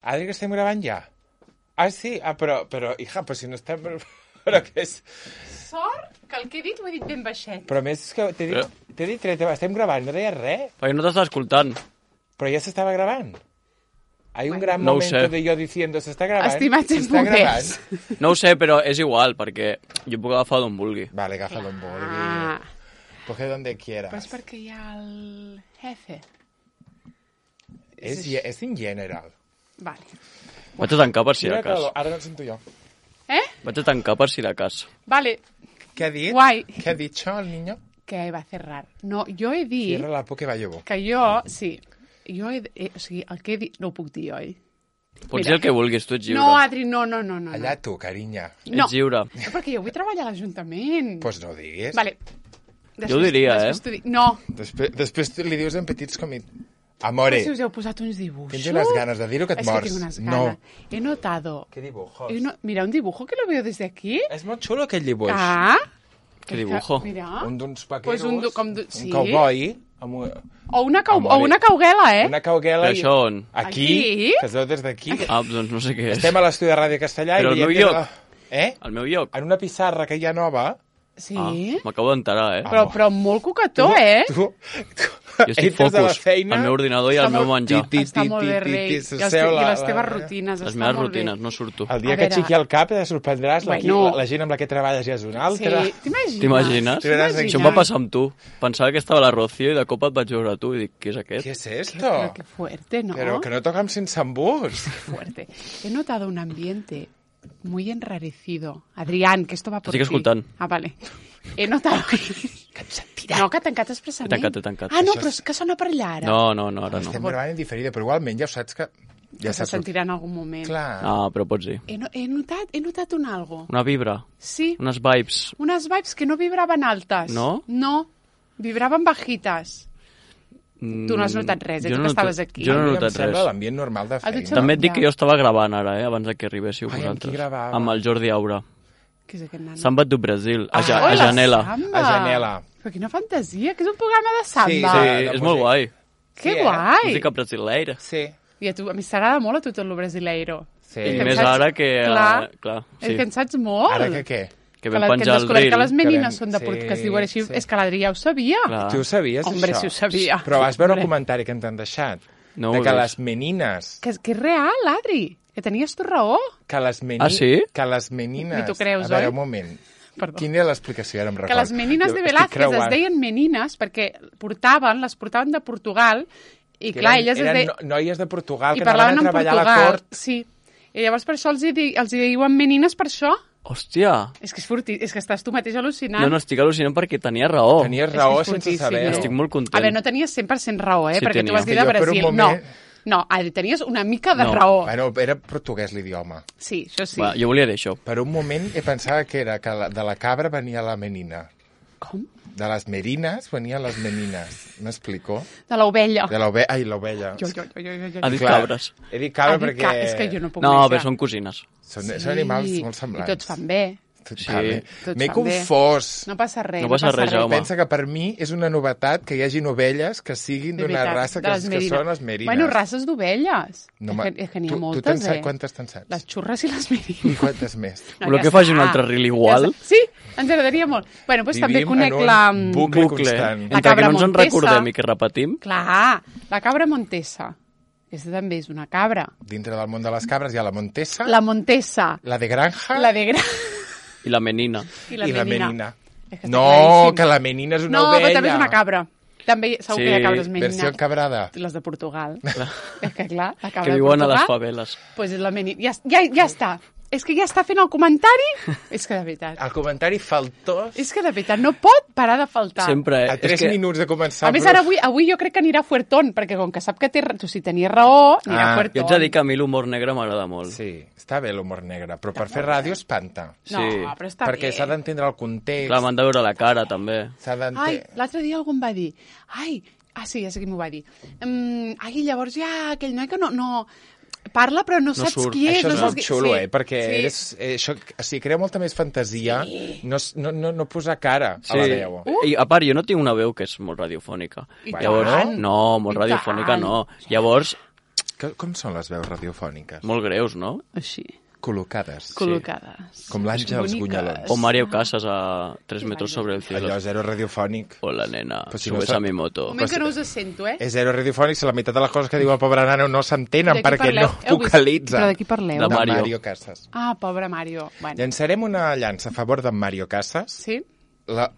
Adri, que estem gravant ja? Ah, sí? Ah, però hija, però si no estem... Però què és? Sort que el que he dit ho he dit ben baixet. Però més és que t'he dit estem gravant, no deies res. Perquè no t'estava escoltant. Però ja s'estava gravant. Hay un gran no momento de jo diciendo, s'està gravant. Estimats gravant. No ho sé, però és igual, perquè jo puc agafar d'on vulgui. Vale, agafa d'on vulgui. Coge donde quieras. Pues perquè hi ha el jefe. És in general. Vale. Vaig a tancar per si de cas. Ara no el sento jo. Vaig a tancar per si de cas. Vale. ¿Qué ha dit? Guai. ¿Qué ha dicho el niño? Que va a cerrar. No, jo he dit... Cierra la por que va llevo. Que jo, sí. Jo o sigui, el que he dit... No ho puc dir, oi? Pots dir el que vulguis, tu ets lliure. No, Adri, no. Allà tu, carinya. No. Ets lliure. No, perquè jo vull treballar a l'Ajuntament. Pues no ho diguis. Vale. Jo ho diria, No. Després li dius en petits com... Amore. Si us heu posat uns dibuixos. Tens unes ganes de dir-ho que et mors. És que tinc unes ganes. No. He notado... ¿Qué dibujos? Mira, un dibujo que lo veo desde aquí. És molt xulo aquell dibuix. Ah. Què dibujo? Mira. Un d'uns vaqueros, Pues sí. un cowboy... O una cauguela, eh? Una cauguela... Però això on? Aquí? Que es veu des d'aquí. Ah, doncs no sé què és. Estem a l'estudi de Ràdio Castellà Però i... el meu lloc. El meu lloc. En una pissarra que hi ha nova... Sí. M'acabo d'enterar, Però molt cucató, Tu jo estic focus al meu ordinador i al meu menjar. Està molt bé, rei. I les teves rutines. Les meves rutines, no surto. El dia que aixequi el cap te sorprendràs. La gent amb la que treballes ja és una altra. Sí, t'imagines? Això em va passar amb tu. Pensava que estava la Rocío i de cop et vaig veure a tu i dic, què és aquest? ¿Qué es esto? Qué fuerte, ¿no? Pero que no tocan sense embús. Fuerte. He notado un ambiente muy enrarecido. Adrián, que esto va por ti. Estic escoltant. Ah, vale. He notado... Que et sentirà. No, que ha tancat expressament. He tancat. Ah, no, però és que sona per allà, ara. No, ara no. Estem gravant en diferida, però igualment ja ho saps que... Ja se sentirà en algun moment. Clar. Ah, però pots dir. He notat un algo. Una vibra. Sí. Unes vibes. Unes vibes que no vibraven altes. No? No, vibraven bajites. Tu no has notat res, tu que estaves aquí. Jo no he notat res. L'ambient normal de feina. També et dic que jo estava gravant ara, abans que arribéssiu vosaltres. Amb qui gravava? Amb el Jordi Aura. Què és aquest nano? Samba do Brasil, a Hola, Janela. Samba. A Janela. Però quina fantasia, que és un programa de samba. Sí, és molt guai. Que guai. Música brasileira. Sí. I a mi t'agrada molt a tu tot lo brasileiro. Sí. I més ara que... Clar, sí. és que en saps molt. Ara que què? Que vam penjar el reel. Que les menines són de Portugal, que es diuen així. És que l'Adri ja ho sabia. Tu ho sabies, Hombre, això? si ho sabia. Però vas veure el comentari que ens han deixat? No de que les menines... Que és real, Adri. Que tenies tu raó. Que les menines... Ah, sí? Que les menines... Ni t'ho creus, oi? A veure, oi? un moment. Perdó. Quina era l'explicació? Ara em record. Que les menines de Velázquez es deien menines perquè les portaven de Portugal i clar, elles es deien... Eren noies de Portugal que anaven a treballar a la cort. Sí. I llavors per això els diuen menines per això. Hòstia! És que és que estàs tu mateix al·lucinant. No, estic al·lucinant perquè tenia raó. Tenies raó sense saber. Estic molt content. A veure, no tenies 100% raó, Sí, perquè tenia. tu vas dir de Brasil. No, tenies una mica de raó. Bueno, era portuguès l'idioma. Sí, això sí. Va, jo volia dir això. Per un moment pensava que era que de la cabra venia la menina. Com? De les merines venien les menines. M'explico? De l'ovella. De l'ovella. Ai, l'ovella. Jo. Ha dit cabres. He dit cabra perquè... És que jo no puc No, més. però són cosines. Són animals molt semblants. I tots fan bé. Sí. Tots M'he fan bé. confós. No passa res. No passa res, Jaume. Pensa que per mi és una novetat que hi hagin ovelles que siguin d'una raça que són les merines. Bueno, races d'ovelles. No, és que n'hi ha moltes, tu saps quantes te'n saps? Les xurres i les merines. I quantes més? Voleu que faci un altre reel igual? Sí, ens agradaria molt. Bueno, doncs també conec la... bucle constant. Entre que no ens en recordem i que repetim. Clar, la cabra Montesa. Aquesta també és una cabra. Dintre del món de les cabres hi ha la Montesa. La Montesa. La de granja. La de granja. I la menina. I la menina. No, que la menina és una ovella. No, però també és una cabra. També segur que hi ha cabres menines. Versió encabrada. Les de Portugal. És que clar, la cabra que viuen a les faveles. Pues és la menina. Ja està. És que ja està fent el comentari. És que de veritat. El comentari faltós. És que de veritat no pot parar de faltar. Sempre. A 3 minuts de començar. A més, ara avui jo crec que anirà fuertón, perquè com que sap que tu si tenies raó, anirà fuertón. Jo ets a dir que a mi l'humor negre m'agrada molt. Sí, està bé l'humor negre, però per fer ràdio espanta. No, però està perquè s'ha d'entendre el context. Clar, m'han de veure la cara, també. Ai, l'altre dia algú em va dir... sí, ja sé qui m'ho va dir. Llavors hi ha aquell noi que no parla però no saps qui és. Això és molt xulo, perquè això, o sigui, crea molta més fantasia no posar cara a la veu. I a part, jo no tinc una veu que és molt radiofònica. Llavors, no, molt radiofònica no. Llavors, Com són les veus radiofòniques? Molt greus, no? Així. Col·locades. Col·locades. Com l'Àngels Gunyalons. O Mario Casas a 3 metros sobre el cielo. Allò zero radiofònic. Hola, nena, Però si subes no a mi moto. Un moment que no us sento, És zero radiofònic si la meitat de les coses que diu el pobre nano no s'entenen De qui perquè parleu? no vocalitza. Però de qui parleu? De Mario. Mario Casas. Ah, pobre Mario. Bueno. Llançarem una llança a favor d'en Mario Casas. Sí?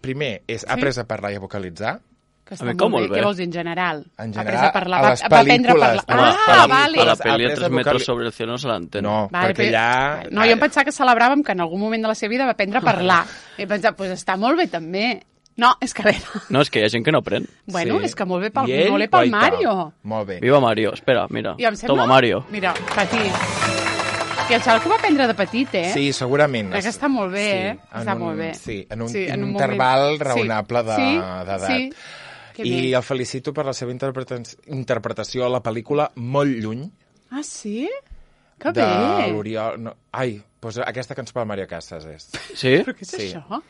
Primer és après a parlar i a vocalitzar. Que A mi com molt bé. Què vols dir, en general? En Après general, a parlar, a les va aprendre a pel·lícules. parlar. No, Ah, vale. A la Après pel·li a de 3 metros sobre el cielo no se l'entén. No, Vale, perquè allà... No, jo em pensava que celebràvem que en algun moment de la seva vida va aprendre a parlar. He pensat, doncs està molt bé també. No, és que a veure... No, és que hi ha gent que no aprèn. Bueno, Sí. és que molt bé I ell, molt bé pel guaita. Mario. Molt bé. Viva Mario. Espera, mira. I em sembla... Toma, Mario. Mira, petit. Que el xaval que va aprendre de petit, eh? Sí, segurament. Crec que està molt bé, eh? Està molt bé. Sí, en un moment. interval raonable d'edat. Sí. Que I bé. el felicito per la seva interpretació a la pel·lícula molt lluny Ah, sí? Que de bé. l'Oriol... No, ai, doncs aquesta cançó pel Mario Casas és. Sí? Però què és Sí. això?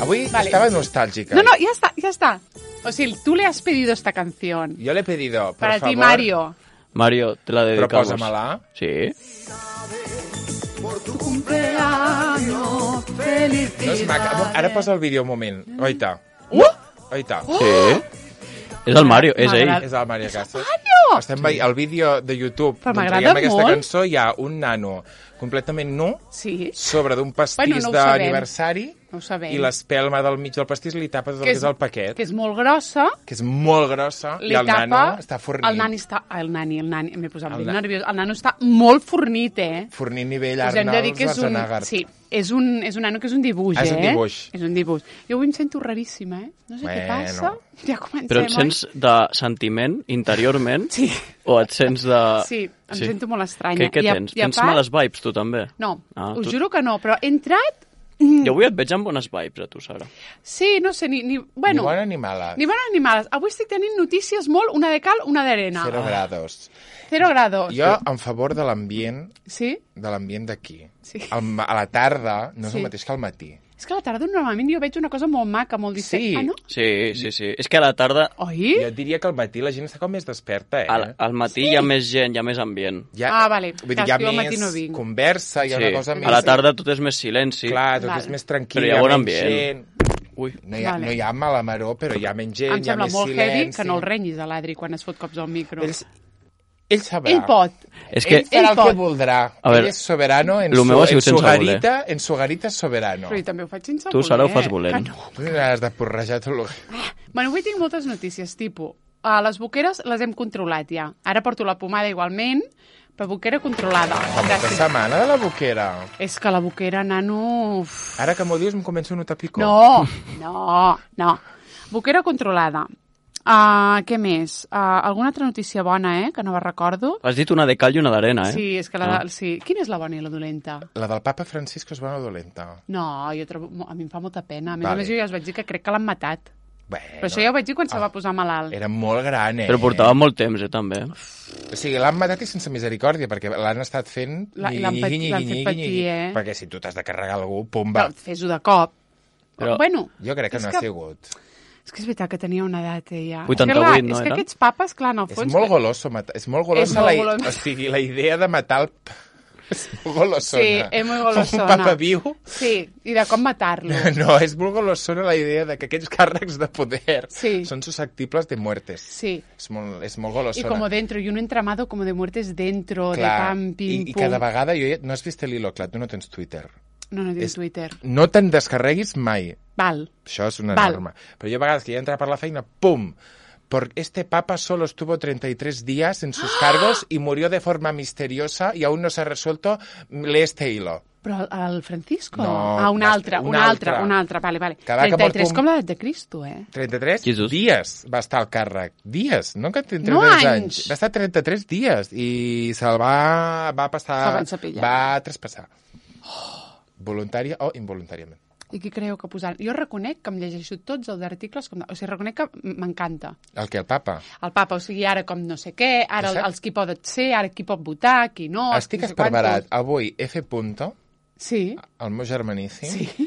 Avui Vale. estava nostàlgica. No, ya está, ya está. O sea, tú le has pedido esta canción. Jo l'he pedido, por Para favor. ti, Mario. Mario, te la dedicamos. Però posa-me-la. Sí. Cumpleaños, feliz No és maca. Ara posa el vídeo un moment. Oita. Oita. Sí. És el Mario, és ell. És el Mario Casas. Mario! Estem veient el vídeo de YouTube Però on m'agrada traiem aquesta molt. cançó. Hi ha un nano completament nu Sí, sobre d'un pastís Bueno, no ho sabem. d'aniversari no ho sabem. i l'espelma del mig del pastís li tapa tot el que és el paquet, Que és molt grossa. que és molt grossa, Li i el tapa... nano està fornint. El nani està... El nani, m'he posat El ben nano. nerviós. El nano està molt fornit, eh? Fornint nivell Us hem de dir Arnold que és un... Schwarzenegger. Sí, és un nano que és un dibuix, És un dibuix. És un dibuix. Jo avui em sento raríssima, eh? No sé què Bueno. passa. Ja comencem, Però et sents de sentiment, interiorment? Sí. O et sents de... Sí, em sento molt estranya. Què I a- tens? i a Tens part- males vibes, tu també? No, us tu- juro que no, però he entrat... Jo avui et veig amb bones vibes, a tu, Sara. Sí, no sé, Ni bueno, bona ni mala. ni bones ni males. Avui estic tenint notícies molt, una de cal, una d'arena. 0 grados. 0 grados. Jo, en favor de l'ambient Sí? d'aquí. Sí. A la tarda no és Sí. el mateix que al matí. És que a la tarda normalment jo veig una cosa molt maca, molt diferent. Sí. Ah, no? Sí, sí, sí. És que a la tarda, Oi? Jo et diria que al matí la gent està com més desperta, eh? al matí hi ha més gent, hi ha més ambient. Ah, vale. Vull dir, Clar, hi ha jo al matí més no vinc. conversa, hi ha una cosa més... A la tarda tot és més silenci. Clar, tot Val. és més tranquil, Però hi ha bon menys ambient. gent. Ui, Vale. No hi ha mala maror, però hi ha menys gent, Em hi ha sembla més molt silenci. heavy que no el renyis a l'Adri quan es fot cops al micro. Ell sabrà. Ell pot. és que... Ell farà el pot. que voldrà. A veure, Ell és soberano en lo meu ha su sigut sense garita, en su garita és soberano. Però jo també ho faig sense Tu, voler. Sara, ho fas volent. Que no. Tu has de porrejar tot el... Bueno, avui tinc moltes notícies, tipus, les boqueres les hem controlat ja. Ara porto la pomada igualment, però boquera controlada. Fa molta setmana de la boquera. És que la boquera, nano... Uf. Ara que m'ho dius em començo a notar picor. No. Boquera controlada. Què més? Alguna altra notícia bona, que no la recordo? Has dit una de cal i una d'arena, eh? Sí, és que sí. Quina és la bona i la dolenta? La del papa Francisco és bona o dolenta? No, jo trobo... a mi em fa molta pena. A més Vale. a més, jo ja us vaig dir que crec que l'han matat. Bueno, Però això ja ho vaig dir quan se va posar malalt. Era molt gran, eh? Però portava molt temps, també. O sigui, l'han matat i sense misericòrdia, perquè l'han estat fent... L'han fet patir, eh? Perquè si tu t'has de carregar algú, pumba. Però fes-ho de cop. Però- Bueno, Jo crec que és no ha sigut. És que és veritat que tenia una edat, ella. 88, no És que era? aquests papes, clar, en el És fons... molt goloso matar. És molt golosa molt la... goloso. O sigui, la idea de matar el... És molt golosona. Sí, és molt golosona. Un papa viu... Sí, i de com matar-lo. No, és molt golosona la idea de que aquests càrrecs de poder Sí. són susceptibles de muertes. Sí. És molt golosona. Y como dentro, y un entramado como de muertes dentro, de pam, pim, I pum. cada vegada... No has vist l'hilo, clar, tu no tens Twitter. No tinc és- Twitter. No te'n descarreguis mai. Val. Això és una Val. norma. Però jo a vegades que ja entra per la feina, pum! Este papa solo estuvo 33 días en sus cargos y murió de forma misteriosa y aún no se ha resuelto. Lee este hilo. Però el Francisco? No, un altre. Vale. Que va que 33, porta com l'edat de Cristo, eh? 33 Jesús. dies va estar al càrrec. Dies, no que 33 No anys. anys. Va estar 33 dies i se'l va passar... Se'l van cepillar. Va traspassar. Voluntària o involuntàriament. I qui creu que posar... Jo reconec que em llegeixo tots els articles, o sigui, reconec que m'encanta. El que el papa? El papa, o sigui, ara com no sé què, ara Exacte. els qui poden ser, ara qui pot votar, qui no... Estic no sé esparverat. quantos. Avui F. Punto, Sí, el meu germaníssim, sí.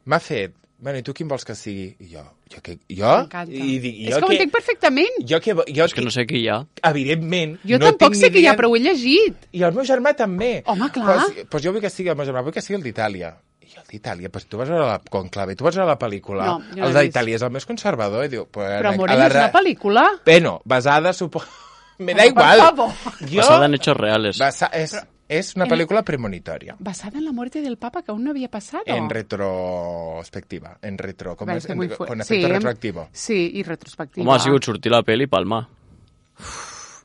m'ha fet bueno, i tu quin vols que sigui? I jo? M'encanta. És que ho entenc perfectament. Jo És que no sé qui hi ha. Evidentment, Jo no tampoc tinc sé ni qui hi ha, idea. però ho he llegit. I el meu germà també. Home, clar. Pues jo vull que sigui el meu germà, vull que sigui el d'Itàlia. I el d'Itàlia, pues tu vas veure la Conclave, tu vas veure la pel·lícula. No, jo no el l'he d'Itàlia és el més conservador. I diu, pues, Però Morell és una pel·lícula. Bueno, basada, suposo... Me da Home, igual. per favor. Basada en hechos reales. Es una película premonitoria. Basada en la muerte del Papa que aún no había pasado. En retrospectiva. En retro... Com Vale, és? que muy Con fuerte. efecto retroactivo. Sí, i retrospectiva. Home, ha sigut sortir la pel·li i palmar.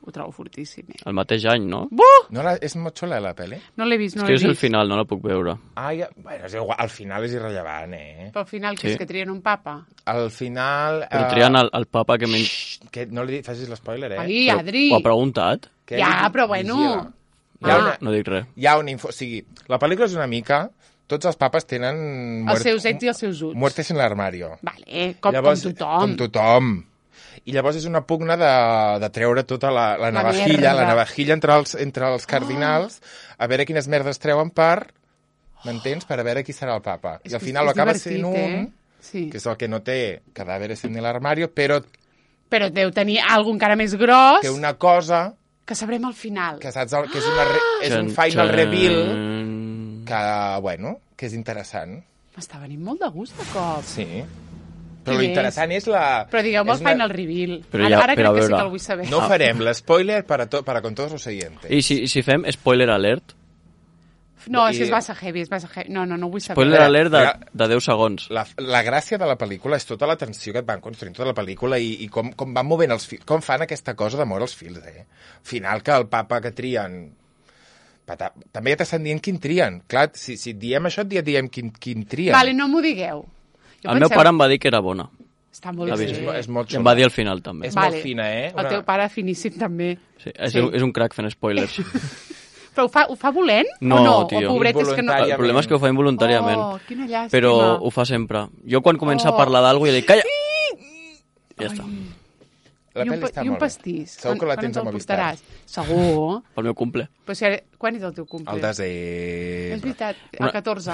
Ho trobo fortíssim. El mateix any, no? Buh! No és molt xula, la pel·li? No l'he vist, no És que l'he jo és el vist. final, no la puc veure. Bueno, és igual, al final és irrellevant, Però al final, que Sí. és que trien un papa? Al final... Però trien el papa que menys... Que no li facis l'spoiler, Ai, Adri. Ho ha preguntat? Que Ja, ell però bueno. vigila. Hi Ah. ha una, No dic res. hi ha una info... O sigui, la pel·lícula és una mica... Tots els papes tenen... Els seus ets i els seus uts. Muertes en l'armario. Vale, com tothom. Com tothom. I llavors és una pugna de treure tota la navajilla, merda. la navajilla entre els cardinals, a veure quines merdes treuen m'entens? Per a veure qui serà el papa. I al final acaba sent un, Sí. que és el que no té cadàveres en l'armario, però Però deu tenir algun encara més gros té una cosa que sabrem al final. que saps que és un final reveal que, bueno, que és interessant. M'està venint molt de gust de cop. Sí. Però Qui l'interessant és la... Però digueu-me és el final reveal. Però Ara ja, crec però a que sí veure. que el vull saber. No farem l'espoiler para con todos los oyentes. I si fem spoiler alert? No, és que és massa heavy, és massa heavy. No, no vull saber. Spoiler alert Mira, de 10 segons. La gràcia de la pel·lícula és tota la tensió que et van construint tota la pel·lícula i com van movent els fils, com fan aquesta cosa de moure els fils, Al final que el papa que trien... També ja t'estan dient quin trien. Clar, si et diem això, et diem quin trien. Vale, no m'ho digueu. El meu pare em va dir que era bona. Està molt La bé. vist. És molt I em xula. va dir al final, també. És molt fina, El teu pare finíssim, també. Sí, és un crac fent spoilers. Però ho fa volent No, o no? tio. O pobret és que no... El problema és que ho fa involuntàriament. Oh, quina llàstima. Però ho fa sempre. Jo quan comença a parlar d'algú ja dic, calla! Ja està. La pel·li està I un molt bé. pastís. Segur que la tens a Quan ens el Movistar. portaràs? Segur. Pel meu cumple. Però si ara... Quan és el teu cumple? El desembre. És veritat, el 14.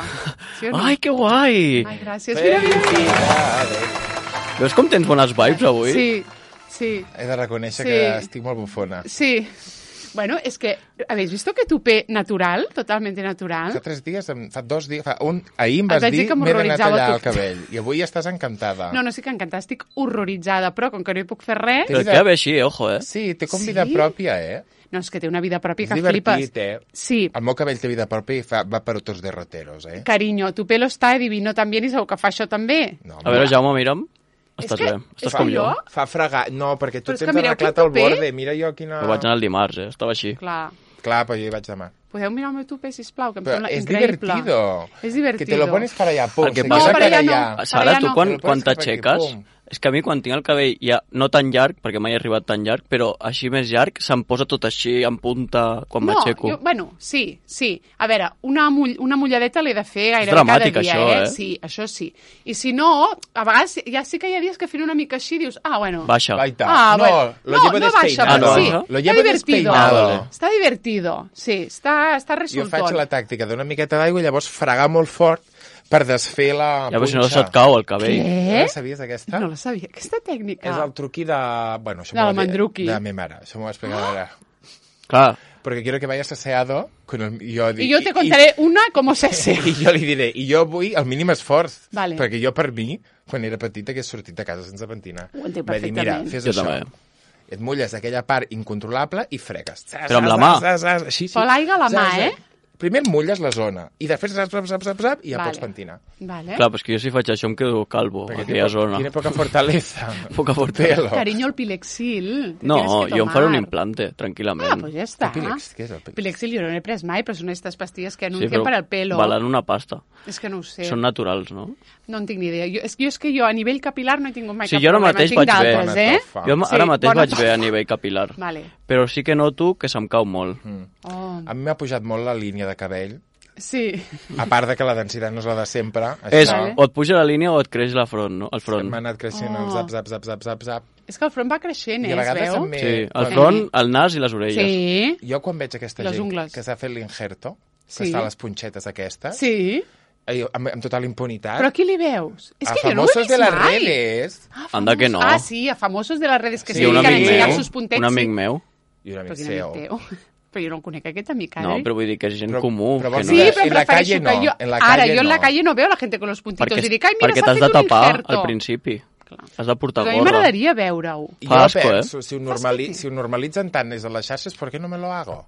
Sí o no? Ai, que guai! Ai, gràcies. Mira. Veus com tens bones vibes avui? Sí, sí, He de reconèixer Sí. que estic molt bufona. sí. Bueno, es que, ¿habéis visto que tupé natural? Totalmente natural. Fa 3 dies, fa 2 dies, ahir em vas vaig dir dir que m'he d'anar a m'horroritzava tallar el tu. cabell. I avui estàs encantada. No, no estic encantada, estic horroritzada, però com que no hi puc fer res... Però queda bé així, ojo, eh? Sí, té com vida pròpia, No, és que té una vida pròpia És que flipes. divertit, Sí, El meu cabell té vida pròpia i va per otros derroteros, cariño, tu pelo està divino també i segur que fa això també. No, A veure, Jaume, mira'm. Estàs que- bé. és Estàs com que jo. Fa fregar... No, perquè tu Però és que tens mireu arreglat quin el tupé. borde. Mira jo quina... Però vaig anar el dimarts, Estava així. Clar. Clar, però jo hi vaig demà. Podeu mirar el meu tupé, sisplau, que em Però sembla és increïble. divertido. És divertido. Que te lo pones para allá, pum. El que se passa queda per allà allà. no. Sara, ja tu no. quan Te lo pones cap aquí, t'aixeques... pum. És que a mi quan tinc el cabell ja no tan llarg, perquè mai he arribat tan llarg, però així més llarg, se'm posa tot així en punta quan m'aixeco. Bueno, sí. A veure, una mulladeta l'he de fer gairebé dramàtic, cada dia, això, eh? Sí, això sí. I si no, a vegades ja sí que hi ha dies que fent una mica així dius, bueno... Baixa. Baita. Ah, no, bueno. lo llevo no baixa, despeinado. però sí. Ah, no? Lo Està llevo divertido. despeinado. Està divertido, sí, està Jo resultón. faig la tàctica d'una miqueta d'aigua i llavors fregar molt fort per desfer la Ja, però si no punxa. se't cau el cabell. Què? No la sabies, aquesta? No la sabia, aquesta tècnica. És el truqui de... Bueno, això De la m'ho va dir- mandruqui. De mi mare. Això m'ho va explicar ara. Clar, Porque quiero que vayas aseado con el... I jo te contaré una com se sé. I jo li diré, i jo vull el mínim esforç. Vale. Perquè jo, per mi, quan era petita, que he sortit de casa sense pentinar. Ho entenc Va dir, mira, perfectament. fes Jo això. també. Et mulles aquella part incontrolable i fregues. Però amb la mà. Així, sí. Però l'aigua a la mà, eh? Primer et mulles la zona i després zap, i ja Vale. pots pentinar. Vale. clar, però és que jo si faig això em quedo calvo, a aquella zona. Tiene poca fortaleza. Poca fortaleza. Pelo. Cariño, el Pilexil. te No, tienes que jo em faré un tomar. implante, Ah, tranquil·lament. pues ja està. Pilex, què és el Pilex? Pilexil jo no n'he pres mai, però són aquestes pastilles que Sí, anuncien per al pelo. valen una pasta. És que no ho sé. Són naturals, no? No en tinc ni idea. És que jo a nivell capilar no he tingut mai Sí, cap jo ara problema. mateix Tinc vaig bé. d'altres, eh? Bona Jo Sí, ara mateix bona vaig bé a nivell capilar. Vale. Però sí que noto que se'm cau molt. Oh. A mi m'ha pujat molt la línia de cabell, Sí. a part de que la densitat no és la de sempre. És, Això o et puja la línia o et creix la front, no? El front. m'ha anat creixent el zap, zap, zap, zap, zap, zap. És que el front va creixent, I a es vegades veu? també... Sí, el quan- front, el nas i les orelles. Sí. Jo quan veig aquesta Les gent ungles. que s'ha fet l'injerto, que Sí. es fa les punxetes aquestes, Sí. amb total impunitat. Però a qui li veus? És a que jo no ho he famosos vist de les mai. redes. Anda que no. Ah, sí, a famosos de les redes que Sí, se un dediquen a amic ensenyar meu, sus puntets. un amic meu. I un Però amic quin seu. amic teu? Però jo no el conec, aquest amic, No, però vull dir que és gent comú. però que vols no Sí, dir és... però en la prefereixo calle que no, jo... en la Ara, calle jo en la no. calle no veo la gente con los puntitos i dic, ai, mira, perquè s'ha t'has de fet un tapar injerto. al principi. Clar. Has de portar Però a mi gorra. m'agradaria veure-ho. I Fa jo asco, penso, si ho normalitzen tant des de les xarxes, per què no me lo hago?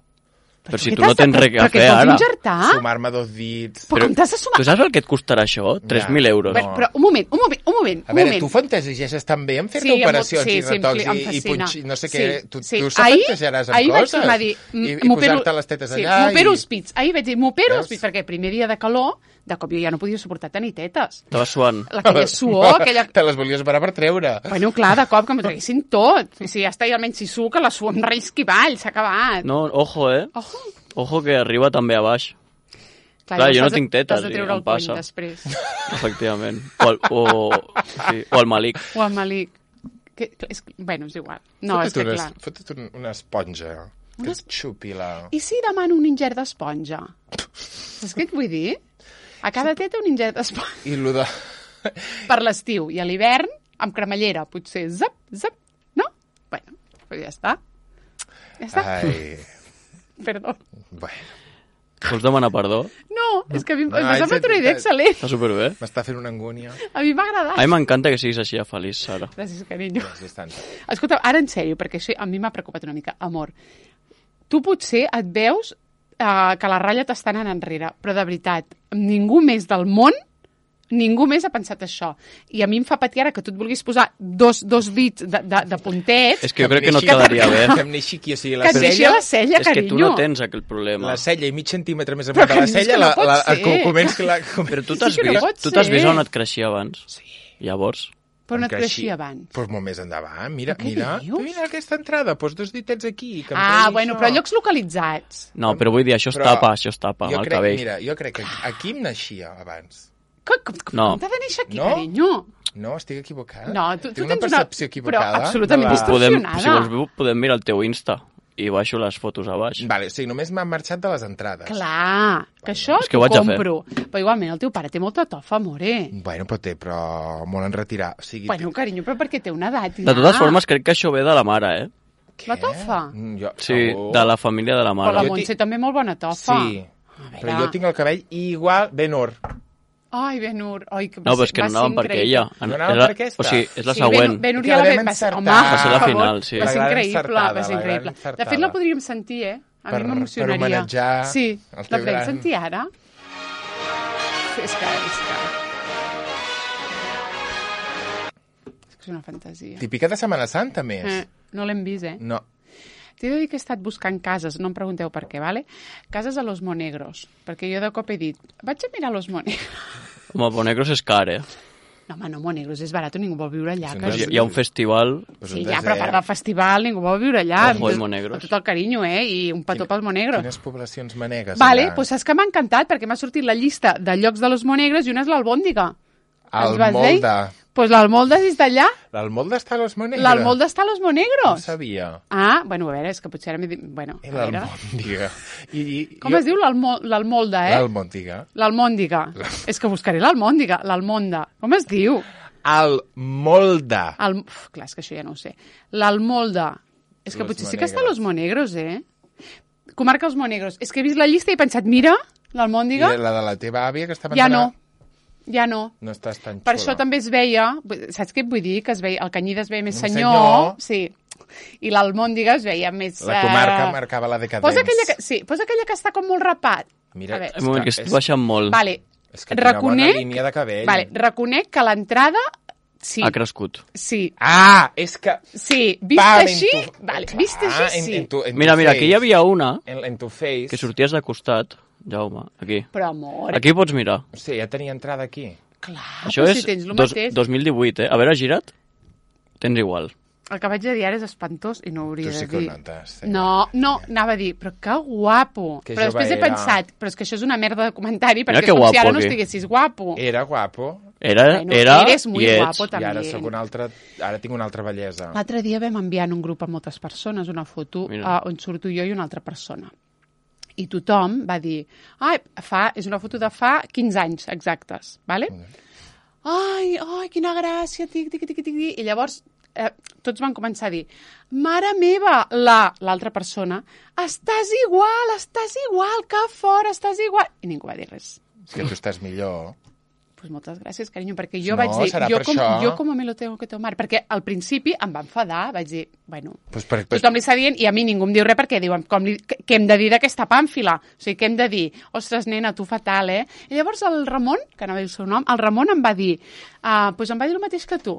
Però si què tu no t'has tens de- res a però què fer et vols ara. injertar? Sumar-me 2 dits. Però com t'has de sumar? Tu saps el que et costarà això? 3.000 euros. Bueno, però un moment. A veure, tu fantaseges també en fer-te operacions i retocs i punx, no sé què. Tu fantasejaràs amb ahir vaig coses? tornar a dir... I posar-te les tetes allà m'opero i... els pits. Ahir vaig dir, m'opero els Veus? pits, perquè el primer dia de calor, de cop jo ja no podia suportar tenir tetes. Estava suant. Aquella suor, aquella... Te les volies parar per treure. Bueno, clar, de cop que m'ho traguessin tot. I si ja està, i almenys si suc, que la suor em rellisqui avall, s'ha acabat. No, ojo, Ojo. Ojo que arriba també a baix. Clar, jo no llavors tinc tetes t'has de i treure em el puny passa. després. Efectivament. O el Malik. O el Malik. Bueno, és igual. No, és que clar. Fotut una esponja. Que et xupi la... I si demano un ingert d'esponja? Saps què et vull dir? A cada teta un ingert d'esponja. I lo de... Per l'estiu. I a l'hivern, amb cremallera. Potser zap, zap. No? Bueno, però ja està. Ja està. Ai... Perdó. Bueno. Vols demanar perdó? No, és que a mi em Ai, sembla una idea excel·lent. Està superbé. M'està fent una angúnia. A mi m'ha agradat. A mi m'encanta que siguis així de feliç, Sara. Gràcies, carinyo. Gràcies tant. Escolta, ara en sèrio, perquè això a mi m'ha preocupat una mica. Amor, tu potser et veus que la ratlla t'està anant enrere, però de veritat, ningú més del món, ningú més ha pensat això. I a mi em fa patir ara que tu et vulguis posar dos dits de puntets. És que jo crec que no et quedaria bé. Que em neixi aquí, o sigui, Que et neixi la cella, És que carinyo. tu no tens aquell problema. La cella i mig centímetre més Però amunt de la que dius cella, que no pot ser. comenci la... Però tu Sí t'has que no vist, pot tu t'has ser. vist on et creixia abans. Sí. Llavors, Però no Em et creixia abans. Doncs molt més endavant. Mira, Però què mira, dius? mira aquesta entrada, posa 2 ditets aquí. Que em Ah, tregui bueno, això. però a llocs localitzats. no, però vull dir, això es Però tapa amb el cabell. Mira, jo crec que aquí em naixia abans. No. Com t'ha de néixer aquí, No? carinyo? No, estic equivocat? No, tu Tinc tens una percepció equivocada. Però absolutament de la- distorsionada. Si vols, podem mirar el teu Insta i baixo les fotos a baix. Vale, o sigui, només m'han marxat de les entrades. Clar, que això És que t'ho ho haig de fer. compro. Però igualment el teu pare té molta tofa, amore. Bueno, però molt en retirar. O sigui, Bueno, carinyo, però perquè té una edat ja. De totes formes, crec que això ve de la mare, La tofa? Jo, Sí, segur. de la família de la Però la mare. Jo Montse també molt bona tofa. Sí, veure. però jo tinc el cabell igual, ben or. Ai, Benur. Ai, que No, però és que no anàvem per aquella. No anàvem per aquesta? O sigui, és la Sí, següent. Benur Que ja la la vam vam encertar. Home, Va ser la per favor, final, sí. Va ser La gran increïble, encertada, va ser la gran increïble. De encertada. fet, la podríem sentir, A mi m'emocionaria. per homenatjar Sí, el la teu podem gran- sentir ara? És que... És una fantasia. Típica de Setmana Santa, més. No l'hem vist, No. T'he de dir que he estat buscant cases, no em pregunteu per què, vale? Cases a Los Monegros, perquè jo de cop he dit, vaig a mirar Los Monegros. Home, Bonegros és car, No, home, no, Monegros és barat, ningú vol viure allà. Sí, Que... no, Hi ha un festival... Pues Sí, un ja, desert. però a part del festival ningú vol viure allà. Ojo, Amb Monegros. Amb tot el carinyo, I un petó pel Monegros. Quines poblacions manegues. Vale, allà? doncs saps que m'ha encantat, perquè m'ha sortit la llista de llocs de Los Monegros i una és l'Albòndiga. El Ens vas dir? Molde. Doncs l'Almolde és d'allà. L'Almolde està a Los Monegros? L'Almolde està a Los No Monegros. sabia. Ah, bueno, a veure, és que potser ara m'he dit... Bueno, a veure. L'Almòndiga. Com es diu l'Almolde, L'Almòndiga. L'Almòndiga. És que buscaré l'Almòndiga, l'Almonda. Com es diu? El Molde. Clar, és que això ja no ho sé. L'Almolde. És que Los potser sí que està a Monegros. Los Monegros, Comarca Els Monegros. És que he vist la llista i he pensat, mira, l'Almòndiga, I la de la teva àvia, que estava ja entrada, no. Ja no. No estàs tan xula. Per això també es veia, saps què et vull dir? Que es veia, el Canyida es veia més Més senyor, sí. I l'Almòndiga es veia més... La comarca marcava la decadència. Posa aquella que està com molt rapat. Mira, A veure. Un moment, que estic baixant molt. Vale, És que té una bona reconec, línia de cabell. vale, reconec que l'entrada... Sí, Ha crescut. sí, Ah, és que... sí. Vist Pam, així, en tu- vale, Clar, vist així, sí. En tu Mira, face. aquí hi havia una En tu face. que sorties de costat. Jaume, aquí. Però, amor, Aquí pots mirar. Sí, ja tenia entrada aquí. clar, Això però és si tens el mateix. 2018, A veure, gira't. Tens igual. El que vaig a dir ara és espantós i no ho hauria Tu sí de que ho dir. notes, sí. No, anava a dir, però que guapo. Que Però després jove he era. pensat, però és que això és una merda de comentari, Mira perquè que és com si guapo, ara no aquí. estiguessis guapo. Era guapo. Era, Bueno, era eres muy i ets. guapo, I ara també. sóc una altra... Ara tinc una altra bellesa. L'altre dia vam enviar en un grup a moltes persones una foto Mira. on surto jo i una altra persona. I tothom va dir, és una foto de fa 15 anys exactes, ¿vale? Ai, quina gràcia, tic. I llavors tots van començar a dir, mare meva, l'altra persona, estàs igual, que fort, estàs igual. I ningú va dir res. És que tu estàs millor. Pues moltes gràcies, carinyo, perquè jo vaig dir, jo com me lo tengo que tomar, perquè al principi em va enfadar, vaig dir, bueno, tothom li està dient i a mi ningú em diu res perquè diuen, què hem de dir d'aquesta pàmfila? O sigui, què hem de dir? Ostres, nena, tu fatal, eh? I llavors el Ramon, que no va dir el seu nom, el Ramon em va dir, pues em va dir el mateix que tu.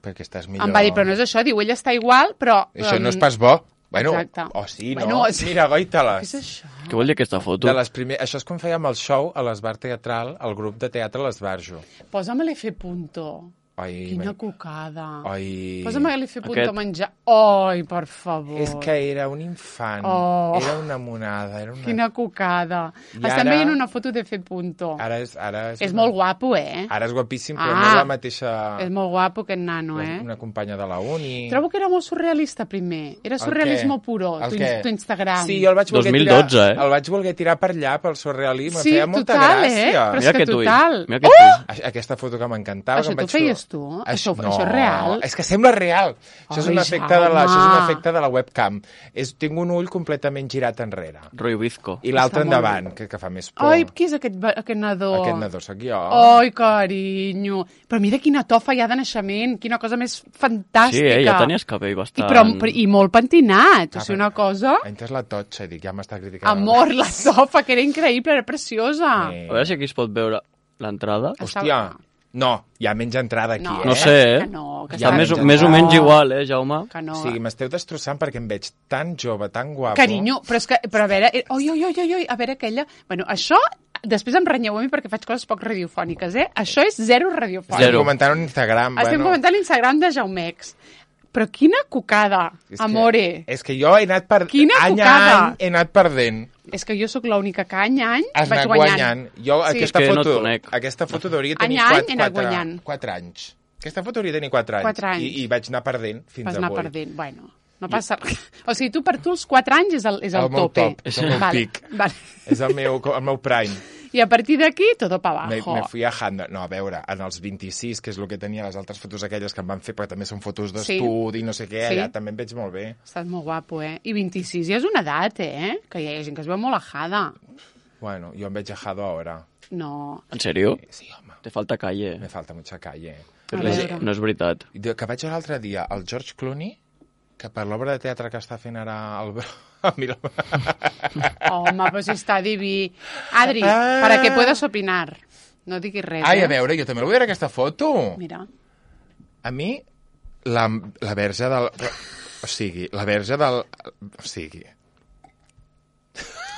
Perquè estàs millor. Em va dir, però no és això, diu, ell està igual, però... Això no és pas bo. Bueno, sí, no? Bueno, mira, goita-les. Què és això? Què vol dir aquesta foto? Això és com fèiem el show a l'Esbar Teatral, al grup de teatre l'Esbarjo. Posa'm l'F punto. Quina cucada. Posa'm l'F punto a menjar. Ai, per favor. És que era un infant. Era una monada. Quina cucada. Estem veient una foto d'F punto. Ara és molt guapo, eh? Ara és guapíssim, però no és la mateixa... És molt guapo, aquest nano, eh? Una companya de la uni. Trobo que era molt surrealista, primer. Era surrealisme puro, tu Instagram. Sí, jo el vaig voler 2012, tirar... El vaig voler tirar per allà, pel surrealisme. Sí, feia molta gràcia. Però és que total. Aquesta foto que m'encantava. Això t'ho feies tu? Això és real? És que sembla real. Això és un efecte de la webcam. Tinc un ull completament girat enrere. Roy Bizco. I l'altre endavant, que fa més por. Ai, qui és aquest nadó? Aquest nadó sóc jo. Ai, carinyo. Però mira quina tofa hi ha de naixement, quina cosa més fantàstica. Sí, ja tenies cabell bastant... I molt pentinat, o sigui, una cosa... Ha entès la totxa, i dic, ja m'està criticant. Amor, la tofa, que era increïble, era preciosa. A veure si aquí es pot veure l'entrada. Hòstia... No, hi ha menys entrada aquí, No sé, que no, que hi ha més o menys igual, Jaume? Que no. Sí, m'esteu destrossant perquè em veig tan jove, tan guapo. Carinyo, però a veure... a veure aquella... Bueno, això... Després em renyeu a mi perquè faig coses poc radiofòniques, eh? Això és zero radiofònic. Estem comentant en Instagram. Estem comentant l'Instagram de Jaumex. Però quina cucada, amore. És que jo he anat any a any he anat perdent. És que jo sóc l'única que any a any vaig guanyant. Jo aquesta foto hauria tenir 4 anys. Aquesta foto hauria tenir 4 anys. I vaig anar perdent fins avui. Vas anar perdent, bueno. No passa res. O sigui, tu per tu els 4 anys és el tope. És el meu pic. És el meu prime. I a partir d'aquí, todo para abajo. Me fui a Handa. No, a veure, en els 26, que és el que tenia les altres fotos aquelles que em van fer, perquè també són fotos d'estudi, no sé què, allà també em veig molt bé. Estàs molt guapo, eh? I 26 ja és una edat, eh? Que hi ha gent que es veu molt ajada. Bueno, yo me he dejado ahora. No. ¿En serio? Sí, home. Te falta calle. Me falta mucha calle. No és veritat. Que vaig veure l'altre dia el George Clooney, que per l'obra de teatre que està fent ara el... Home, pues està diví. Adri, para que puedas opinar. No diguis res, Ai, a veure, jo també vull veure aquesta foto. Mira. A mi, la verge del... O sigui, la verge del... O sigui...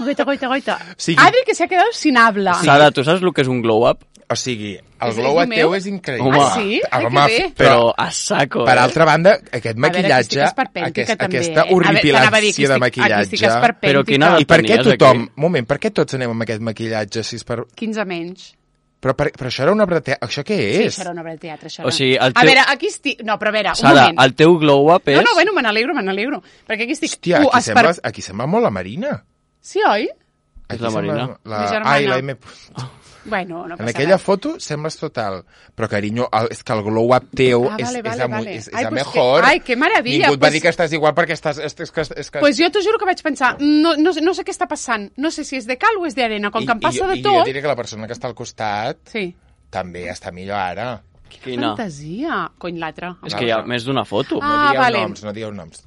Goita. Adri, que se ha quedado sin habla. Sara, ¿tú sabes lo que es un glow-up? O sigui, el glow-up teu és increïble. Ah, sí? Home, que bé. Però a saco, Per altra banda, aquest maquillatge, aquesta horripilància de maquillatge... Però quina I per què tothom... Moment, per què tots anem amb aquest maquillatge? 15 menys. Però això era una obra de teatre. Això què és? Sí, això era una obra de teatre. O sigui, a veure, aquí estic... No, però a veure, un Sara, moment. el teu glow-up és... No, bueno, me n'alegro. Perquè aquí estic... Hòstia, aquí sembla molt la Marina. Sí, oi? És la Marina. La germana. Ai, la M... Bueno, no passa en aquella foto sembles total. Però, carinyo, és que el glow-up teu és a mejor. Ai, que meravella. Ningú et va dir que estàs igual perquè estàs... Pues jo t'ho juro que vaig pensar, no sé què està passant. No sé si és de cal o és d'arena. Com que em passa de tot... I jo diré que la persona que està al costat també està millor ara. Quina fantasia. Cony, l'altra. És que hi ha més d'una foto. No dieu noms.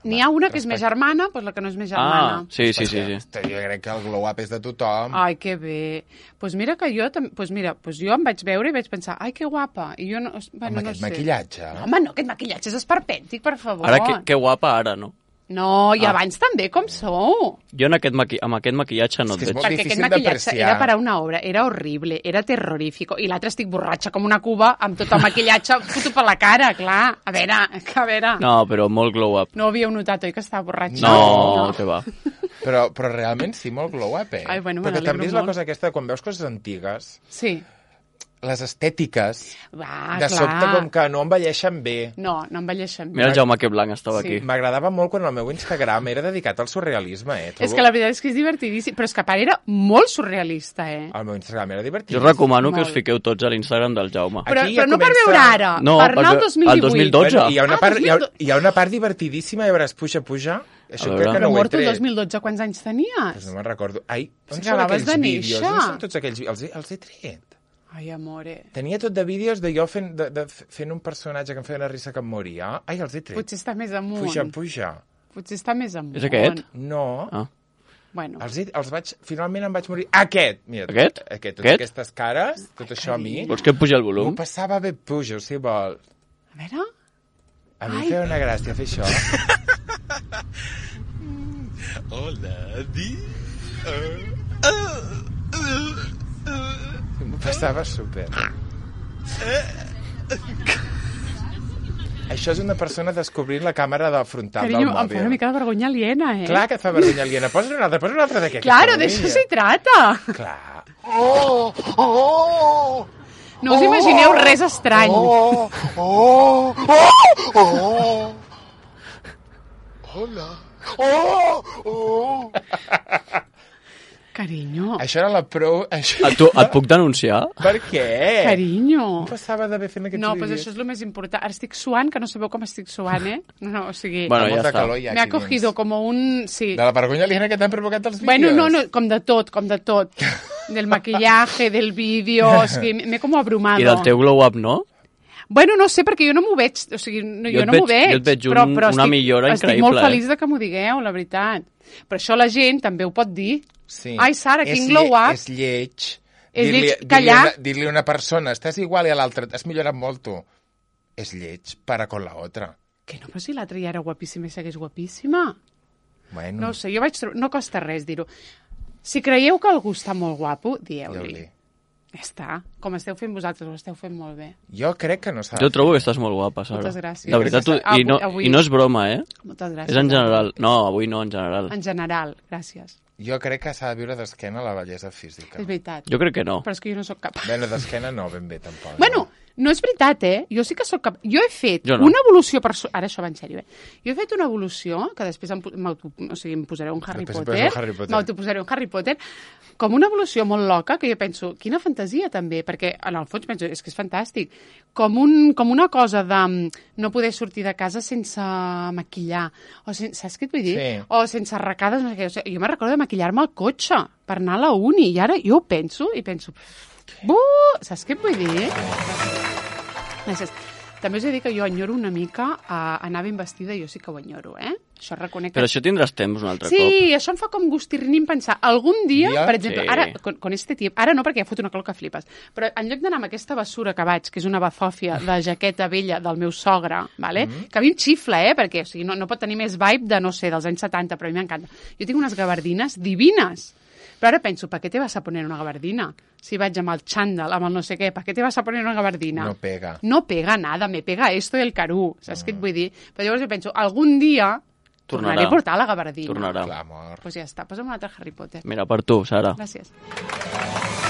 N'hi ha una que és més germana, doncs la que no és més germana. Sí. Jo crec que el glow-up és de tothom. Ai, que bé. Doncs mira que jo jo em vaig veure i vaig pensar, ai, que guapa. I jo no, amb aquest maquillatge. Home, no, aquest maquillatge és esperpèntic, per favor. Ara, que guapa ara, no? No, i abans també, com sou? Jo amb aquest maquillatge no et veig. Perquè aquest maquillatge era per a una obra, era horrible, era terrorífico. I l'altre estic borratxa com una cuba, amb tot el maquillatge foto per la cara, clar. A veure... No, però molt glow-up. No havíeu notat, oi, que estava borratxa? No, que va. Però realment sí, molt glow-up, eh? Ai, bueno, perquè també és la cosa aquesta, quan veus coses antigues... Sí. les estètiques Va, de clar. sobte com que no envelleixen bé. No envelleixen bé. Mira el Jaume que blanc estava Sí. aquí. M'agradava molt quan el meu Instagram era dedicat al surrealisme, És que la veritat és que és divertidíssim, però és que a part era molt surrealista, El meu Instagram era Jo divertidíssim. recomano que Molt. us fiqueu tots a l'Instagram del Jaume. Però, Aquí però ja no per comença- veure ara, No, per anar al perquè 2018. el 2012. Bueno, hi ha una part, 2012. hi ha una part divertidíssima, ja veuràs, puja. Això A veure. crec que Però no ho he mort el tret. 2012, quants anys tenies? Pues no me'n recordo. Ai, on Si són acabaves aquells de vídeos? néixer. On són tots aquells vídeos? Els he tret. Ai, amore. Tenia tot de vídeos de jo fent un personatge que em feia una risa que em moria. Ai, els he tret. Potser està més amunt. Puja. Potser està més amunt. És aquest? No. Ah. Bueno, Finalment em vaig morir. Aquest! Mira, Aquest? Totes aquestes cares, tot això a mi. Vols que em pugi el M'ho volum? passava bé, puja, si vols. a veure... A mi Ai. em feia una gràcia fer això. Hola, di. M'ho passava súper. Això és una persona descobrint la càmera de frontal del Carinyo, em mòbil. fa una mica de vergonya aliena, eh? Clar que et fa vergonya aliena. Posa un altre d'aquest. Claro, de eso se trata. Clar. No us imagineu res estrany. Hola. Carinyo, Això era la pro... Això... Et puc denunciar? Per què? carinyo. Em passava de bé fent aquests No, doncs vídeos. això és el més important. Ara estic suant, que no sabeu com estic suant, eh? No, o sigui... Bueno, Amb ja molta està. calor hi ha Me ha aquí dins. cogido como un... Sí. De la vergonya aliena que t'han provocat els vídeos. Bueno, no, com de tot. Del maquillaje, del vídeo... O sigui, m'he com abrumado. I del teu glow-up, no? Bueno, no sé, perquè jo no m'ho veig. O sigui, jo no m'ho veig. Jo et veig però una millora estic increïble. molt feliç de que m'ho digueu, la veritat. Però això la gent també ho pot dir. Sí. Ai, Sara, quin És glow up. És lleig. És Dir-li- lleig callar. Dir-li a una persona, estàs igual i a l'altra, has millorat molt tu. És lleig, para con la otra. Que no, però si l'altra ja era guapíssima i segueix guapíssima. Bueno, No ho sé, jo vaig trobar... No costa res dir-ho. Si creieu que algú està molt guapo, dieu-li. dieu-li. Ja està. Com esteu fent vosaltres, ho esteu fent molt bé. Jo crec que no s'ha Jo trobo que estàs molt guapa, Sara. Moltes gràcies. De veritat, Avui- i no és broma, eh? Moltes gràcies. És en general. No, avui no, en general. En general, gràcies. Jo crec que s'ha de viure d'esquena la bellesa física. És veritat. Jo crec que no. Però és que jo no sóc capaç. Bueno, d'esquena no, ben bé, tampoc. Bueno, no és veritat, eh? Jo sí que sóc capaç. Jo he fet Jo no. una evolució... Ara això va en sèrio, eh? Jo he fet una evolució, que després em posaré un Harry Després Potter. posa un Harry Potter. M'autoposaré un Harry Potter. Com una evolució molt loca, que jo penso, quina fantasia també, perquè en el fons penso, és que és fantàstic. Com una cosa de no poder sortir de casa sense maquillar. O saps què et vull dir? Sí. O sense arracades. No sé què. O sigui, jo me'n recordo de maquillar-me al cotxe per anar a la uni. I ara jo ho penso i penso... Saps què et vull dir? Gràcies. També us he de dir que jo enyoro una mica anar ben vestida, jo sí que ho enyoro, eh? Això reconec que... Però això tindràs temps un altre cop. Sí, això em fa com gustirrinim pensar. Algun dia, Dia? per exemple, Sí. ara, con este tiempo, ara no perquè ja fot una calor que flipes, però en lloc d'anar amb aquesta bessura que vaig, que és una bazòfia de jaqueta vella del meu sogre, vale? Que a mi em xifla, perquè o sigui, no pot tenir més vibe de, no sé, dels anys 70, però a mi m'encanta. Jo tinc unes gabardines divines, però ara penso, ¿para qué te vas a poner una gabardina? Si vaig amb el xandall, amb el no sé què, ¿para qué te vas a poner una gabardina? No pega. No pega nada, me pega esto del carú, saps què et vull dir? Però llavors jo penso, algun dia tornaré a portar la gabardina. Tornarà. Clar, amor. Pues ja està, posa'm un altre Harry Potter. Mira, per tu, Sara. Gràcies. Gràcies.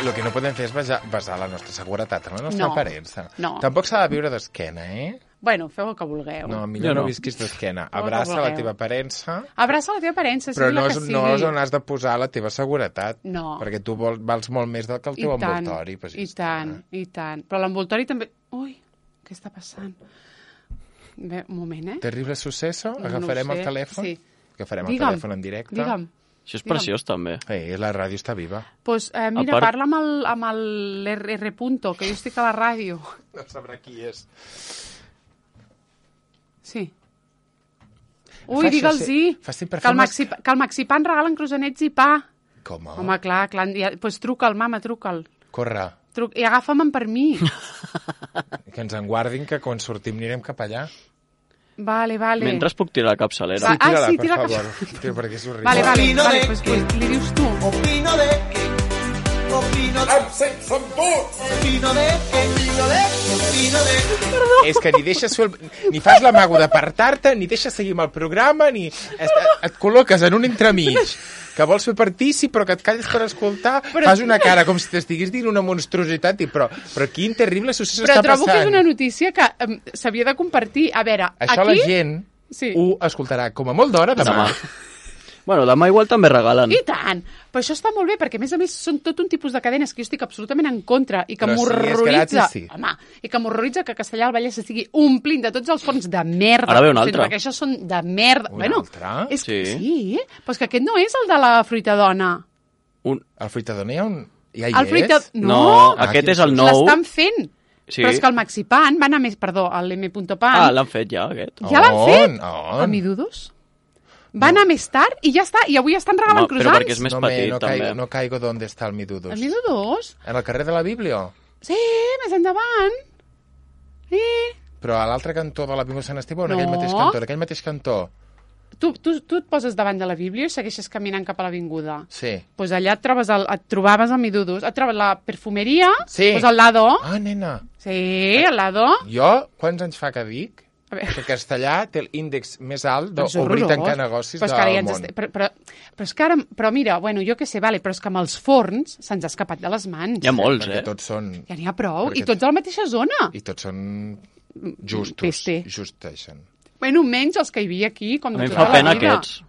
El que no podem fer és basar la nostra seguretat en la nostra No. aparença. No. Tampoc s'ha de viure d'esquena, eh? Bueno, feu el que vulgueu. No, Jo millor no no. visquis d'esquena. Feu el que Abraça la vulgueu. teva aparença, Abraça la teva aparença, però sigui no la és, que sigui. no és on has de posar la teva seguretat. No. Perquè tu vals molt més del que el teu envoltori. Pues ja I està. tant, i tant. Però l'envoltori també... Ui, què està passant? Bé, un moment, eh? Terrible suceso? No Agafarem ho sé, el telèfon? sí. Agafarem Digue'm, el telèfon en directe? Digue'm. Això és preciós, també. La ràdio està viva. Pues, mira, part- parla amb el R. Punto, que jo estic a la ràdio. No sabrà qui és. Sí. Fa Ui, això, digue'ls-hi, fa sempre que el fer que el Maxipan regalen croissants i pa. Com? Home, clar, ja, pues truca'l, mama, truca'l. Corre. I agafa'm per mi. Que ens en guardin, que quan sortim anirem cap allà. Vale. Mentre puc tirar la capçalera. Va. Tira-la, sí, per tira-la. favor. Tira, perquè és horrible. Vale, Opino vale, de pues li dius tu. Opino de que Som tots! És que ni deixes fer ni fas l'amago d'apartar-te, ni deixes seguir amb el programa, ni et col·loques en un entremig que vols fer partícip, però que et calles per escoltar, fas una cara com si t'estiguis dient una monstruositat, però quin terrible succés està passant. Però trobo que és una notícia que s'havia de compartir. A veure, això aquí... la gent ho escoltarà com a molt d'hora demà. Bueno, demà igual també regalen. I tant! Però això està molt bé, perquè a més són tot un tipus de cadenes que jo estic absolutament en contra i que m'horroritza. Sí. Home, i que m'horroritza que Castellà del Vallès estigui omplint de tots els forns de merda. Ara ve un altre. Perquè això són de merda. Un altre? És que, Sí. sí, però és que aquest no és el de la fruitadona. El fruitador ja hi El és? No, aquest és el nou. l'estan fent. Sí. Però és que el Maxipan va anar més... Perdó, el M.Pan. Ah, l'han fet ja, aquest. Ja l'han fet? On? A Midudos. Va anar més tard i ja està. I avui estan regalant croissants. Però perquè és més petit, també. No caigo d'on està el Midudos. El Midudos? En el carrer de la Bíblia? Sí, més endavant. Sí. Però a l'altre cantó de la Bíblia Sant Esteve o en No. aquell mateix cantó? En aquell mateix cantó? Tu et poses davant de la Bíblia i segueixes caminant cap a l'avinguda. Sí. Pues allà et trobaves el Midudos. Et trobes la perfumeria, Sí. pues al lado. Ah, nena. Sí, al lado. Jo, quants anys fa que dic A veure. que Castellà té l'índex més alt Però és d'obrir i horrorós. tancar negocis Però és que ara ja del ens món. però és que ara... Però mira, bueno, jo què sé, vale, però és que amb els forns se'ns ha escapat de les mans. Hi ha molts, Perquè tots són... Ja n'hi ha prou. Perquè I tots a la mateixa zona. I tots són justos. Peste. Justeixen. Bueno, menys els que hi havia aquí, com A mi de em tota fa la pena vida. aquests.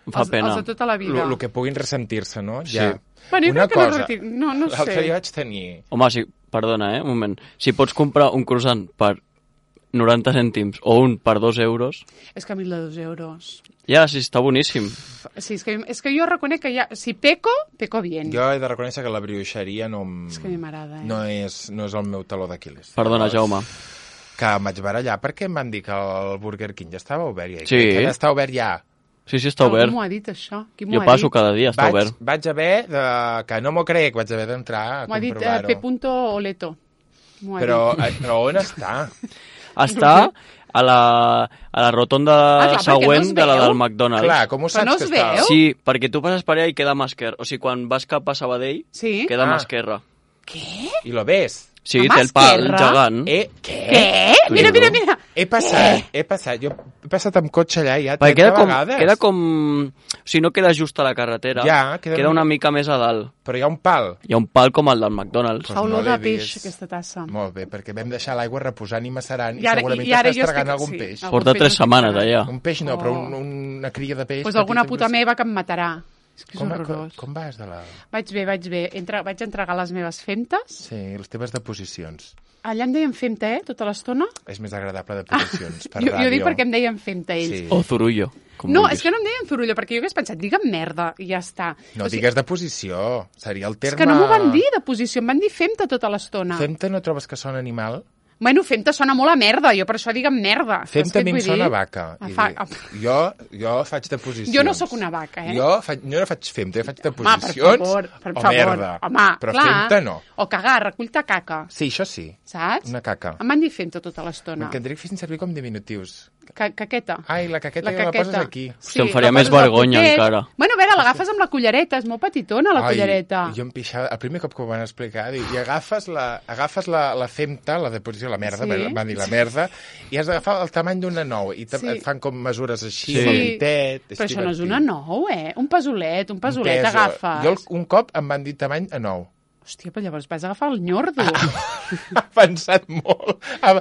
Em fa Els pena. de tota la vida. El que puguin ressentir-se, no? Sí. Ja. Bueno, jo Una crec que cosa, no sé. l'altre dia vaig tenir... Home, sí, perdona, un moment. Si pots comprar un croissant per 90 cèntims o un per 2 euros, És que a mi el de 2 euros... ja, sí, està boníssim. Sí, és que jo reconec que ja... Si peco bien. Jo he de reconèixer que la brioixeria no... És que a mi m'agrada, No és el meu taló d'Aquiles. Perdona, Jaume. Que em vaig barallar perquè em van dir que el Burger King ja estava obert. I Sí. que ja està obert ja. Sí, sí, està obert. Algú m'ho ha dit, això? Qui m'ho Jo ha passo dit? cada dia, està obert. Vaig haver de... Que no m'ho crec, vaig haver d'entrar a M'ho ha dit comprovar-ho. P. M'ho ha Però on està? Està a la rotonda clar, perquè següent no es de la veu. del McDonald's. Clar, com ho Però saps no que es està? veu? Sí, perquè tu passes per allà i queda mà esquerra. O sigui, quan vas cap a Sabadell, dit. Sí? queda mà Ah. esquerra. Què? I lo ves? Sí, A mà té el pal esquerra? gegant. Què? T'ho Mira, juro. mira. He passat. Jo he passat amb cotxe allà ja Perquè 30 vegades. queda com... O sigui, no queda just a la carretera. Ja, queda una mica més a dalt. Però hi ha un pal. Hi ha un pal com el del McDonald's. Pues Fa olor no l'he de peix, vist. aquesta tassa. Molt bé, perquè vam deixar l'aigua reposant i macerant i, I ara- segurament i ara t'estàs jo tragant estic- algun sí, peix. algun Porta peix 3 estic setmanes tragant. allà. Un peix no, però Oh. una cria de peix. Pues petit, alguna sempre puta és- meva que em matarà. És que és Com horrorós. vas de la... Vaig bé. Vaig entregar les meves femtes. Sí, les teves deposicions. Allà em deien femta, tota l'estona. És més agradable deposicions per Jo ràdio. dic perquè em deien femta ells. Sí. O Zurullo. Com No, vulguis. és que no em deien Zurullo, perquè jo hagués pensat, digue'm merda, i ja està. No O sigui, digues deposició, seria el terme... és que no m'ho van dir de posició, em van dir femta tota l'estona. Femta no trobes que sona animal? Bueno, femta sona molt a merda, jo per això digue'm merda. Saps Femta què a mi et em vull sona dir? vaca. Ah, I jo faig deposicions. Jo no sóc una vaca, eh? Jo no faig femta, jo faig Home, deposicions per o favor. merda. Home, però clar. femta no. O cagar, recull-te caca, Sí, això sí. saps? Una caca. Em van dir femta tota l'estona. M'encantaria que fessin servir com diminutius. Caqueta. Ai, la caqueta la poses aquí. Hòstia, em faria la més poses al vergonya, potet. encara. Bueno, a veure, l'agafes amb la cullereta, és molt petitona, la cullereta. Jo em pixava, el primer cop que ho van explicar, i agafes la femta, la deposició, la merda, Sí. van dir la merda, i has d'agafar el tamany d'una nou, i Sí. et fan com mesures així, Sí. amb el ditet, és Però això no és divertit. una nou, eh? Un pesolet Un agafes. Jo un cop em van dir tamany a nou. Hòstia, però llavors vas agafar el nyordo. Ha avançat molt. Fa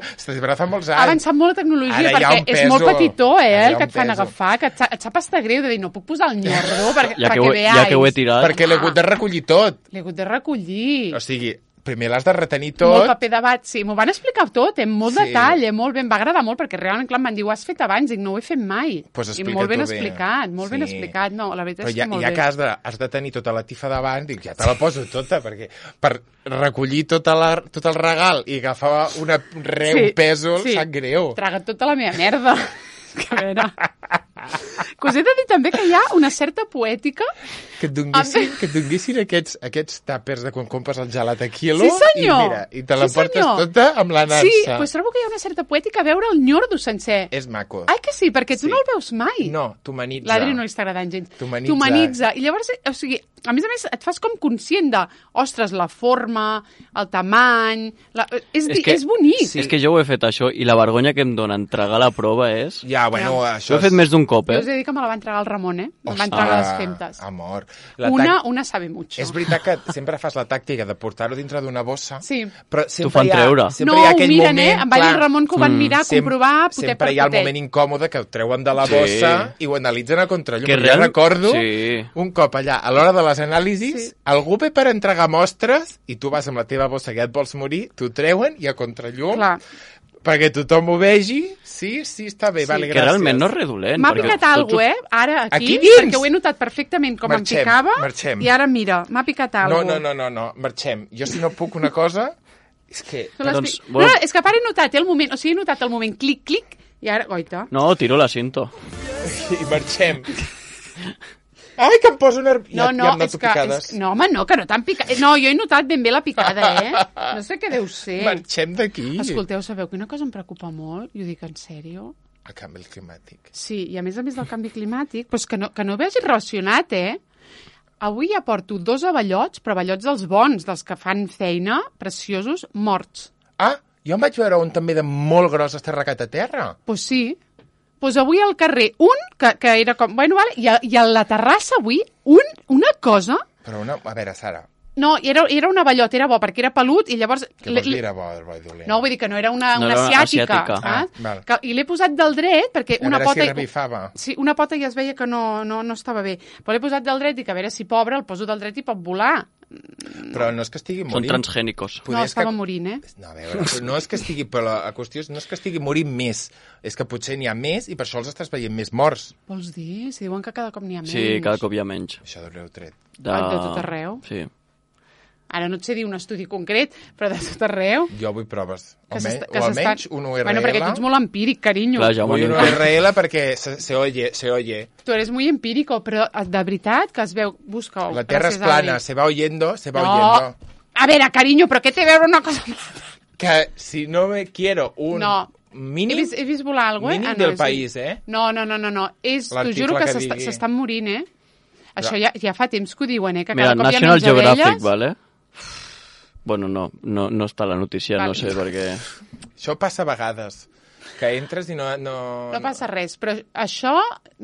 molts anys. Ha avançat molt la tecnologia, Ara hi ha perquè un és molt peso. petitó, Ara hi ha el un que et fan peso. agafar, que et sap estar greu de dir, no puc posar el nyordo perquè Ja que ho he veáis. tirat. Perquè l'he hagut de recollir tot. L'he hagut de recollir. O sigui, primer l'has de retenir Molt tot. paper de bat, sí. M'ho van explicar tot, amb molt Sí. detall, molt bé. Em va agradar molt, perquè realment, clar, em van dir, ho has fet abans, dic, no ho he fet mai. Pues I explica-t'ho molt ben bé. explicat, molt ben Sí. explicat. No, la veritat Però és que molt ja bé. que has de tenir tota la tifa davant, dic, ja te la poso tota, perquè per recollir tot el regal i agafar un pèsol, sap greu. Traga tota la meva merda. Que a veure... Que us he de dir també que hi ha una certa poètica. Que et donguessin aquests tàpers de quan compres el gelat a quilo Sí, senyor. i te la Sí, portes senyor. tota amb la nansa. Sí, doncs trobo que hi ha una certa poètica a veure el nyordo sencer. És maco. Ai, que sí, perquè tu Sí. no el veus mai. No, t'humanitza. L'Adri no li està agradant gens. T'humanitza. I llavors, o sigui, a més, et fas com conscient de, ostres, la forma, el tamany... És bonic. Sí. És que jo ho he fet, això, i la vergonya que em dona entregar la prova és... Ja, bueno, Ja. això Ho he fet més d'un cop, Jo us eh? he dit que me la va entregar el Ramon, eh? Me va Ostres, entregar les femtes. Amor. Una sabe mucho. És veritat que sempre fas la tàctica de portar-ho dintre d'una bossa, Sí. però T'ho sempre fan treure. sempre No, hi ha ho aquell miren, moment... En Vall i el Ramon que ho van mirar, comprovar, potet sempre per hi ha el potet. moment incòmode que ho treuen de la Sí. bossa i ho analitzen a contrallum. Que Jo real- recordo Sí. un cop allà, a l'hora de les anàlisis, Sí. algú ve per entregar mostres i tu vas amb la teva bossa que ja et vols morir, t'ho treuen i a contrallum Clar. perquè tothom ho vegi. Sí, està bé, Sí. vale, Que gràcies. realment no és redolent. M'ha perquè picat tot alguna cosa, ara, aquí, Aquí dins? perquè ho he notat perfectament com Marxem, em picava, marxem. i ara mira, m'ha picat alguna cosa. No, marxem. Jo si no puc una cosa, és que... Doncs, No, bueno. és que a part he notat el moment, o sigui, he notat el moment clic, clic, i ara, goita. No, tiro la cinto. I marxem. Ai, que em poso nerviós. No, ja em noto és que, picades. no, home, no, que no t'han picat. No, jo he notat ben bé la picada, No sé què deu ser. Marxem d'aquí. Escolteu, sabeu que una cosa em preocupa molt? I ho dic en sèrio. El canvi climàtic. Sí, i a més del canvi climàtic, doncs que no vegi relacionat, Avui ja porto 2 avallots, però avallots dels bons, dels que fan feina, preciosos, morts. Ah, jo en vaig veure un també de molt gros esterracat a terra. Doncs sí. Doncs avui al carrer, que era com... Bueno, vale, i a la terrassa avui, una cosa... Però a veure, Sara, No, era un avallot, era bo, perquè era pelut, i llavors... què vols dir era bo i dolent? No, vull dir que no era una No era asiàtica, asiàtica. saps? val. I l'he posat del dret, perquè A una veure pota... si revifava. Sí, una pota ja es veia que no estava bé. Però l'he posat del dret, i que a veure si pobre, el poso del dret i pot volar. Però no és que estigui Són morint. transgènicos. Poder No, és estava morint, No, a veure, però no és que estigui... Però la qüestió no és que estigui morint més, és que potser n'hi ha més i per això els estàs veient més morts. Vols dir? Si diuen que cada cop n'hi ha menys. Sí, cada cop hi ha menys. Això d'on l'heu tret? De tot arreu. Sí. Ara no et sé dir un estudi concret, però de tot arreu. Jo vull proves. Que O almenys un URL. Bueno, perquè tu ets molt empíric, carinyo. Clar, ja Vull un m'ho URL perquè se oye. Tu eres muy empírico, però de veritat que es veu... Busca-ho. La Terra és Gràcies, plana, Adri. se va oyendo, se va No. oyendo. A veure, carinyo, però què té a veure una cosa... Que si no me quiero un No. mínim... He vist volar alguna cosa, Mínim no, del és- país, eh? No. T'ho L'article juro que que digui. s'estan morint, Això ja fa temps que ho diuen, que Mira, cada cop hi ha National menys Geographic, abelles. vale? Bueno, no està la notícia, Vale. no sé, perquè... Això passa a vegades, que entres i no... No passa res, però això,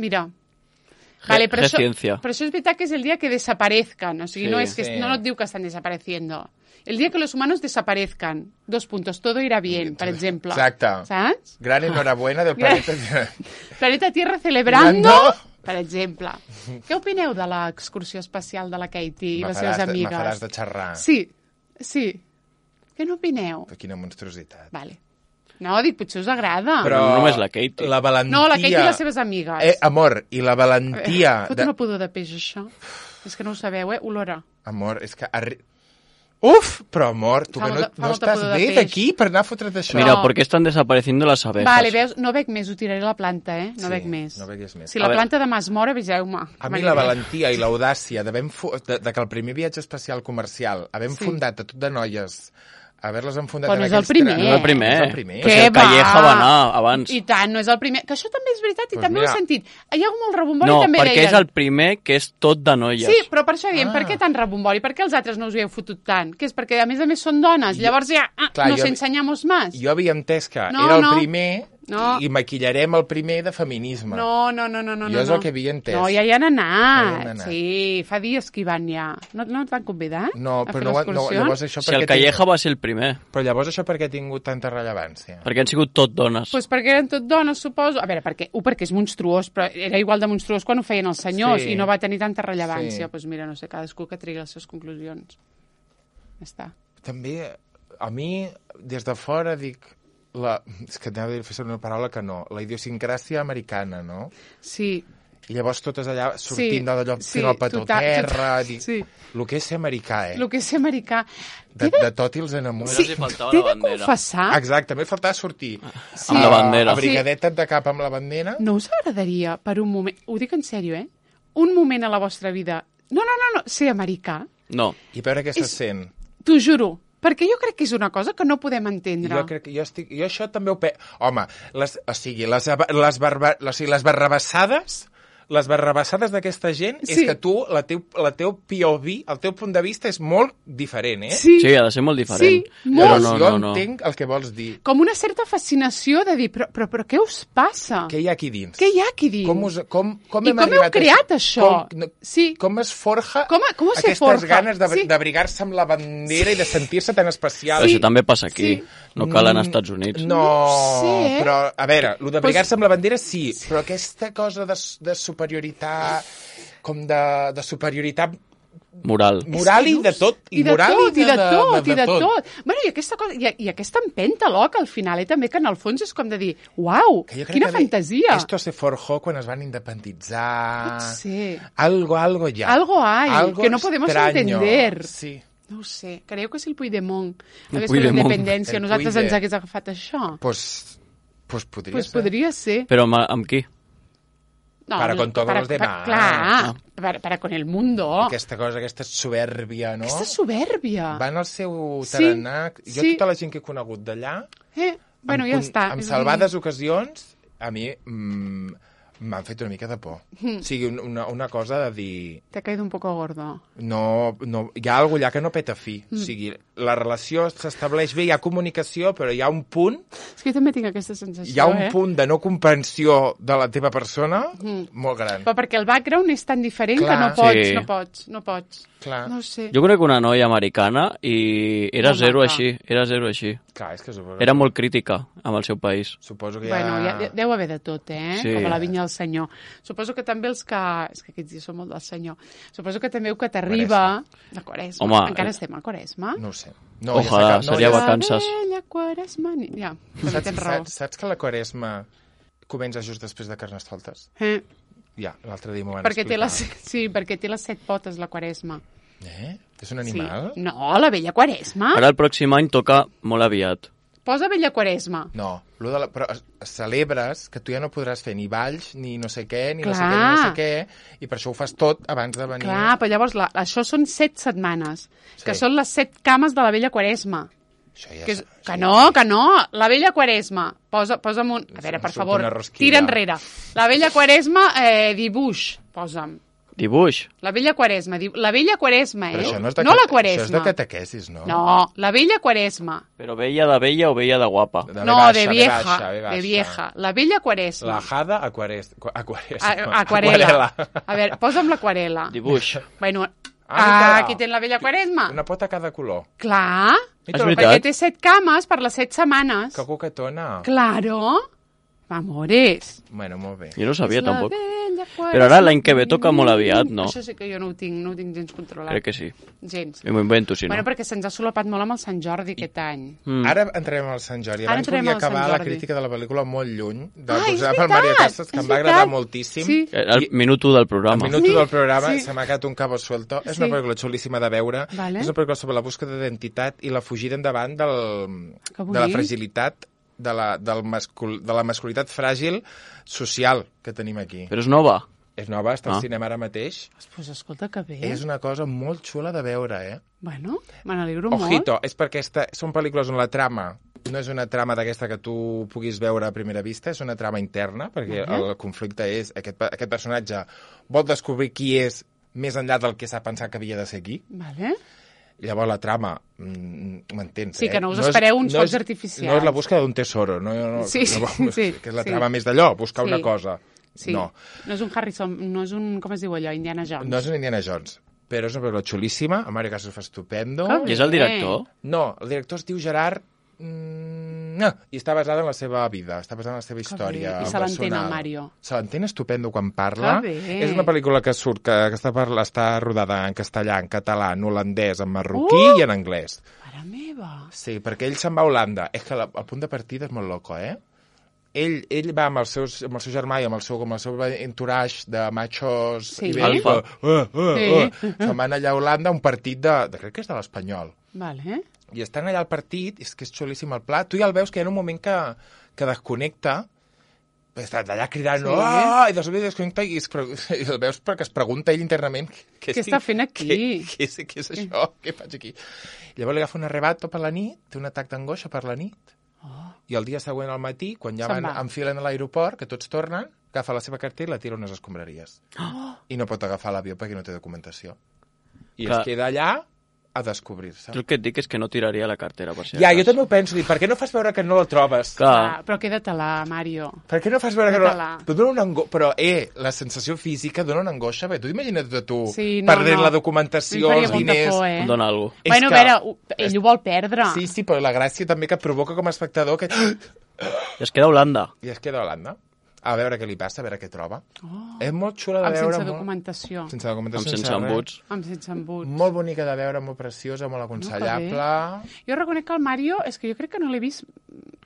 mira... Vale, però Ciència. això és veritat que és el dia que desaparezcan, o sigui, Sí, no és que sí. no et diu que estan desapareciendo. El día que los humanos desaparezcan, todo irá bien, per exemple. Exacte. Saps? Gran enhorabuena del planeta. Planeta Tierra celebrando, Celebrando. per exemple. Què opineu de l'excursió espacial de la Katie i Me les seves faràs amigues? de xerrar. Sí. Què n'opineu? Però quina monstruositat. Vale. No, dic, potser us agrada. Però no només la Katie. La valentia... No, la Katie i les seves amigues. Amor, i la valentia... Fot una pudor de peix, això. És que no ho sabeu, olora. Amor, és que... Uf, però amor, tu Fa que molta no estàs pudor de bé peix. d'aquí per anar a fotre't això. Mira, No. ¿por qué están desapareciendo las abejas? Vale, veus, no veig més, ho tiraré a la planta, No Sí, veig més. no veguis més. Si A la veure. planta demà es mor, aviseu-me. A mi la valentia i l'audàcia de que el primer viatge espacial comercial havent Sí. fundat a tot de noies, haver-les enfundat Però en no és el aquells primer. No és el primer. No és el primer. Què Perquè el va? Calleja va anar abans. I tant, no és el primer. Que això també és veritat i Doncs també ho mira. he sentit. Hi ha molt rebombori No, també perquè deien. és el primer que és tot de noies. Sí, però per això diem, Ah. per què tant rebombori? Per què els altres no us hi heu fotut tant? Que és perquè, a més són dones. Llavors ja, Clar, nos jo- enseñamos más. Jo havia entès que No, era el no. primer No. i maquillarem el primer de feminisme. No. Jo és el que havia entès. No, ja hi han anat. Ja hi han anat. Sí, fa dies que hi van ja. No t'han convidat? No, a fer però no, l'excursió? llavors això Si el Calleja va ser el primer, Però llavors això per què ha tingut tanta rellevància? perquè han sigut tot dones. Pues perquè eren tot dones, suposo. A veure, perquè és monstruós, però era igual de monstruós quan ho feien els senyors Sí. i no va tenir tanta rellevància. Sí. Doncs pues mira, no sé, cadascú que trigui les seves conclusions. Ja està. També, a mi, des de fora, dic... És que anava a dir, fer una paraula que no. La idiosincràsia americana, no? Sí. I llavors totes allà sortint d'allò, fent el petó a terra... Sí. El que és ser americà, El que és ser americà. De tot i els enamors. Sí. faltava T'he la de bandera. confessar... Exacte, també faltava sortir. Amb la bandera. Abrigadetes de cap amb la bandera. No us agradaria, per un moment... Ho dic en sèrio, un moment a la vostra vida... No, ser americà. No. I veure què se sent. T'ho juro. Perquè jo crec que és una cosa que no podem entendre. Jo crec que jo això també ho... Home, les barrabassades d'aquesta gent és que tu, la teu POV, el teu punt de vista és molt diferent, Sí, ha de ser molt diferent. Sí, molt. Jo entenc el que vols dir. Com una certa fascinació de dir, però què us passa? Què hi ha aquí dins? Què hi ha aquí dins? Com I com heu creat això? Com es forja com se aquestes forja? ganes d'abrigar-se amb la bandera i de sentir-se tan especial? Però això també passa aquí. No cal anar als Estats Units. No, sé, però, a veure, el d'abrigar-se amb la bandera sí, però aquesta cosa de superioritat, com de superioritat Moral i de tot. I de tot. Bueno, i aquesta cosa, i aquesta empenta, que al final, també, que en el fons és com de dir, uau, quina fantasia. Esto se forjó quan es van independitzar. Pot ser. Algo ya. Algo hay, que no podemos entender. Sí. No ho sé, creieu que si el Puigdemont hagués fet la independència, nosaltres ens hagués agafat això? Pues podria ser. Podria ser. Però amb qui? No, para con todos los demás. Clar, para con el mundo. Aquesta cosa, aquesta soberbia, no? Aquesta soberbia. Van al seu tarannà. Jo tota la gent que he conegut d'allà... Bueno, ja està. En salvades ocasions, a mi m'han fet una mica de por. O sigui, una cosa de dir... T'ha caído un poco gordo. No, hi ha alguna allà que no peta fi. O sigui, la relació s'estableix bé, hi ha comunicació, però hi ha un punt... És que jo també tinc aquesta sensació, Hi ha un punt de no comprensió de la teva persona molt gran. Però perquè el background és tan diferent que no pots. Clar. No sé. Jo conec una noia americana i era zero així. Clar, és que suposo... Era molt crítica amb el seu país. Suposo que Bueno, deu haver de tot, Sí. Com a la vinya del senyor. Suposo que també els que... És que aquests dies són molt del senyor. Suposo que també el que t'arriba... La Quaresma. Home, Encara estem a Quaresma? No ho sé. No, Ojalà, seria vacances. La vella Quaresma... Ja, però tens raó. Saps que la Quaresma comença just després de Carnestoltes? Ja, l'altre dia m'ho van Perquè explicar. perquè té les 7 potes, la Quaresma. És un animal? Sí. No, la vella Quaresma. Ara el pròxim any toca molt aviat. Posa vella Quaresma. No, però celebres que tu ja no podràs fer ni balls, ni no sé què, ni no sé què, ni no sé què, i per això ho fas tot abans de venir. Clar, però llavors això són 7 setmanes, que són les 7 cames de la vella Quaresma. Això ja Que no, la vella Quaresma. Posa'm un... A veure, per favor, tira enrere. La vella Quaresma, dibuix, posa'm. Dibuix. La vella Quaresma. La vella Quaresma, Però això no és no la Quaresma. Això és de catequesis, no? No, la vella Quaresma. Però vella de vella o vella de guapa? No, de vieja. De vieja. La vella Quaresma. La jada aquarela. A veure, posa'm l'aquarela. Dibuix. Bueno, Ah, aquí tens la vella Quaresma. Una pota a cada color. Clar, És veritat. perquè té 7 cames per les 7 setmanes. Que coquetona. Claro. Amores. Bueno, molt bé. Jo no ho sabia, És la tampoc. vella Quaresma. Però ara l'any que ve toca molt aviat, no? Això sí que jo no ho tinc gens controlat. Crec que sí. Gens. M'ho invento, si no. Bueno, perquè se'ns ha solapat molt amb el Sant Jordi aquest any. Ara entrem al Sant Jordi. Ara Abans entrem volia al Sant acabar la Jordi. crítica de la pel·lícula molt lluny. És Per Maria Casas, que és em va veritat. agradar moltíssim. Sí. El minut 1 del programa. Al minut Sí, del programa sí. se m'ha quedat un cabo suelto. És Sí. una pel·lícula xulíssima de veure. Vale. És una pel·lícula sobre la búsqueda d'identitat i la fugida endavant Que de la bonic. fragilitat, de la masculinitat fràgil social que tenim aquí. Però és nova. És nova, està al cinema ara mateix. Pues escolta que bé. És una cosa molt xula de veure, Bueno, me n'alegro molt. Ojito, és perquè són pel·lícules on la trama no és una trama d'aquesta que tu puguis veure a primera vista, és una trama interna, perquè el conflicte és aquest personatge vol descobrir qui és més enllà del que s'ha pensat que havia de ser aquí. Vale. Llavors la trama, m'entens, Sí, que no us espereu uns focs artificials. No és la búsqueda d'un tesoro, Sí, que és la trama més d'allò, buscar una cosa. Sí. No. No és un Harrison, no és un, com es diu allò, Indiana Jones. No és un Indiana Jones, però és una pel·lícula xulíssima, a Mario Casas fa estupendo. Que I és el director? No, el director es diu Gerard... No, i està basada en la seva vida, està basada en la seva història bé. I se l'entén, personal. el Mario. Se l'entén estupendo quan parla. Que bé. És una pel·lícula que surt, que està rodada en castellà, en català, en holandès, en marroquí i en anglès. Mare meva. Sí, perquè ell se'n va a Holanda. És que el punt de partida és molt loco, ell va amb el seu germà i amb el seu entourage de machos Sí. ibèrics, Sí. se'n van allà a Holanda a un partit crec que és de l'Espanyol. Vale. I estan allà al partit, és que és xulíssim el pla, tu ja el veus que hi ha un moment que desconnecta, està allà cridant, i de sobte desconnecta i el veus perquè es pregunta ell internament què està fent aquí? Què és això? Què faig aquí? Llavors li agafa un arrebato per la nit, té un atac d'angoixa per la nit, i el dia següent al matí, quan ja enfilen a l'aeroport, que tots tornen, agafa la seva cartera i la tira a unes escombraries. I no pot agafar l'avió perquè no té documentació. I es queda allà a descobrir-se. El que et dic és que no tiraria la cartera, per si Ja, jo també ho penso, per què no fas veure que no la trobes? Clar. Però queda-te-la, Mario. Per què no fas veure que no... Però, la sensació física dona una angoixa, bé, tu imagina't tu perdent la documentació, els diners... Em dona alguna cosa. Bueno, a veure, ell ho vol perdre. Sí, però la gràcia també que provoca com a espectador que... I es queda a Holanda. I es queda a Holanda. A veure què li passa, a veure què troba. És molt xula de veure. Sense documentació. Sense documentació. Sense embuts. Amb sense embuts. Molt bonica de veure, molt preciosa, molt aconsellable. Jo reconec que el Mario, és que jo crec que no l'he vist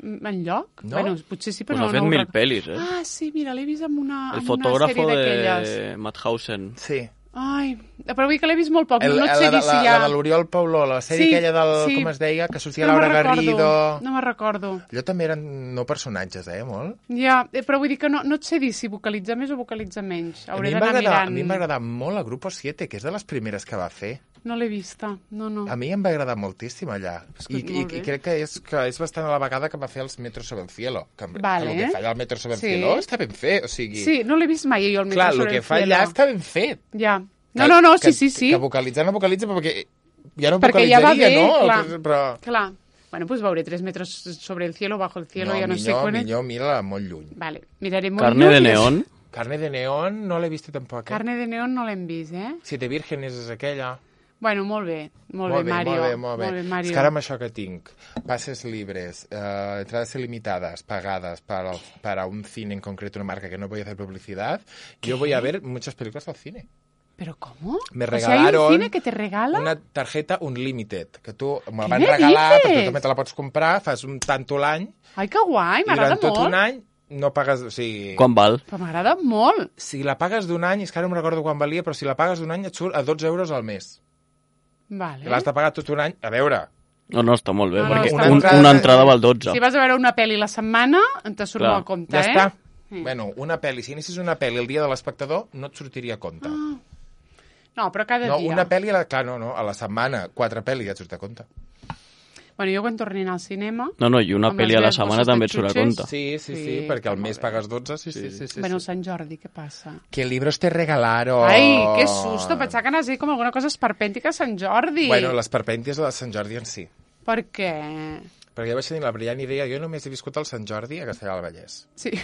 enlloc. No? Bueno, potser sí, però Pues no ha fet 1000 pel·lis, Ah, sí, mira, l'he vist amb una El sèrie fotógrafo d'aquelles. de Madhausen. Sí. Ai, però vull dir que l'he vist molt poc, no et sé dir si hi ha... La de l'Oriol Pauló, la sèrie aquella del... Com es deia? Que sortia Laura Garrido... No me'n recordo. Allò també eren no personatges, molt? Ja, però vull dir que no et sé dir si vocalitza més o vocalitza menys. Hauré d'anar mirant. A mi em va agradar molt el Grupo 7, que és de les primeres que va fer. No l'he vista, no. A mi em va agradar moltíssim allà. I crec que és bastant a la vegada que va fer els Metro sobre el cielo. Que el que fa allà el Metro sobre el cielo està ben fet. O sigui... Sí, no l'he vist mai jo el Metro sobre el cielo. Clar, el que fa allà està ben fet. Ja. No, sí. Que vocalitzar no vocalitza perquè ja no perquè ja va bé, no? Clar. Bueno, pues veuré 3 metros sobre el cielo, bajo el cielo, ja no sé quan... Millor mira molt lluny. Vale, miraré molt Carne de neón. Carne de neón no l'he vist tampoc. Carne de neón no l'hem vist, Siete vírgenes és aquella. Bueno, molt bé, Mario. Molt bé. És que ara amb això que tinc, pases libres, entradas ilimitadas, pagadas para un cine en concreto, una marca que no voy a hacer publicidad, yo voy a ver muchas películas al cine. ¿Pero cómo? Me regalaron hay un cine que te regala una tarjeta Unlimited, que tu me van regalar, però tu també te la pots comprar, fas un tanto l'any. Ai, que guai, m'agrada molt. I durant tot un any no pagues... O sigui... Quan val? Però m'agrada molt. Si la pagues d'un any, és que ara no me'n recordo quan valia, però si la pagues d'un any et surt a 12 euros al mes. Vale. L'has de pagar tot un any. A veure... No, està molt bé, perquè està una entrada val 12. Si vas a veure una pel·li la setmana, te surt molt a compte, ja està. Bueno, una pel·li, si anessis una pel·li el dia de l'espectador, no et sortiria a compte. No, però cada dia. No, una pel·li, clar, no, a la setmana, 4 pel·lis ja et surt a compte. Bueno, jo quan torni al cinema... No, i una pel·li a la setmana també et surt a compte. Sí, perquè al mes pagues 12, sí. Bueno, Sant Jordi, què passa? Que libros te regalaron. Ai, que susto, pensava que anaves a dir com alguna cosa esperpèntica a Sant Jordi. Bueno, l'esperpèntia és la de Sant Jordi en si. Per què? Perquè jo vaig tenir la brillant idea, jo només he viscut el Sant Jordi a Castellar del Vallès. Sí.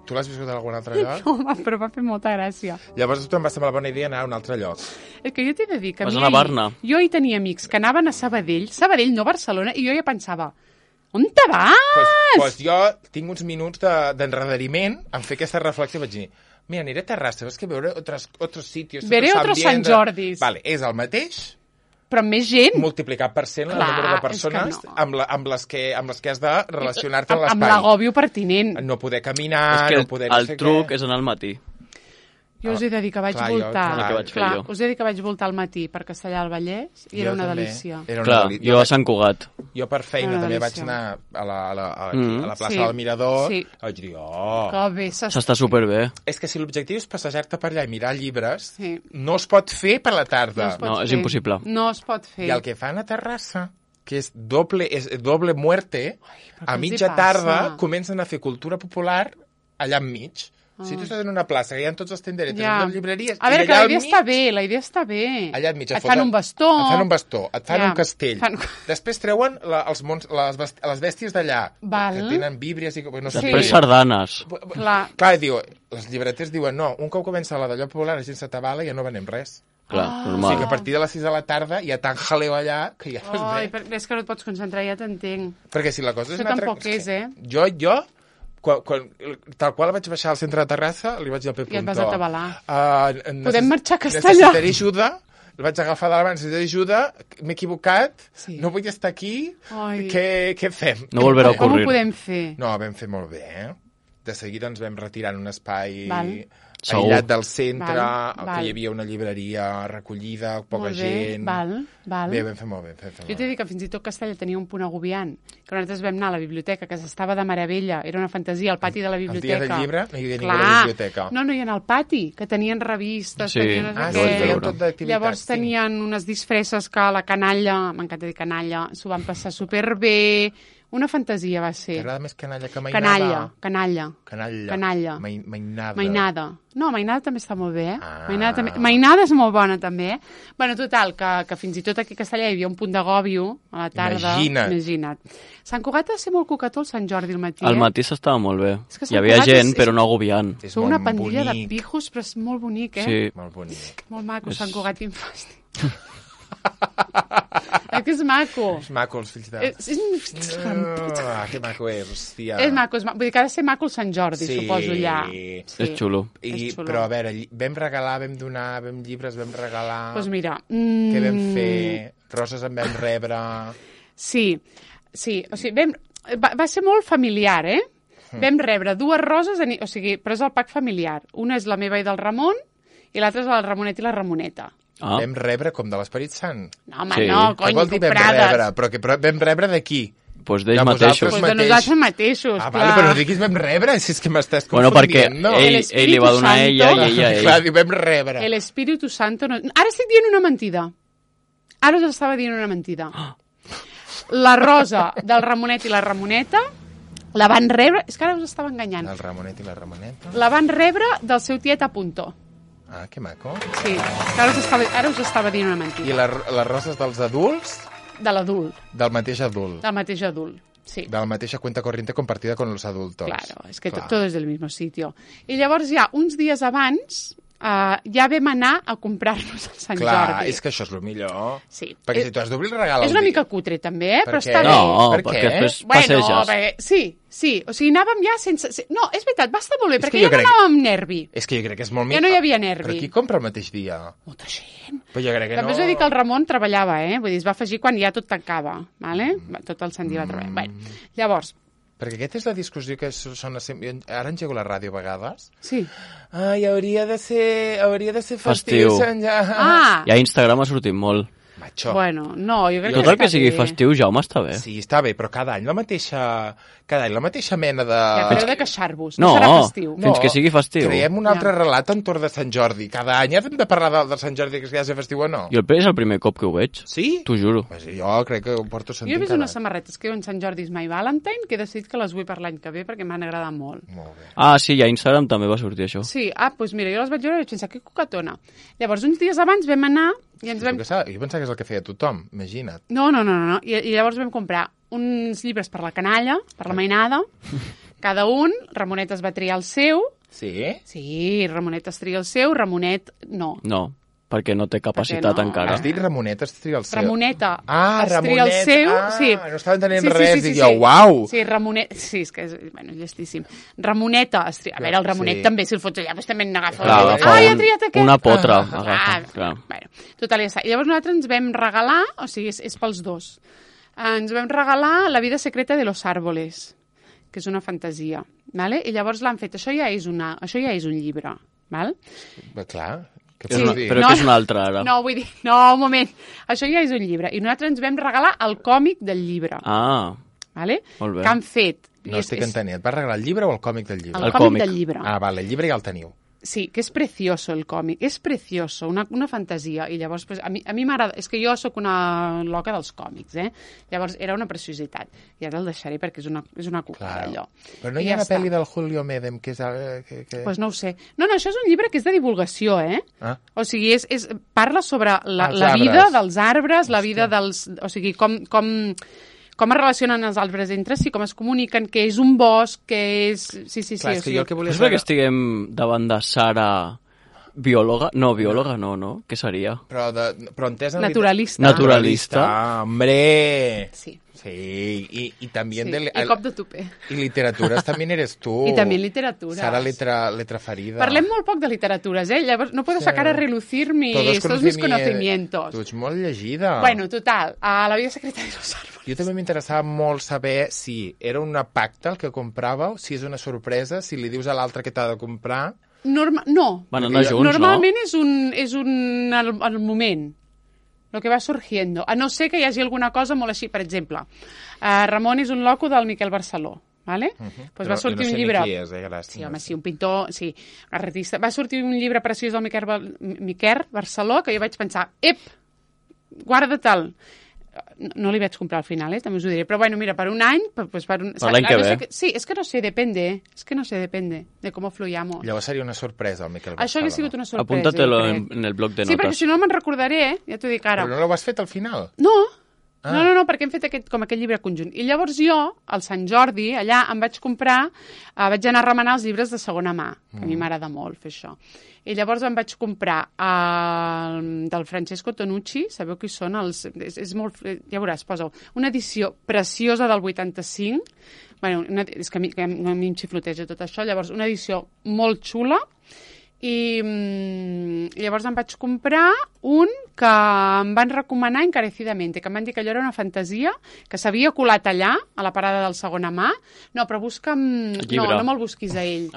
Tu l'has viscut a algun altre lloc? No, però va fer molta gràcia. Llavors a tu em va semblar bona idea anar a un altre lloc. És que jo t'he de dir que vas anar a Barna. Jo hi tenia amics que anaven a Sabadell, no Barcelona, i jo ja pensava, on te vas? Pues jo tinc uns minuts d'enredariment en fer aquesta reflexió, vaig dir, mira, aniré a Terrassa, és que veure otros sitios. Veré otros Sant Jordis. Vale, és el mateix, però amb més gent. Multiplicat per 100 el número de persones amb les que has de relacionar-te amb l'espai. Amb l'agòbio pertinent. No poder caminar, és que no poder... el truc és anar al matí. Jo us he de dir que vaig voltar... Jo. Us he de dir que vaig voltar al matí per Castellar del Vallès i era una delícia. Clar, jo a Sant Cugat. Jo per feina també vaig anar a la plaça del Mirador. Vaig dir, que bé, s'està superbé. És que si l'objectiu és passejar-te per allà i mirar llibres, no es pot fer per la tarda. No, és impossible. No es pot fer. I el que fan a Terrassa, que és doble muerte, a mitja tarda comencen a fer cultura popular allà enmig. Si tu estàs en una plaça, que hi ha tots els tenderetes, les llibreries... A veure, que la idea està bé, Allà enmig et fan un bastó... Et fan un castell. Després treuen les bèsties d'allà, que tenen víbries i... Després sardanes. Clar, els llibreters diuen, no, un cop comença la d'allò popular, la gent s'atabala i ja no venem res. Clar, normal. O sigui que a partir de les 6 de la tarda hi ha tant jaleo allà que ja no es ve. És que no et pots concentrar, ja t'entenc. Perquè si la cosa és... Això tampoc és, Jo... tal qual vaig baixar al centre de Terrassa, li vaig dir al Pep Puntó... I et vas atabalar. Podem marxar a Castellar. Necessitaré ajuda, el vaig agafar de la mà, necessito ajuda, m'he equivocat, Sí. no vull estar aquí, Ai. què fem? No volverà a Com ho ocurrir. podem fer? No, vam fer molt bé, De seguida ens vam retirar en un espai Val. Segur. aïllat del centre, Val. que hi havia una llibreria recollida, poca Molt bé, gent... val. Bé, vam fer molt bé. Jo t'he dit que fins i tot Castella tenia un punt agobiant, que nosaltres vam anar a la biblioteca, que s'estava de meravella, era una fantasia, al pati de la El biblioteca. dia del llibre no hi havia ningú Clar. a la biblioteca. No, i en el pati, que tenien revistes, Sí. tenien no sé Ah, sí, Vaig què. feien veure. tot d'activitats. Llavors sí. tenien unes disfresses que la canalla, m'encanta dir canalla, s'ho van passar superbé, una fantasia va ser. T'agrada més canalla que mainada? Canalla. Canalla. Mainada. Mainada. No, mainada també està molt bé, Ah. Mainada és molt bona, també, Bueno, total, que fins i tot aquí a Castellà hi havia un punt d'agòbio a la tarda. Imagina't. Sant Cugat ha de ser molt cocató el Sant Jordi al matí, Al matí s'estava molt bé. És que Hi Sant havia Cugat gent, és- però no agobiant. És Sou molt una pandilla bonic. de pijos, però és molt bonic, Sí. Molt bonic. Molt maco, És- Sant Cugat, quin fàstic. Que és maco. És maco, els fills de... que maco és, hòstia. És maco, vull dir que ha de ser maco el Sant Jordi, Sí. suposo, allà. És xulo. És xulo. Però, a veure, vam regalar, vam donar, vam llibres, vam regalar... Doncs mira... Què vam fer? Roses en vam rebre... Sí, o sigui, va ser molt familiar, Vam rebre 2 roses, o sigui, però és el pack familiar. Una és la meva i del Ramon, i l'altra és la Ramonet i la Ramoneta. Ah, Vam rebre com de l'Esperit Sant. No, home, Sí. no, Què cony, vol dir vam comprades. rebre? Però vam rebre de qui? doncs d'ells De mateixos. vosaltres Pues de nosaltres mateixos, Ah, clar. vale, però no diguis vam rebre, si és que m'estàs Bueno, perquè confundint, no? ell li va donar a ella i ella a ell. Clar, diu, vam rebre. El Espíritu Santo... No... Ara estic dient una mentida. Ara us estava dient una mentida. La rosa del Ramonet i la Ramoneta la van rebre... És que ara us estava enganyant. El Ramonet i la Ramoneta. La van rebre del seu tiet a Puntó. Ah, que maco. Sí, que ara us estava dient una I mentida. les roses dels adults, De l'adult, del mateix adult. del mateix adult. Sí, De la mateixa cuenta corriente compartida con los adultos. claro, és que Clar. tot és del mismo sitio. I llavors ja, uns dies abans, ja vam anar a comprar-nos el Sant Clar, Jordi. és que això és el millor. Sí. Perquè si tu has d'obrir el regal... És al una dia- mica cutre, també, Per però què? està bé. No, Per perquè què? després Bueno, passeges. perquè, sí, o sigui, anàvem ja sense... No, és veritat, va estar molt bé, És que perquè jo ja no crec- anàvem amb nervi. És que jo crec que és molt Ja no hi havia nervi. Però qui compra el mateix dia? Molta gent. Però jo crec que També us no... he dit que el Ramon treballava, Vull dir, es va afegir quan ja tot tancava, ¿vale? Tot el Sant Dia va treballar. Bueno, llavors, Perquè aquesta és la discussió que sona sempre... Ara engego la ràdio a vegades. sí. Ai, hauria de ser Festiu. festiu. Sant Jordi. Ah, I a Instagram ha sortit molt. Macho. bueno, no, jo crec Tot que el que està sigui bé. festiu, Jaume, està bé. Sí, està bé, però cada any la mateixa mena de... Ja pareu de queixar-vos, No, no serà festiu. fins que sigui festiu. Creem un altre Ja. relat entorn de Sant Jordi. Cada any hem de parlar de Sant Jordi, que és festiu o no? Jo és el primer cop que ho veig. Sí? T'ho juro. Pues jo crec que ho porto Jo sentint he vist cada unes samarretes que diuen Sant Jordi is my Valentine, que he decidit que les vull per l'any que ve perquè m'han agradat molt. any. Molt bé. Ah, sí, i a Instagram també va sortir això. Sí, doncs mira, jo les vaig veure i vaig pensar, que cocatona. Llavors, uns dies abans vam anar i ens vam... Jo pensava que és el que feia tothom, imagina't. No. I llavors vam comprar uns llibres per la canalla, per la mainada, cada un, Ramonet es va triar el seu, Sí? sí, Ramonet es tria el seu, Ramonet no. No, perquè no té capacitat no? encara. Has dit Ramonet, has tria el seu. Ramoneta Ah, es tria el Ramonet. seu, Ah, sí. no estava entenent res, dic jo, uau. Sí, Ramonet, sí, és que és, bueno, llestíssim. Ramoneta es tria... A veure, el Ramonet Sí. també, si el fots allà, doncs també n'agafa. Clar, agafa Ah, ja ha triat aquest. una potra. Ah, Agafa, clar. Bueno, total, ja està. I llavors nosaltres ens vam regalar, o sigui, és pels dos, ens vam regalar La vida secreta de los árboles, que és una fantasia, ¿vale? I llavors l'han fet, això ja és un llibre, val? Bé, clar, què És pots una, dir? però No, que és una altra ara. No, vull dir, no, un moment, això ja és un llibre, i nosaltres ens vam regalar el còmic del llibre, Ah, ¿vale? molt bé. Que han fet. I No estic entenent. Et vas regalar el llibre o el còmic del llibre? El El còmic còmic. del llibre. Ah, vale, el llibre ja el teniu. Sí, que és precioso el còmic, és precioso, una fantasia, i llavors pues, a mi m'agrada, és que jo sóc una loca dels còmics, llavors era una preciositat, i ara el deixaré perquè és una cucada allò. Però no I hi ha ja una està. pel·li del Julio Medem que és... Que... Pues no ho sé. No, això és un llibre que és de divulgació, Ah. O sigui, parla sobre la Els vida arbres. dels arbres, la vida dels... O sigui, com es relacionen els arbres entre si, com es comuniquen, que és un bosc, que és... Sí, Clar, és que jo el que volia És perquè estiguem davant de Sara Biòloga? No, biòloga no. Què seria? Però entès en Naturalista. Naturalista. Hombre! Sí. Sí, y también... Sí. Y cop de tupé. Y literaturas también eres tú. Y también literatures. Sara letra ferida. Parlem molt poc de literatures, Llavors no puedo sacar a relucir todos mis conocimientos. Tu ets molt llegida. Bueno, total, a la vida secreta de los árboles. Jo també m'interessava molt saber si era un pacte el que compràveu, si és una sorpresa, si li dius a l'altre que t'ha de comprar... No. Van anar junts, Normalment és el moment, lo que va surgiendo. A no ser que hi hagi alguna cosa molt així. Per exemple, Ramon és un loco del Miquel Barceló, ¿vale? Pues va sortir un llibre... Qui és, gràcies. Sí, home, sí, un pintor, sí, artista. Va sortir un llibre preciós del Miquel Barceló que jo vaig pensar, guarda-te'l. No li vaig comprar al final, també us ho diré. Però bueno, mira, per un any... Pues per l'any que ve. Sí, és que no sé, depende. Depende de cómo fluyamos. Llavors seria una sorpresa, el Miquel Barceló. Això hauria sigut una sorpresa. Apúntatelo en el bloc de notes. Sí, perquè si no me'n recordaré, ja t'ho dic ara. Però no l'ho has fet al final? No, perquè hem fet aquest llibre conjunt. I llavors jo, al Sant Jordi, allà em vaig comprar, vaig anar a remenar els llibres de segona mà, que a mi m'agrada molt fer això. I llavors em vaig comprar del Francesco Tonucci, sabeu qui són? És molt, ja veuràs, posa una edició preciosa del 85, bueno, és que a mi em xifloteja tot això, llavors una edició molt xula, i llavors em vaig comprar un que em van recomanar encarecidament, que em van dir que allò era una fantasia, que s'havia colat allà, a la parada del segona mà. No, però busca'm... No me'l busquis a ell.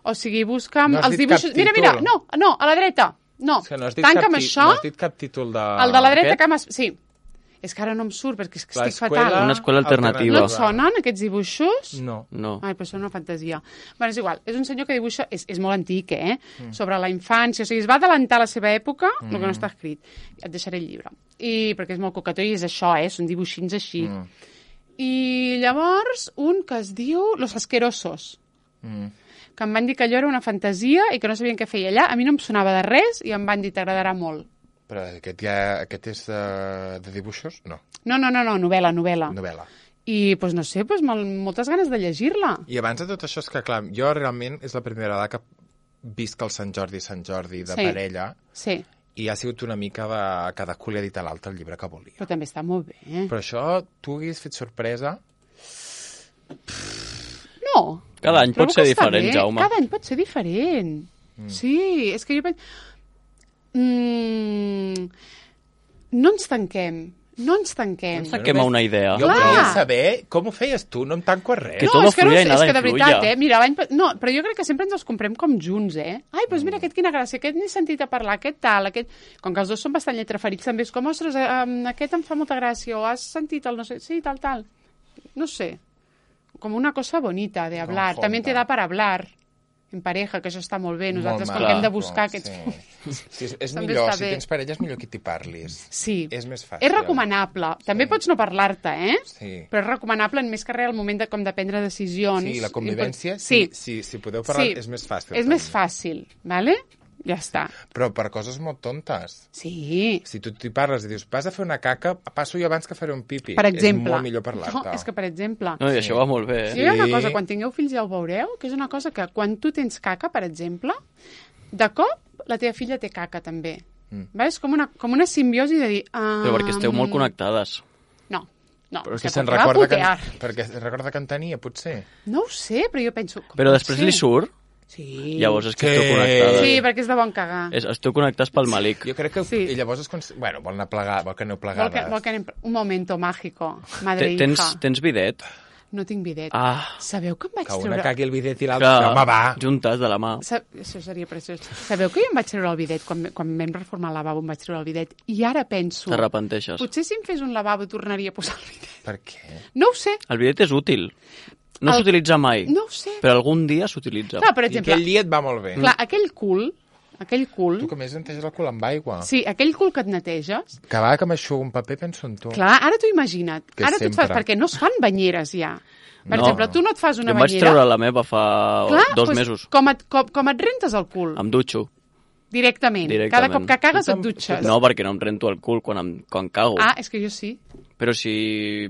O sigui, busca'm els dibuixos... Mira, no, a la dreta. No, tanca'm això. No has dit cap títol de... El de la dreta que m'has... Sí. És que ara no em surt, perquè és que estic fatal. Una escola alternativa. No et sonen, aquests dibuixos? No. Ai, però són una fantasia. Bueno, és igual, és un senyor que dibuixa... És molt antic, sobre la infància. O sigui, es va adelantar a la seva època, el que no està escrit. Et deixaré el llibre. Perquè és molt cocató i és això, són dibuixins així. I llavors, un que es diu Los Asquerosos. Que em van dir que allò era una fantasia i que no sabien què feia allà. A mi no em sonava de res i em van dir t'agradarà molt. Però aquest és de dibuixos? No. No, novel·la. Novel·la. I, doncs no sé, moltes ganes de llegir-la. I abans de tot això, és que, clar, jo realment és la primera vegada que visc el Sant Jordi de parella. Sí. I ha sigut una mica de cadascú li ha dit a l'altre el llibre que volia. Però també està molt bé. Però això, tu hagués fet sorpresa? No. Cada any pot ser diferent, Jaume. Cada any pot ser diferent. Sí, és que jo penso... No ens tanquem a una idea. Jo volia saber com ho feies tu, no em tanco a res. Que todo fluya y nada és que de veritat, influya. Mira, no, però jo crec que sempre ens els comprem com junts, Ai, doncs mira, aquest quina gràcia, aquest n'he sentit a parlar, aquest tal, aquest... Com que els dos són bastant lletraferits, també és com, ostres, aquest em fa molta gràcia, o has sentit el no sé... Sí, tal. No sé. Com una cosa bonita de hablar. También te da para hablar en pareja, que això està molt bé. Nosaltres, com que hem de buscar aquests... Sí, és millor, si tens parella, és millor que t'hi parlis. Sí. És més fàcil. És recomanable. També pots no parlar-te, Sí. Però és recomanable en més que res al moment de prendre decisions. Sí, la convivència, si podeu parlar, és més fàcil. És més fàcil, ¿vale? Ja està. Però per coses molt tontes. Sí. Si tu t'hi parles i dius, vas a fer una caca, passo jo abans que faré un pipi. Per exemple. És molt millor parlar-te. No, és que, per exemple... No, i això va molt bé, Sí, hi ha una cosa, quan tingueu fills ja ho veureu, que és una cosa que quan tu tens caca, per exemple, de cop la teva filla té caca també. És com una simbiosi de dir... Però perquè esteu molt connectades. No. Però és que se'n recorda perquè recorda que en tenia, potser. No ho sé, però jo penso... Però després li surt? Sí. Llavors és que esteu connectades. Sí, perquè és de bon cagar. Esteu connectats pel malic. Jo crec que... I llavors Bueno, vol que aneu plegades. Vol que anem... Un momento mágico, madre hija. Tens bidet? No tinc bidet. Sabeu que em vaig treure... Que una cagui el bidet i l'altre... Home, va! Juntes de la mà. Això seria preciós. Sabeu que jo em vaig treure el bidet, quan vam reformar el lavabo em vaig treure el bidet, i ara penso... T'arrepenteixes. Potser si em fes un lavabo tornaria a posar el bidet. Per què? No ho sé. El bidet és útil. No s'utilitza mai. No ho sé. Però algun dia s'utilitza. Clar, per exemple... I aquell dia et va molt bé. Clar, aquell cul... Tu que més neteges el cul amb aigua. Sí, aquell cul que et neteges... Que va que m'aixugo un paper, penso en tu. Clar, ara t'ho imagina't. Ara tu et fas... Perquè no es fan banyeres ja. Per exemple, tu no et fas una banyera... Jo vaig treure la meva fa 2 mesos. Com et rentes el cul? Em dutxo. Directament. Cada cop que cagues et dutxes. No, perquè no em rento el cul quan cago. És que jo sí. Però si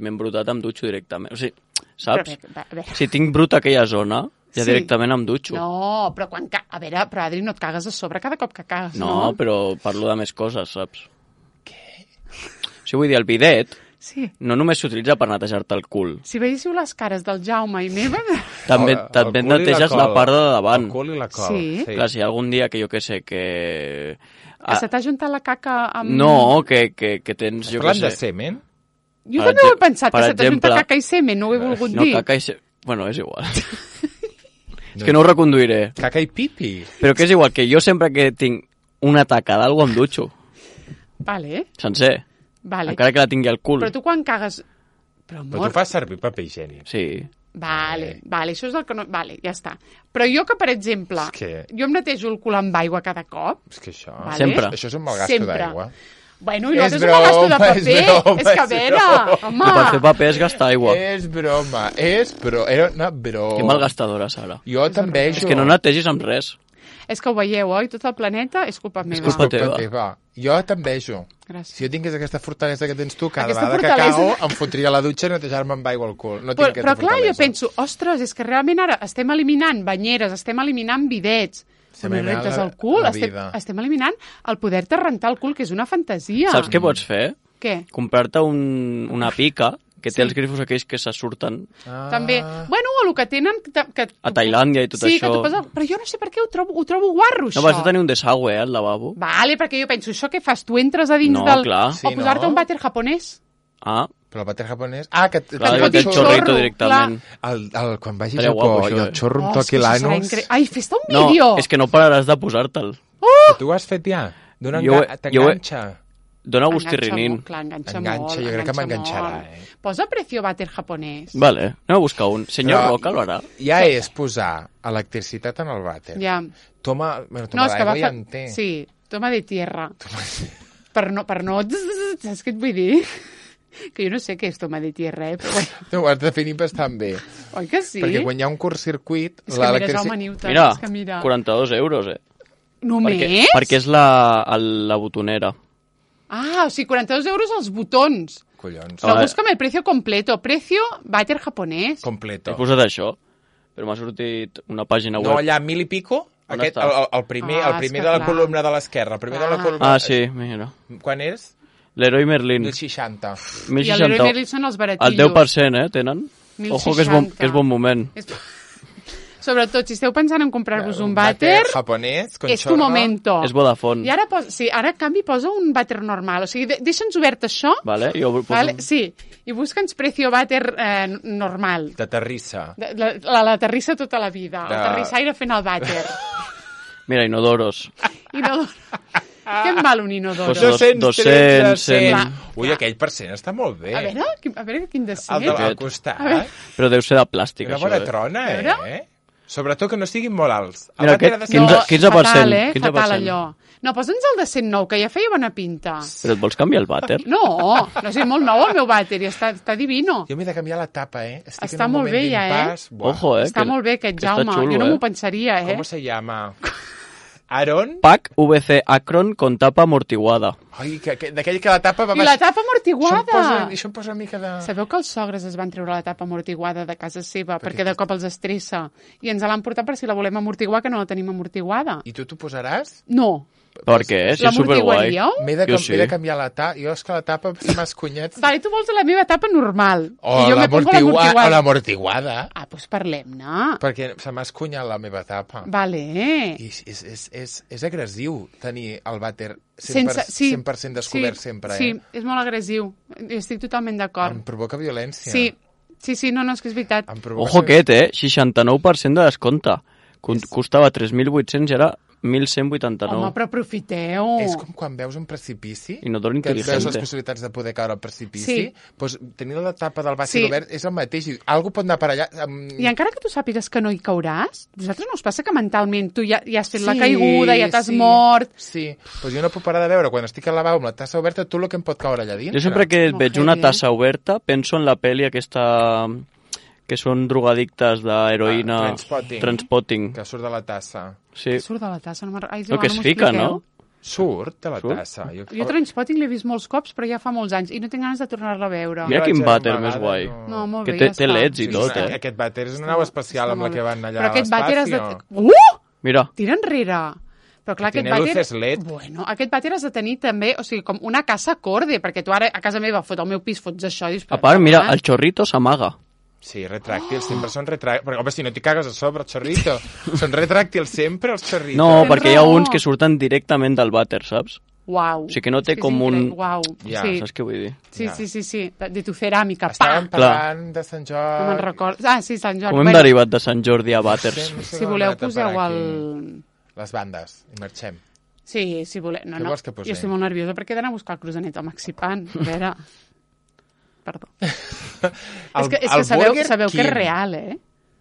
m'he embrutat em dutxo directament. O sigui, saps? Però, si tinc brut aquella zona, Ja directament em dutxo. No, però quan... A veure, però Adri, no et cagues a sobre cada cop que cagues, no? No, però parlo de més coses, saps? Què? O sigui, vull dir, el bidet Sí. no només s'utilitza per netejar-te el cul. Si veiéssiu les cares del Jaume i meva... També El cul i neteges la col. part de davant. El cul i la col. Sí. Clar, si hi ha algun dia que jo que sé que... Que se t'ha juntat la caca amb... No, que tens, jo que Parlant de sé... semen? Jo Per també ho he pensat, per que se t'ha juntat exemple- caca i semen, no ho he volgut No, dir. caca i... Bueno, és igual. És que no ho reconduiré. Caca i pipi. Però que és igual, que jo sempre que tinc una taca d'algú em dutxo. Vale, Sencer. vale. Encara que la tingui al cul. Però tu quan cagues... Però, Però amor... tu fas servir paper higiènic. Sí. Vale, vale, això és el que no... Vale, ja està. Però jo que, per exemple, És que- jo em netejo el cul amb aigua cada cop. És que això... Vale. Sempre. Això és un mal gasto Sempre. d'aigua. Bueno, i És nosaltres un gasto de broma, és paper. broma, És que, a és veure, broma. home... Per fer paper és gastar aigua. És broma, era una broma. Que malgastadora, Sara. Jo també... És que no netegis amb res. És que ho veieu, oi? Tot el planeta és culpa meva. culpa teva. Jo t'envejo. Gràcies. Si jo tingués aquesta fortalesa que tens tu, cada Aquesta vegada que fortalesa. cago em fotria a la dutxa i netejar-me amb aigua al cul. No tinc Però aquesta clar, jo fortalesa. penso, ostres, és que realment ara estem eliminant banyeres, estem eliminant bidets, Estem no eliminant rentes la- el cul, la estem, vida. estem eliminant el poder-te rentar el cul, que és una fantasia. Saps què pots fer? Què? Comprar-te una pica que té els grifos aquells que se surten Ah. També, bueno, o el que tenen... Que a Tailàndia i tot sí, això. que tu poses... Però jo no sé per què ho trobo guarro, això. No vas a tenir un desagüe, al lavabo? Vale, perquè jo penso, això què fas? Tu entres a dins No, del... clar. Sí, o posar-te no? un vàter japonès. Ah, Però el vàter japonès... Ah, que... clar, et jo fot té el un xorrito xorro, directament. Quan vagi a Estaria Japó guapo, i això, el xorro em és toqui que això serà l'anus... Ai, fes-te un No, vídeo! és que no pararàs de posar-te'l. Que tu ho has fet ja? Jo- T'enganxa. Dona gust i Enganxa rinin. molt, clar, enganxa Enganxa, molt. jo crec que enganxa m'enganxarà, molt. Posa precio vàter japonès. Vale, anem a buscar un. Senyor Però- Roca lo harà. Ja és posar electricitat en el vàter. Ja. Toma, bueno, No, toma és que va d'aigua ja fer... en té. Sí, toma de tierra. Per no... Saps què et vull dir? Que jo no sé què és toma de tierra, però bueno. Tu ho has definit bastant bé. Oi que sí? Perquè quan hi ha un curtcircuit... És que mira, Jaume l'electrici- Newton, Mira, és que mira. 42 euros, Només? Perquè és la botonera. Ah, o sigui, 42 euros els botons. Collons. No, Ah, búscame el precio completo. Precio vàter japonès. Completo. He posat això, però m'ha sortit una pàgina No, web. allà, 1000 i pico? On Aquest, està? el primer, Ah, el primer és de que la clar. columna de l'esquerra. El primer de la columna... Ah, sí, mira. Quan és? L'Heroi Merlin. 1060. I el Leroy Merlin són els El baratillos. 10%, tenen? 1060. Ojo, que és bon moment. Sobretot, si esteu pensant en comprar-vos un vàter, japonès, con és tu chorro. momento. És Vodafone. I ara, sí, ara en canvi posa un vàter normal. O sigui, deixa'ns obert això, Vale, jo poso... vale? Sí, i busca'ns precio vàter normal. De terrissa. La terrissa tota la vida. El De- terrissaire fent el vàter. Mira, inodoros. Inodoro. Què em val un inodoro? Pues 200, 100. Ui, aquell percent està molt bé. A veure quin de ser. El de al Aquest. costat. Però deu ser de plàstic, Una això, bona trona, A veure. Sobretot que no siguin molt alts. El Mira, vàter aquest, ha de ser- 15%. fatal, 15%. fatal allò. No, posa'ns el de 109, que ja feia bona pinta. Però et vols canviar el vàter? No, no sé, molt nou el meu vàter i està divino. Jo m'he de canviar la tapa, Estic Està en un molt moment bé, ja, d'impàs. Buah. Ojo, Està que- molt bé aquest que està Jaume, xulo, jo no m'ho pensaria, ¿Cómo se llama? Aaron? Pack VC Acron con tapa amortiguada. Ai, d'aquell que la tapa va... I la tapa amortiguada! Això em posa una mica de... Sabeu que els sogres es van treure la tapa amortiguada de casa seva perquè de cop els estressa i ens l'han portat per si la volem amortiguar, que no la tenim amortiguada? I tu t'ho posaràs? No. Per què? Si és superguai. L'amortiguaríeu? M'he de canviar la tapa. Jo és que la tapa se m'ha escunyat. Vale, tu vols la meva tapa normal. O I jo me pongo l'amortiguada. l'amortiguada. Ah, doncs parlem-ne. Perquè se m'ha escunyat la meva tapa. Vale. I és agressiu tenir el vàter 100%, Sense, sí, 100% descobert sempre, Sí, és molt agressiu. Estic totalment Em d'acord. provoca violència. Sí, no, és que és veritat. Em provoca... Ojo aquest, 69% de descompte. Costava 3.800 i ara 1.189. Home, però aprofiteu. És com quan veus un precipici, Inodor que et veus les intel·ligente. possibilitats de poder caure al precipici, Sí. doncs tenir la tapa del vàter Sí. obert és el mateix. I algú pot anar per allà... I encara que tu sàpigues que no hi cauràs, vosaltres no us passa que mentalment tu ja has fet la caiguda, ja t'has mort... Sí, doncs jo no puc parar de veure, quan estic al lavabo amb la tassa oberta, tot el que em pot caure allà dintre. Jo sempre que Molt veig heavy, una tassa oberta penso en la pel·li aquesta que són drogadictes d'heroïna. Trainspotting. Transpotting. Que surt de la tassa. Sí. Surt de la tassa, no No, que es fica, no? Surt de la Surt? tassa. Jo Trainspotting l'he vist molts cops, però ja fa molts anys, i no tinc ganes de tornar-la a veure. Mira Jo quin vaig anar vàter una més vegada, guai. No, molt Que bé, té ja està. LEDs i tot, Sí, aquest vàter és una nau espacial amb la que van allà però a aquest vàter has de... l'espacio. Mira, Tira enrere. Però clar, aquest Tiene vàter... luces LED. Bueno, aquest vàter has de tenir també, o sigui, com una casa acorde, perquè tu ara a casa meva fots al meu pis, fots això... I dius, a part, mira, el xorrito s'amaga. Sí, retràctils, sempre són retràctils. Perquè, home, si no t'hi cagues a sobre, el xorrito. Són retràctils sempre, els xorritos. No, Tens perquè hi ha raó. uns que surten directament del vàter, saps? Uau. O sigui que no té com un... Uau, Ja, sí. Saps què vull dir? Sí, Ja. sí. De tu ceràmica, Estàvem pa! parlant de Sant Jordi. No me'n recordo. Ah, sí, Sant Jordi. Com hem derivat de Sant Jordi a vàters? Si voleu, poseu el... Les bandes, i marxem. Sí, si voleu. No, Què no. vols que posem? Jo estic molt nerviosa perquè he d'anar a buscar el cruzanet al Maxipan. A veure... Perdó. És que sabeu que és real, eh?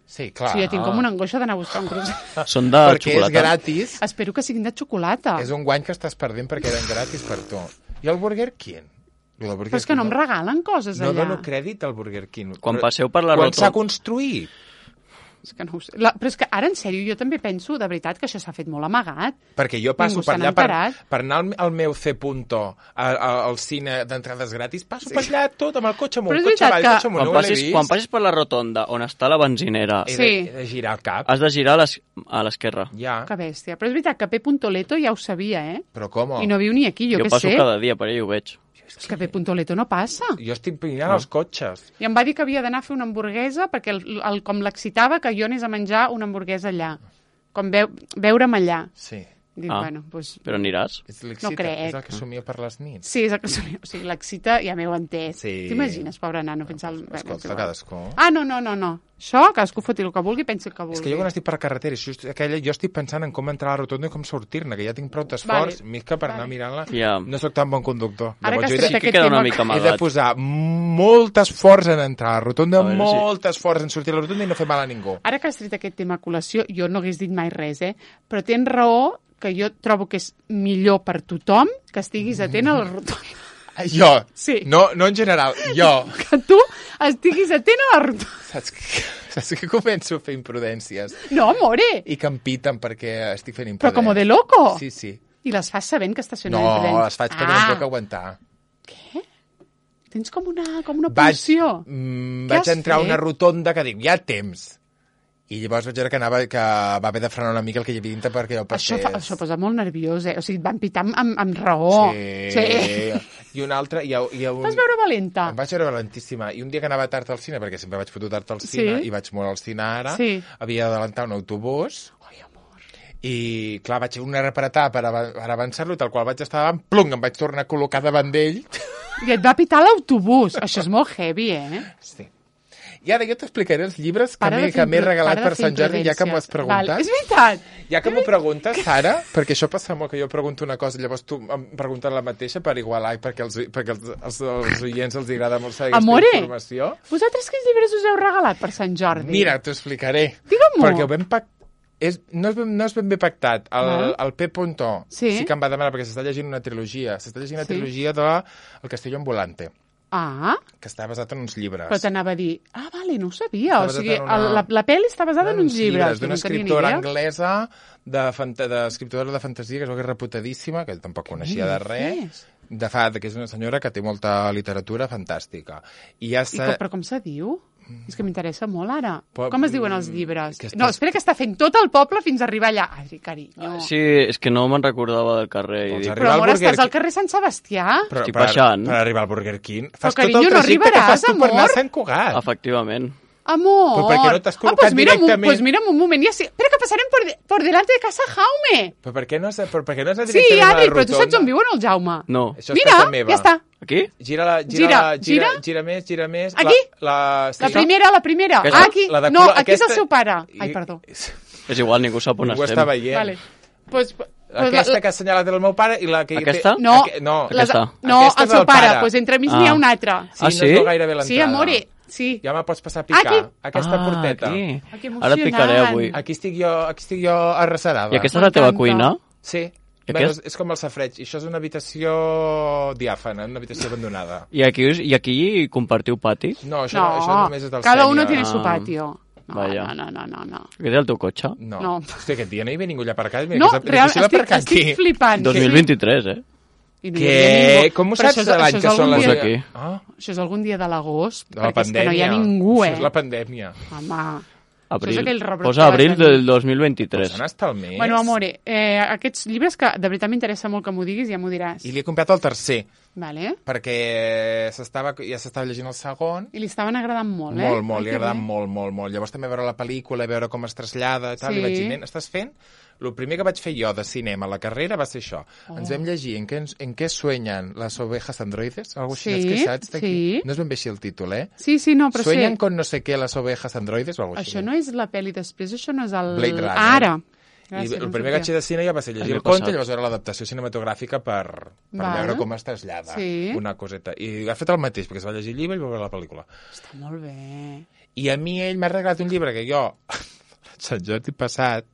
Sí, clar. O sigui, jo tinc com una angoixa d'anar a buscar un cruzanet. Són de Perquè és xocolata. gratis. Espero que siguin de xocolata. És un guany que estàs perdent perquè eren gratis per tu. I el Burger King? Però és que no em regalen coses no allà. dono crèdit al Burger King. Quan passeu per la Quan s'ha rotonda... construït? És que no ho sé. Però és que ara, en sèrio, jo també penso, de veritat, que això s'ha fet molt amagat. Perquè jo passo Ningú per se allà n'ha enterat. per anar al meu C. al cine d'entrades gratis, passo per allà tot amb el cotxe amunt, Però és cotxe veritat avall, que- cotxe amunt, no ho he vist. Quan passis per la rotonda on està la benzinera, He Sí. de girar el cap. has de girar a l'esquerra. Ja, Que bèstia. Però és veritat que P. Leto ja ho sabia, eh? però com? I no viu ni aquí, jo Jo què passo sé. cada dia per allà i ho veig. És que P. Leto no passa. Jo estic mirant els cotxes. I em va dir que havia d'anar a fer una hamburguesa perquè com l'excitava que jo anés a menjar una hamburguesa allà. Com veure'm allà. Sí. Dic, Ah. bueno, doncs... Però aniràs? No crec. És el que somia per les nits. Sí, és el que somia. O sigui, l'excita, ja m'heu entès. Sí. T'imagines, pobre nano, pensar... Escolta, cadascú. Ah, no. Això, cadascú foti el que vulgui, pensi el que vulgui. És que jo quan estic per la carretera, jo estic pensant en com entrar a la rotonda i com sortir-ne, que ja tinc prou d'esforç, Vale. més que per anar mirant-la. Ja. No sóc tan bon conductor. Ara que Llavors, has jo tret he que aquest queda una tema... mica de amagat. posar molt esforç en entrar a la rotonda, A veure, sí. molt esforç en sortir a la rotonda i no fer mal a ningú. Ara que has tret aquest tema a col·lació, jo no hagués dit mai res, però tens raó que jo trobo que és millor per tothom que estiguis atent a la rotonda. Jo. Sí. No en general, jo. Que tu estiguis atent a la rotonda. Saps que començo a fer imprudències No, amore! i que em piten perquè estic fent Però imprudències. com de loco. Sí, sí. I les fas sabent que estàs fent una No, imprudència. les faig perquè no em puc aguantar. Tens com una pulsió. Què Vaig has entrar a una fet? rotonda que dic, hi ha temps. I llavors vaig veure que va haver de frenar una mica el que hi havia dintre perquè jo passés. Això posa molt nerviós, eh? O sigui, et van pitar amb raó. Sí. I una altra... Vas veure valenta. Em vaig veure valentíssima. I un dia que anava tard al cine, perquè sempre vaig fotre tard al cine, Sí. i vaig molt al cine ara, Sí. havia d'adelantar un autobús, Ai, amor. i clar, vaig fer una repretar per avançar-lo, tal qual vaig estar davant, plum, em vaig tornar a col·locar davant d'ell. I et va pitar l'autobús. Això és molt heavy, eh? Sí. I ara jo t'explicaré els llibres Para de que fer m'he regalat para de per fer Sant Jordi, ja que m'ho has imprudències. preguntat. Val, és veritat. Ja que m'ho preguntes, Sara, perquè això passa molt, que jo pregunto una cosa i llavors tu em preguntes la mateixa per igualar i perquè els oients els agrada molt saber Amore. aquesta informació. Vosaltres quins llibres us heu regalat per Sant Jordi? Mira, t'ho explicaré. Digue-m'ho. Perquè ho vam no és ben bé pactat. El P. Sí. Que em va demanar, perquè s'està llegint una trilogia. S'està llegint una Sí. trilogia de El Castillo Ambulante, Ah, que està basat en uns llibres. però t'anava a dir... Ah, vale, no ho sabia. Està O sigui, basat en una- la pel·li està basada en uns llibres. d'una No tenia ni escriptora idea. anglesa d'escriptora de fantasia, que és que és reputadíssima, que tampoc coneixia de res, que és una senyora que té molta literatura fantàstica. I ja Però com se diu? És que m'interessa molt ara. Però- Com es diuen els llibres? que estàs- No, espera, que està fent tot el poble fins a arribar allà. Ai, carinyo. Sí, és que no me'n recordava del carrer. Doncs I dic, arriba Però, al amor, Burger estàs al King. carrer Sant Sebastià? Estic baixant. Per arribar al Burger King. Fas carinyo, tot el no trajecte que arribaràs, fas tu per anar a amor. Sant Cugat. efectivament. Amor. Però per què no t'has col·locat pues mira, directament? Pues mira, un moment, ja sí. Espera, que passarem por delante de casa Jaume. Però per què no has anat Sí, directament a la Adri, però tu rotonda? saps on viu el Jaume? No. Això és Mira, casa meva. ja està. Aquí? Gira més. Aquí? Sí. La primera. Aquesta? Ah, aquí. La de No, cul- aquí és el aquesta- seu pare. Ai, perdó. És igual, ningú sap on Ningú estem. està veient. Vale. Pues Aquesta que ha assenyalat el meu pare i la que... Aquesta? No, No, Aquesta. No, Aquesta el és seu del pare. pare. Pues entremig n'hi ha Ah. un altre. Sí, Ah, no sí? es veu gairebé l'entrada. Sí, amore. Sí. Ja me pots passar a picar. Aquí. Aquesta porteta. Aquí. Ah, que Ara et picaré emocionant. avui. Aquí estic jo arrecerada. I aquesta és la teva M'encanta. cuina? Sí. I Bueno, aquest? és com el safreig. I això és una habitació diàfana, una habitació abandonada. I aquí compartiu pati? No, això No, només és del cada uno sènior. tiene su patio. Vaja. No. Què té el teu cotxe? No. Hòstia, aquest dia no hi havia ningú allà aparcat. Mira, No, que és real, difícil aparcar estic flipant. 2023, I no hi havia ningú. Com ho Però saps de l'any que són les... Aquí. Això és algun dia de l'agost, De la perquè és que no hi ha pandèmia. ningú, Això és la pandèmia. Home, Abril. això és aquell rebrot Posa que abril va tenir. del 2023. On està el mes? Bueno, amore, aquests llibres que de veritat m'interessa molt que m'ho diguis, ja m'ho diràs. I li he comprat el tercer, Vale? perquè ja s'estava llegint el segon. I li estaven agradant molt, eh? Molt, li Ai, ha que agradat bé. molt. Llavors també veure la pel·lícula, veure com es trasllada i tal, Sí. li vaig dir, nen, estàs fent? El primer que vaig fer jo de cinema a la carrera va ser això. Ens vam llegir En què sueñan las ovejas androides? Algo així, Sí, que saps d'aquí? sí. No és ben bé així el títol, eh? Sí, no, però Sueñan sé... con no sé què las ovejas androides o algo així. Això no és la pel·li després, això no és el... Blade Runner. Ara. I Gràcies, el no primer que vaig sabia. fer de cine ja va ser llegir El el conte passat. i llavors veure l'adaptació cinematogràfica per Val. veure com es trasllada Sí. una coseta. I ha fet el mateix, perquè es va llegir el llibre i va veure la pel·lícula. Està molt bé. I a mi ell m'ha regalat un llibre que jo, Sant Jordi passat,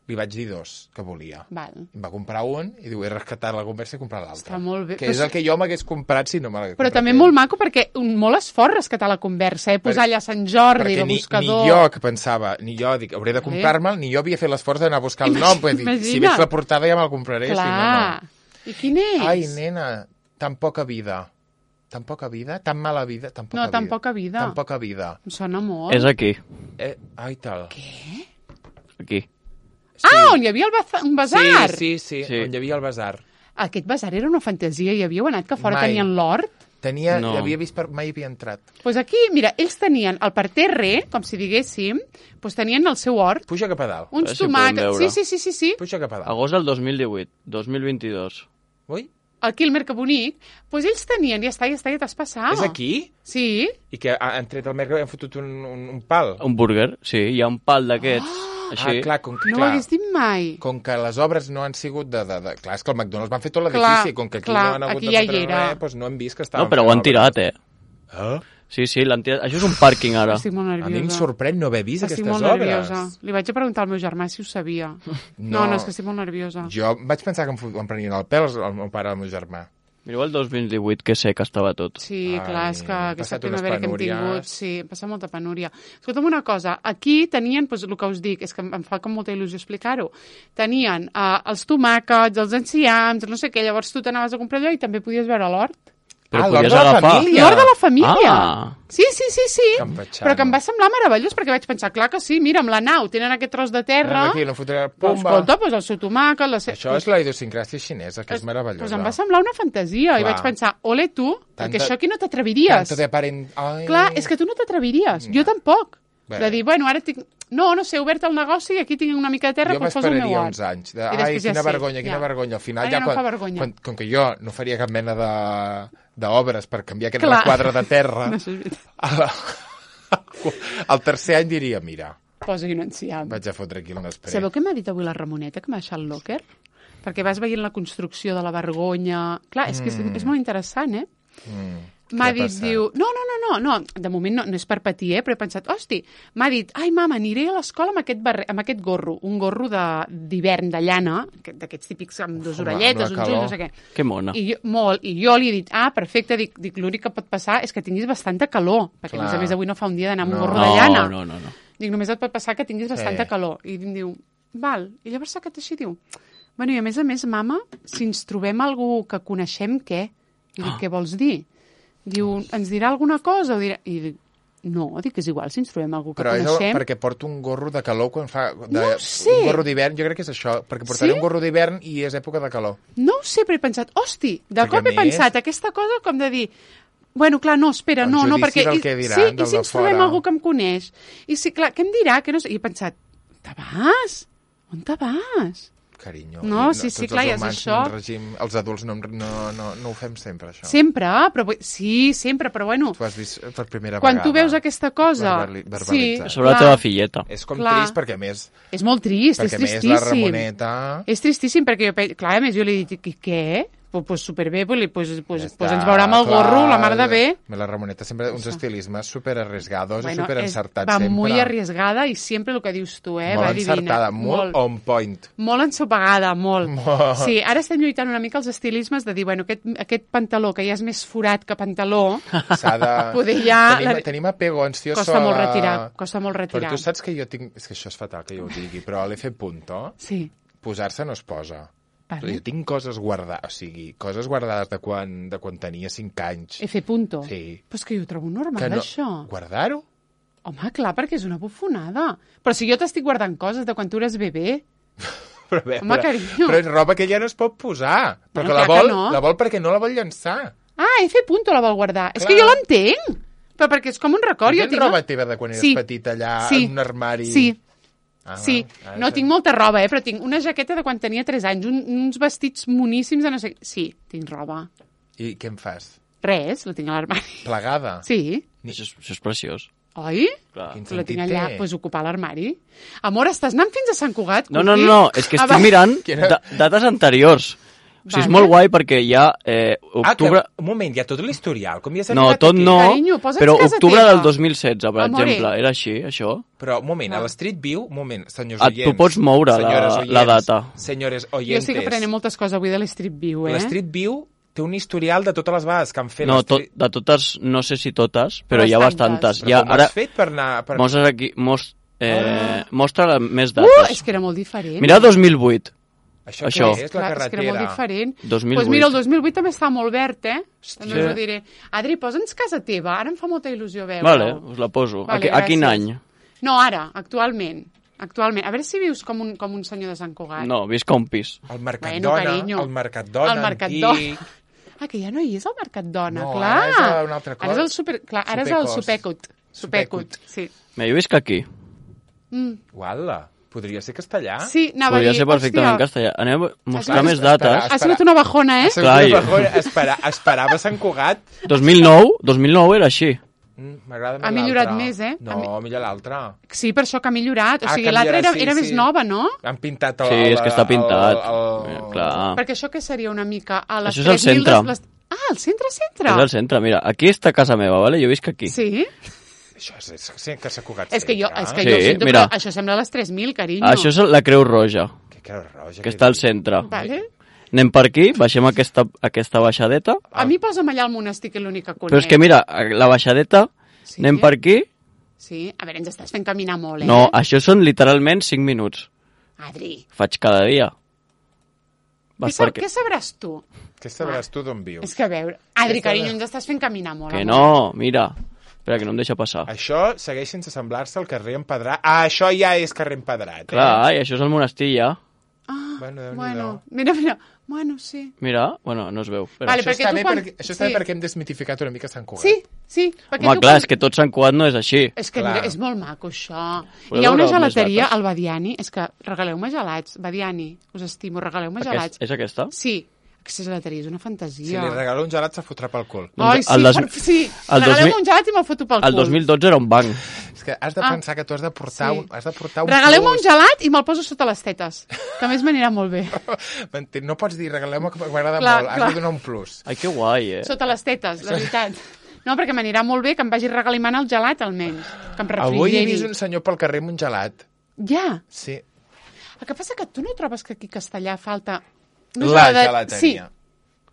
li vaig dir 2 que volia. Val. Em va comprar un i diu, he rescatat la conversa i he comprat l'altre. Està molt bé. Que és el que jo m'hagués comprat si no me l'hagués Però comprat també ell. molt maco perquè molt esforç rescatar la conversa, posar allà Sant Jordi Perquè de ni buscador. jo que pensava, ni jo dic, hauré de comprar-me'l, ni jo havia fet l'esforç d'anar a buscar el nom. Vull dir, si Imagina't. veig la portada ja me'l compraré. Clar. Si no. I quin és? Ai, nena, tan poca vida. Tan poca vida? Tan mala vida? Tan poca No, vida. tan poca vida. Tan poca vida. Em sona molt. És aquí. Ai, tal. Aquí. Ah, on hi havia un basar! Sí, Sí. on hi havia el basar. Aquest basar era una fantasia. Hi havíeu anat que fora Mai. tenien l'hort? No. L'havia vist, mai havia entrat. Doncs pues aquí, mira, ells tenien el parterre, com si diguéssim, doncs tenien el seu hort, Puja cap a dalt. uns A veure si ho podem tomàquets... veure. Sí. Puja cap a dalt. Agost del 2018, 2022. Ui? Aquí el Merca Bonic, doncs ells tenien, ja t'has passat. És aquí? Sí. I que han tret el mercat i han fotut un pal. Un burger, sí, hi ha un pal d'aquests, així. Clar, com que, No ho hagués dit mai. com que les obres no han sigut de... Clar, és que el McDonald's van fer tot Clar, l'edifici, com que aquí clar, no han hagut aquí de ja fotre hi era. res, doncs no hem vist que estaven... No, però ho han tirat, eh? Ah? Sí, l'han tirat. Això és un pàrquing, ara. Estic molt A nerviosa. mi em sorprèn no haver vist Estic aquestes molt obres. nerviosa. Li vaig a preguntar al meu germà si ho sabia. No, és que estic molt nerviosa. Jo vaig pensar que em prenien el pèl el meu pare i el meu germà. Mireu el 2018, que sé que estava tot. Sí, clar, és que Ai, aquesta passat unes primavera que hem penúries. tingut, sí, hem passat molta penúria. Escolta'm una cosa, aquí tenien, doncs, el que us dic, és que em fa com molta il·lusió explicar-ho, tenien els tomàquets, els enciams, no sé què, llavors tu t'anaves a comprar allò i també podies veure l'hort. Però l'hort podies de la agafar. família. L'hort de la família. Ah. Sí. Campechano. Però que em va semblar meravellós, perquè vaig pensar, clar que sí, mira, amb la nau tenen aquest tros de terra, Aquí, no fotré... però, Pumba. escolta, doncs el seu tomàquet, Això és la idiosincràsia xinesa, que és meravellosa. Doncs em va semblar una fantasia, i Clar. vaig pensar, ole tu, perquè Tanta- això aquí no t'atreviries. Tanto de parent... Ai. Clar, és que tu no t'atreviries, jo tampoc. Bé. De dir, bueno, ara tinc... No sé, he obert el negoci i aquí tinc una mica de terra, Jo doncs poso el meu m'esperaria hort. uns anys. I Ai, després ja quina sé, vergonya, quina ja. vergonya. Al final, Ara ja no em fa vergonya. com que jo no faria cap mena d'obres per canviar aquest Clar. requadre de terra, No, això és veritat. al tercer any diria, mira, Posa-hi un enciam. vaig a fotre aquí un espre. Sabeu què m'ha dit avui la Ramoneta, que m'ha deixat el locker? Perquè vas veient la construcció de la vergonya... Clar, és que és molt interessant, eh? M'ha Què ha dit, passat? diu... No, de moment no és per patir, però he pensat, hosti, m'ha dit, ai, mama, aniré a l'escola amb aquest gorro, un gorro d'hivern, de llana, d'aquests típics amb dues Home, orelletes, amb la uns ulls, calor. no sé què. Que mona. I jo li he dit, perfecte, dic l'únic que pot passar és que tinguis bastanta calor, perquè Clar. a més avui no fa un dia d'anar amb un No. gorro de llana. No. Dic, només et pot passar que tinguis bastanta calor. I em diu, val. I llavors s'ha quedat així, diu, bueno, i a més, mama, si ens trobem algú que coneixem, què? I dic, què vols dir? Diu, ens dirà alguna cosa? O dirà... I dic, no, dic, és igual si ens trobem algú que Però és coneixem. perquè porto un gorro de calor quan fa... No ho sé. Un gorro d'hivern, jo crec que és això, perquè portaré Sí? un gorro d'hivern i és època de calor. No ho sé, però he pensat, hosti, de Perquè cop he a més- pensat aquesta cosa com de dir, bueno, clar, no, espera, El no, judici perquè... del que diran, sí, del i si de ens trobem fora. algú que em coneix? I si, clar, què em dirà? Que no sé. I he pensat, on te vas? On te vas? Carinyo. No, I sí, tots clar, els ja és humans, això. un règim, els adults no ho fem sempre, això. Sempre, sempre, però bueno, Tu has vist per primera quan vegada. tu veus aquesta cosa... Verbalitzat. Sobre la clar, teva filleta. És com Clar. trist perquè, a més, És molt trist, és perquè a més tristíssim. la Ramoneta... És tristíssim perquè, clar, a més jo li he dit, què? pues superbé, pues Ja ens veurà amb el gorro, la mar de bé. La Ramoneta sempre uns estilismes super arriesgados i Bueno, super encertats va sempre. muy arriesgada i sempre el que dius tu, Molt va divina. encertada, molt on point. Molt ensopegada, molt. Sí, ara estem lluitant una mica els estilismes de dir, bueno, aquest pantaló que ja és més forat que pantaló, S'ha de... poder ja... Tenim apego ansioso Costa molt a la- retirar, costa molt Però retirar. tu saps que jo tinc... És que això és fatal que jo ho digui, però a l'F. Sí, Posar-se no es posa. vale. Jo tinc coses guardades, o sigui, coses guardades de quan tenia 5 anys. F punto. Sí. Però és que jo ho trobo normal, Que no... això. Guardar-ho? Home, clar, perquè és una bufonada. Però si jo t'estic guardant coses de quan tu eres bebè... Però, bé, Home, carinyo. però és roba que ja no es pot posar. Però Bueno, que clar que no. la vol perquè no la vol llançar. Ah, F punto la vol guardar. És Clar. que jo l'entenc. Però perquè és com un record. Jo Tens tinc... roba teva de quan eres Sí. petita allà Sí. en un armari? Sí. Ah, Sí, va. no tinc molta roba, però tinc una jaqueta de quan tenia 3 anys, uns vestits moníssims de no sé... Sí, tinc roba. I què em fas? Res, la tinc a l'armari. Plegada? Sí, Això és preciós. oi? Clar. Quin La tinc sentit allà, té? doncs ocupar l'armari. Amor, estàs anant fins a Sant Cugat? No, Cuqui? és que Ah, estic va. mirant Quina- dates anteriors. O sigui, és Vale. molt guai perquè hi ha octubre... Un moment, hi ha tot l'historial. Com hi has No, arribat tot aquí? no, Carinyo, posa'ns però casa octubre teva. del 2016, per Amore. exemple. Era així, això? Però, un moment, No. a l'Street View, un moment, senyors Ah, oients. tu pots moure senyores la oients, data. Senyores Jo oyentes. sí que aprenent moltes coses avui de l'Street View, L'Street View té un historial de totes les vegades que han fet No, l'Street- de totes, no sé si totes, però hi ha Bastantes. bastantes. Però Ja, com ho ara, has fet per anar... Per... mostres aquí, mostra més És dates. que era molt diferent. Mira 2008. Això, això. què és, la Clar, és que era molt carretera? diferent. 2008. Doncs mira, el 2008 també està molt verd, Sí. També us ho diré. Adri, posa'ns casa teva, ara em fa molta il·lusió veure. Vale, us la poso. Vale, A quin gràcies. any? No, ara, actualment. Actualment. A veure si vius com un senyor de Sant Cugat. No, visc a un pis. El Mercat Bueno, Dona, carinyo. el Mercat Dona El Mercat antic... Dona. Ah, que ja no hi és el Mercat Dona, No, clar. ara és una altra cosa. Ara és el super... Clar, ara és el Supecos. Supecut, sí. Mira, jo visc aquí. Uala, podria ser castellà? Sí, anava Podria a dir, ser perfectament en hòstia, castellà. Anem a mostrar Has més vist? dates. ha sigut una bajona, Clar, Esperava Sant Cugat. 2009 era així. M'agrada més Ha millorat l'altre. més, eh? No, millor l'altre. Sí, per això que ha millorat. O Ah, sigui, que l'altra millora, sí, era sí. més nova, no? Han pintat el... Sí, és que està pintat. el- Clar. Perquè això què seria una mica a les Això és el 3.000 centre. Ah, el centre-centre. És al centre, mira. Aquí està casa meva, vale? Jo visc aquí. Sí? Això és que s'ha Cugat És que jo, centre. és que Sí, jo ho sento, mira. però això sembla les 3.000, carinyo. Això és la Creu Roja, Que creu roja. que està al centre. Vale. Anem per aquí, baixem aquesta baixadeta. A mi posa'm allà al monestir, que és l'únic que conec. Però és que mira, la baixadeta, Sí. anem per aquí. Sí, a veure, ens estàs fent caminar molt, eh? No, això són literalment 5 minuts. Adri, Faig cada dia. Vas per què sabràs tu? Què sabràs tu d'on vius? És que a veure... Adri, Què carinyo, sabràs? ens estàs fent caminar molt. Que amor. no, mira. Espera, que no em deixa passar. Això segueix sense semblar-se al carrer Empedrat. Ah, això ja és carrer Empedrat. Clar, i això és el monestir ja. Ah, Bueno, Déu-n'hi-do. bueno, mira. Bueno, sí. Mira, bueno, no es veu. Espera. Vale, Això perquè està tu bé, quan- això està bé sí. perquè hem desmitificat una mica Sant Cugat. Sí, perquè Home, tu clar, quan- és que tot Sant Cugat no és així. És que Clar. mira, és molt maco, això. Podeu Hi ha una veure més gelateria dates? al Badiani. És que regaleu-me gelats. Badiani, us estimo, regaleu-me gelats. És aquesta? Sí, aquesta gelateria és una Si fantasia. li regalo un gelat, se fotrà pel cul. Ai, Doncs sí, el dos- sí. el Regaleu-me 2000 un gelat i me'l foto pel cul. El 2012 era un banc. És que has de Ah. pensar que tu has de portar, Sí. has de portar un Regaleu-me un plus. gelat i me'l poso sota les tetes, que a més m'anirà molt bé. No pots dir regaleu-me que m'agrada Clar, molt, has clar. de donar un plus. Ai, que guai, eh? Sota les tetes, la veritat. No, perquè m'anirà molt bé que em vagi regalimant el gelat, almenys. Que em Avui he refrigeri. vist un senyor pel carrer amb un gelat. Ja. Sí. El que passa que tu no trobes que aquí a Castellà falta... La gelateria.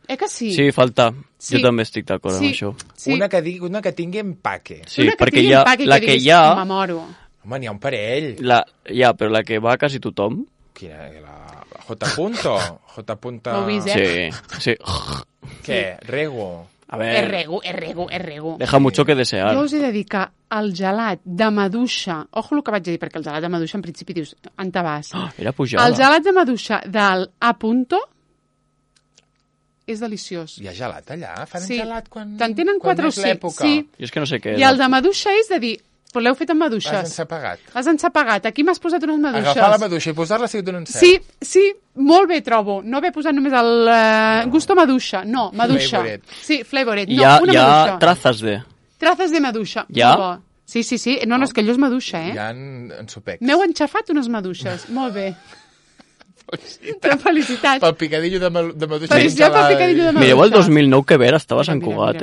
Sí. Que sí? Sí, falta. Sí. Jo també estic d'acord amb això. Sí. Una que tingui empaque. Sí, Una que perquè tingui hi ha, empaque i la que que diguis, hi ha, M'amoro. Home, n'hi ha un parell. però la que va a quasi tothom. Quina? La J. Punto? J. Punto... Ho he vist, eh? Sí. Què? Rego? A És ver, rego. deja mucho que desear. Jo us he de dir que el gelat de maduixa... Ojo el que vaig a dir, perquè el gelat de maduixa en principi dius, on te vas? Era pujada. El gelat de maduixa del A. Punto és deliciós. Hi ha gelat allà? Fan Sí. gelat quan... Te'n tenen quan 4 o és 5. l'època? Sí. Jo és que no sé què I el de maduixa és de dir, però l'heu fet amb L'has maduixes. ensapagat. L'has ensapagat. Aquí m'has posat unes maduixes. Agafar la maduixa i posar-la si donen cel. Sí, molt bé trobo. No haver posat només el gusto maduixa. No, maduixa. Flavoret. Sí, flavoret. No, Hi ha, una hi ha maduixa. trazas de... Trazas de maduixa. Ja? Molt bo. Sí. No, és que allò és maduixa, eh? Hi ha en sopecs. M'heu enxafat unes maduixes. Molt bé. De felicitats. Pel picadillo de maduixa. Felicitats pel picadillo de maduixa. Mireu el 2009 que vera estava Sant Cugat,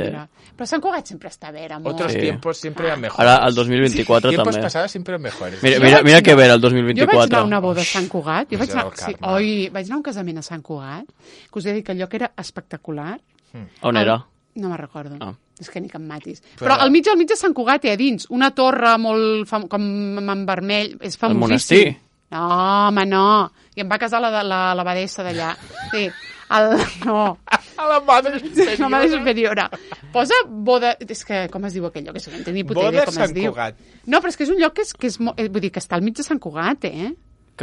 Però Sant Cugat sempre està bé, amor. Otros tiempos siempre eran mejores. Ara, el 2024 Tiempos també. pasados siempre eran mejores. Mira que vera el Jo vaig 2024. anar a una boda a Sant Cugat. Vaig anar a un casament a Sant Cugat, que us he dit que el lloc era espectacular. On era? No me'n recordo. Ah. És que ni que em matis. Però al mig de Sant Cugat hi ha dins una torre molt com en vermell. És famosíssim. monestir? No, home, no. I em va casar l'abadessa d'allà. Sí. No. A la madre La madre superiora. Posa boda... És que, com es diu aquell lloc? És que no en tinc ni puta idea com es diu. Cugat. No, però és que és un lloc que és vull dir, que està al mig de Sant Cugat, eh?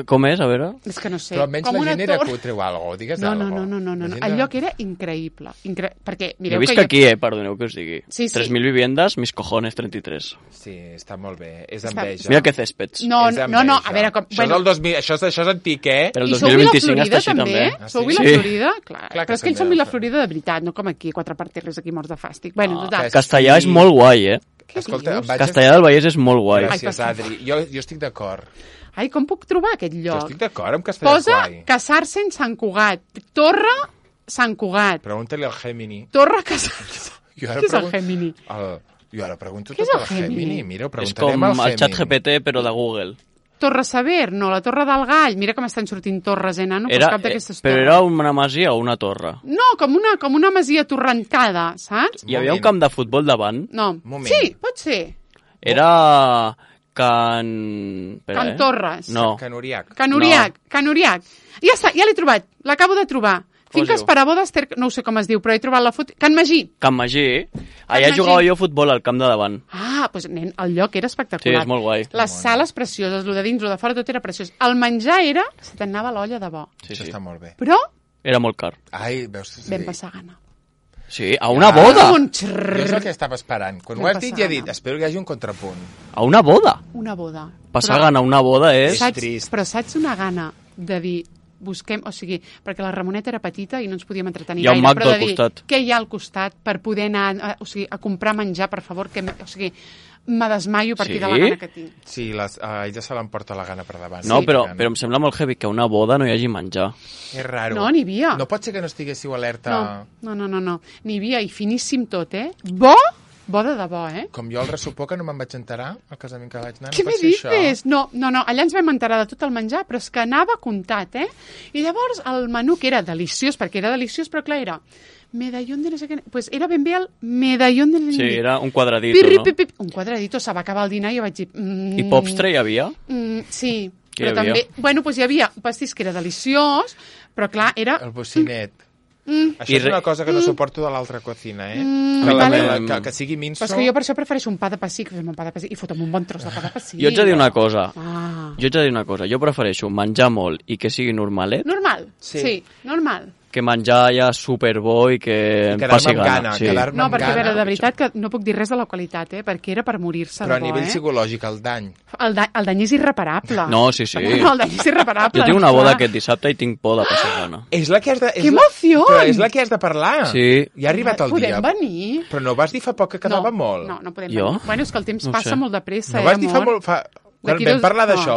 Com és, a veure? És que no sé. Però almenys com la gent era torre. cutre o algo, digues No. algo. El lloc era increïble. Perquè, Jo mireu visc que aquí, perdoneu que us digui. Sí, sí. 3.000 viviendas, mis cojones 33. Sí, està molt bé. És enveja. Mira que céspeds. No, És no, enveja. a veure... Com, Això, és el 2000, això és antic, eh? Però el I sou Vila 2025 Florida, està així també? també. Sou sí? Vila Sí. Florida? Clar Clar que però és que ells també. són Vila Florida de veritat, no com aquí, quatre parterres aquí morts de fàstic. Bueno, total. Castellà és molt guai, eh? Què Escolta, dius? em vaig... Castellà del Vallès és molt guai. Ai, Gràcies, Adri. Jo estic d'acord. Ai, com puc trobar aquest Jo lloc? estic d'acord amb Castellà Posa Guai. casar-se en Sant Cugat. Torre Sant Cugat. Pregunta-li al Gemini. Torre casar-se. Jo ara Què és el pregun- Gemini? Jo ara pregunto Què és tot el al Gemini. Gemini? Mira, ho És preguntarem com al el Gemini. xat GPT, però de Google. Torre Sever, no, la Torre del Gall. Mira com estan sortint torres, nano? Pues cap d'aquestes però torres. era una masia o una torre? No, com una masia torrentada, saps? Hi havia un camp de futbol davant. No. Moment. Sí, pot ser. Era Can... Espera, Can Torres. No. Can Uriac. Can Uriac. Ja està, ja l'he trobat. L'acabo de trobar. Finques diu? per a bodes, no ho sé com es diu, però he trobat la foto. Can Magí. Can Magí. Allà Magí. jugava jo a futbol al camp de davant. Ah, doncs nen, el lloc era espectacular. Sí, és molt guai. Les sales precioses, el de dins, el de fora, tot era preciós. El menjar era... Se t'anava l'olla de bo. Sí, Això sí. està molt bé. Però Era molt car. Ai, veus? Sí. vam passar gana. Sí, a una boda. Un Jo és el que estava esperant. Quan ho has dit, ja he dit, passar. espero que hi hagi un contrapunt. A una boda. Una boda. Passar gana a una boda és... Saps? trist. Però saps una gana de dir busquem, o sigui, perquè la Ramoneta era petita i no ens podíem entretenir Hi ha un gaire, Mac però del de dir, costat. què hi ha al costat per poder anar a comprar menjar, per favor, o sigui, me desmaio a partir Sí? de la gana que tinc. Sí, ella se l'emporta la gana per davant. No, Sí. però em sembla molt heavy que a una boda no hi hagi menjar. És raro. No, n'hi havia. No pot ser que no estiguéssiu alerta... No. N'hi havia, i finíssim tot, eh? Bo de debò, eh? Com jo al ressupó, que no me'n vaig enterar, al casament que vaig anar. Què no me pot ser això? dices? No, allà ens vam enterar de tot el menjar, però és que anava comptat, eh? I llavors el menú, que era deliciós, perquè era deliciós, però clar, era medallón de no sé què... Pues era ben bé el medallón de... Sí, era un quadradito, Pirri, no? pip. Un quadradito, se va acabar el dinar i jo vaig dir... I Popstre hi havia? Sí, Què però hi havia? també... Bueno, doncs hi havia un pastís que era deliciós, però clar, era... El bocinet. Això I és una cosa que no suporto de l'altra cocina, eh? vale. Que sigui minso... Però és que jo per això prefereixo un pa de pessic, fem un pa de pessic, i fotem un bon tros de pa de pessic. Jo ets a dir una cosa. Ah. Jo prefereixo menjar molt i que sigui normalet Normal, Sí. sí, normal. que menjar ja superbo i que em passi quedar-me amb gana. gana, Sí. quedar-me No, amb perquè, a gana. veure, de veritat que no puc dir res de la qualitat, perquè era per morir-se Però a de bo, nivell psicològic, el dany. El dany és irreparable. No, sí, sí. No, el dany és irreparable. Jo tinc una boda clar. aquest dissabte i tinc por de passar gana. És la que has de... Que emoció! Però és la que has de parlar. Sí. Ja ha arribat el dia. Podem venir? Però no vas dir fa poc que quedava molt? No podem Jo? venir. Bueno, és que el temps No passa sé. molt de pressa, No vas dir fa amor? molt... Quan D'aquí vam dos- parlar no. d'això,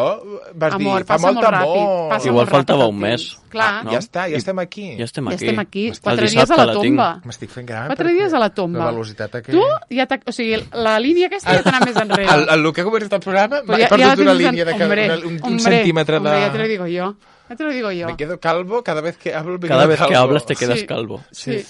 vas Amor, dir, fa passa molt molt amor. ràpid, passa Igual molt faltava ràpid un el mes. temps. Clar, No? Ja està, ja estem aquí. Ja estem aquí. ja estem aquí. El 4 dies dissabte a la la tinc. tomba. M'estic fent gran. 4 dies a la tomba. La velocitat aquella. Tu ja o sigui, la línia aquesta ja t'ha anat més enrere. El que ha començat el programa, Pues he la perdut una tienes línia de hombre, un hombre, centímetre de... hombre, ya te lo digo yo. Ya te lo digo yo. Me quedo calvo cada vez que hablo. Cada vez que hablas te quedas Sí. calvo. Sí.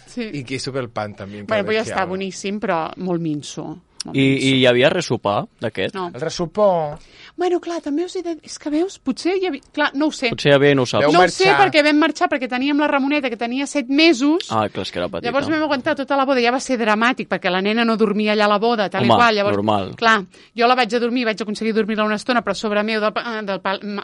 Sí. I que sube el pan, també. Bueno, pues ja està, boníssim, però molt minso. Molt I minso. hi havia ressopar d'aquest? No. El ressupó... Bueno, clar, també us he de... És que veus, potser hi havia... Clar, no ho sé. Potser hi havia i no ho saps. Veu No ho sé marxar. perquè vam marxar, perquè teníem la Ramoneta, que tenia 7 mesos. Ah, clar, és que era petita. Llavors vam aguantar tota la boda, ja va ser dramàtic, perquè la nena no dormia allà a la boda, tal Home, i qual. Llavors, normal. Clar, jo la vaig a dormir, vaig aconseguir dormir-la una estona, però a sobre meu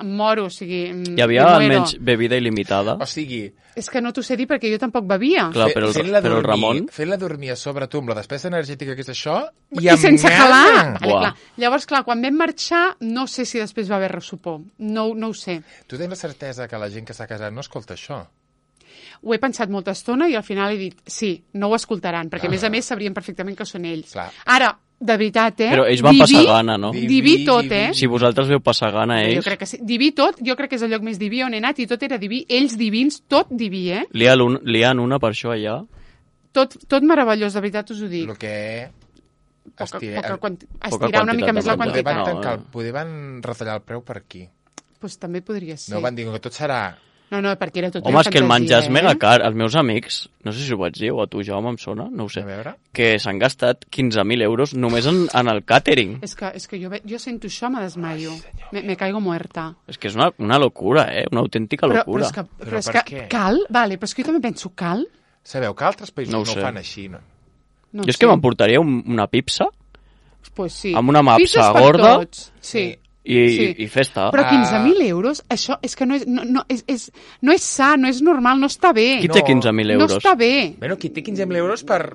moro, o sigui... Hi havia me muero. almenys bebida il·limitada? O sigui, És que no t'ho sé dir perquè jo tampoc bevia. Clar, però el Ramon... Fent-la dormir a sobre tu amb la despesa energètica que és això... I sense calar. Vale, Buah. clar. Llavors, clar, quan vam marxar, no sé si després va haver ressupó. No ho sé. Tu tens la certesa que la gent que s'ha casat no escolta això? Ho he pensat molta estona i al final he dit sí, no ho escoltaran, perquè a més sabrien perfectament que són ells. Clar. Ara, De veritat, Però ells van passar gana, no? Diví tot, Si vosaltres veu passar gana, Jo ells... crec que sí. Diví tot, jo crec que és el lloc més diví on he anat i tot era diví. Ells divins, tot diví, Lien una per això allà. Tot meravellós, de veritat us ho dic. El que... Estirar quantitat una mica de més la menjar. quantitat. Poder van retallar el preu per aquí. Pues també podria ser. No van dir que tot serà... No, perquè era tot Home, és que el menjar és fantasia, mega car. Els meus amics, no sé si ho vaig dir, o a tu, Jaume, em sona, no ho sé, A veure. que s'han gastat 15.000 euros només en el càtering. És que jo sento això, me desmaio. Me caigo muerta. És que és una locura, una autèntica locura. Però és per que què? cal? Vale, però és que jo també penso cal? Sabeu que altres països No no ho ho sé. fan així, no? No Jo és que m'emportaria una pipsa Pues sí. amb una mapsa Pizzas per gorda. tots. Sí. i festa. Però 15.000 euros, això és que no és sa, no és normal, no està bé. Qui té 15.000 euros? No està bé. Bueno, qui té 15.000 euros per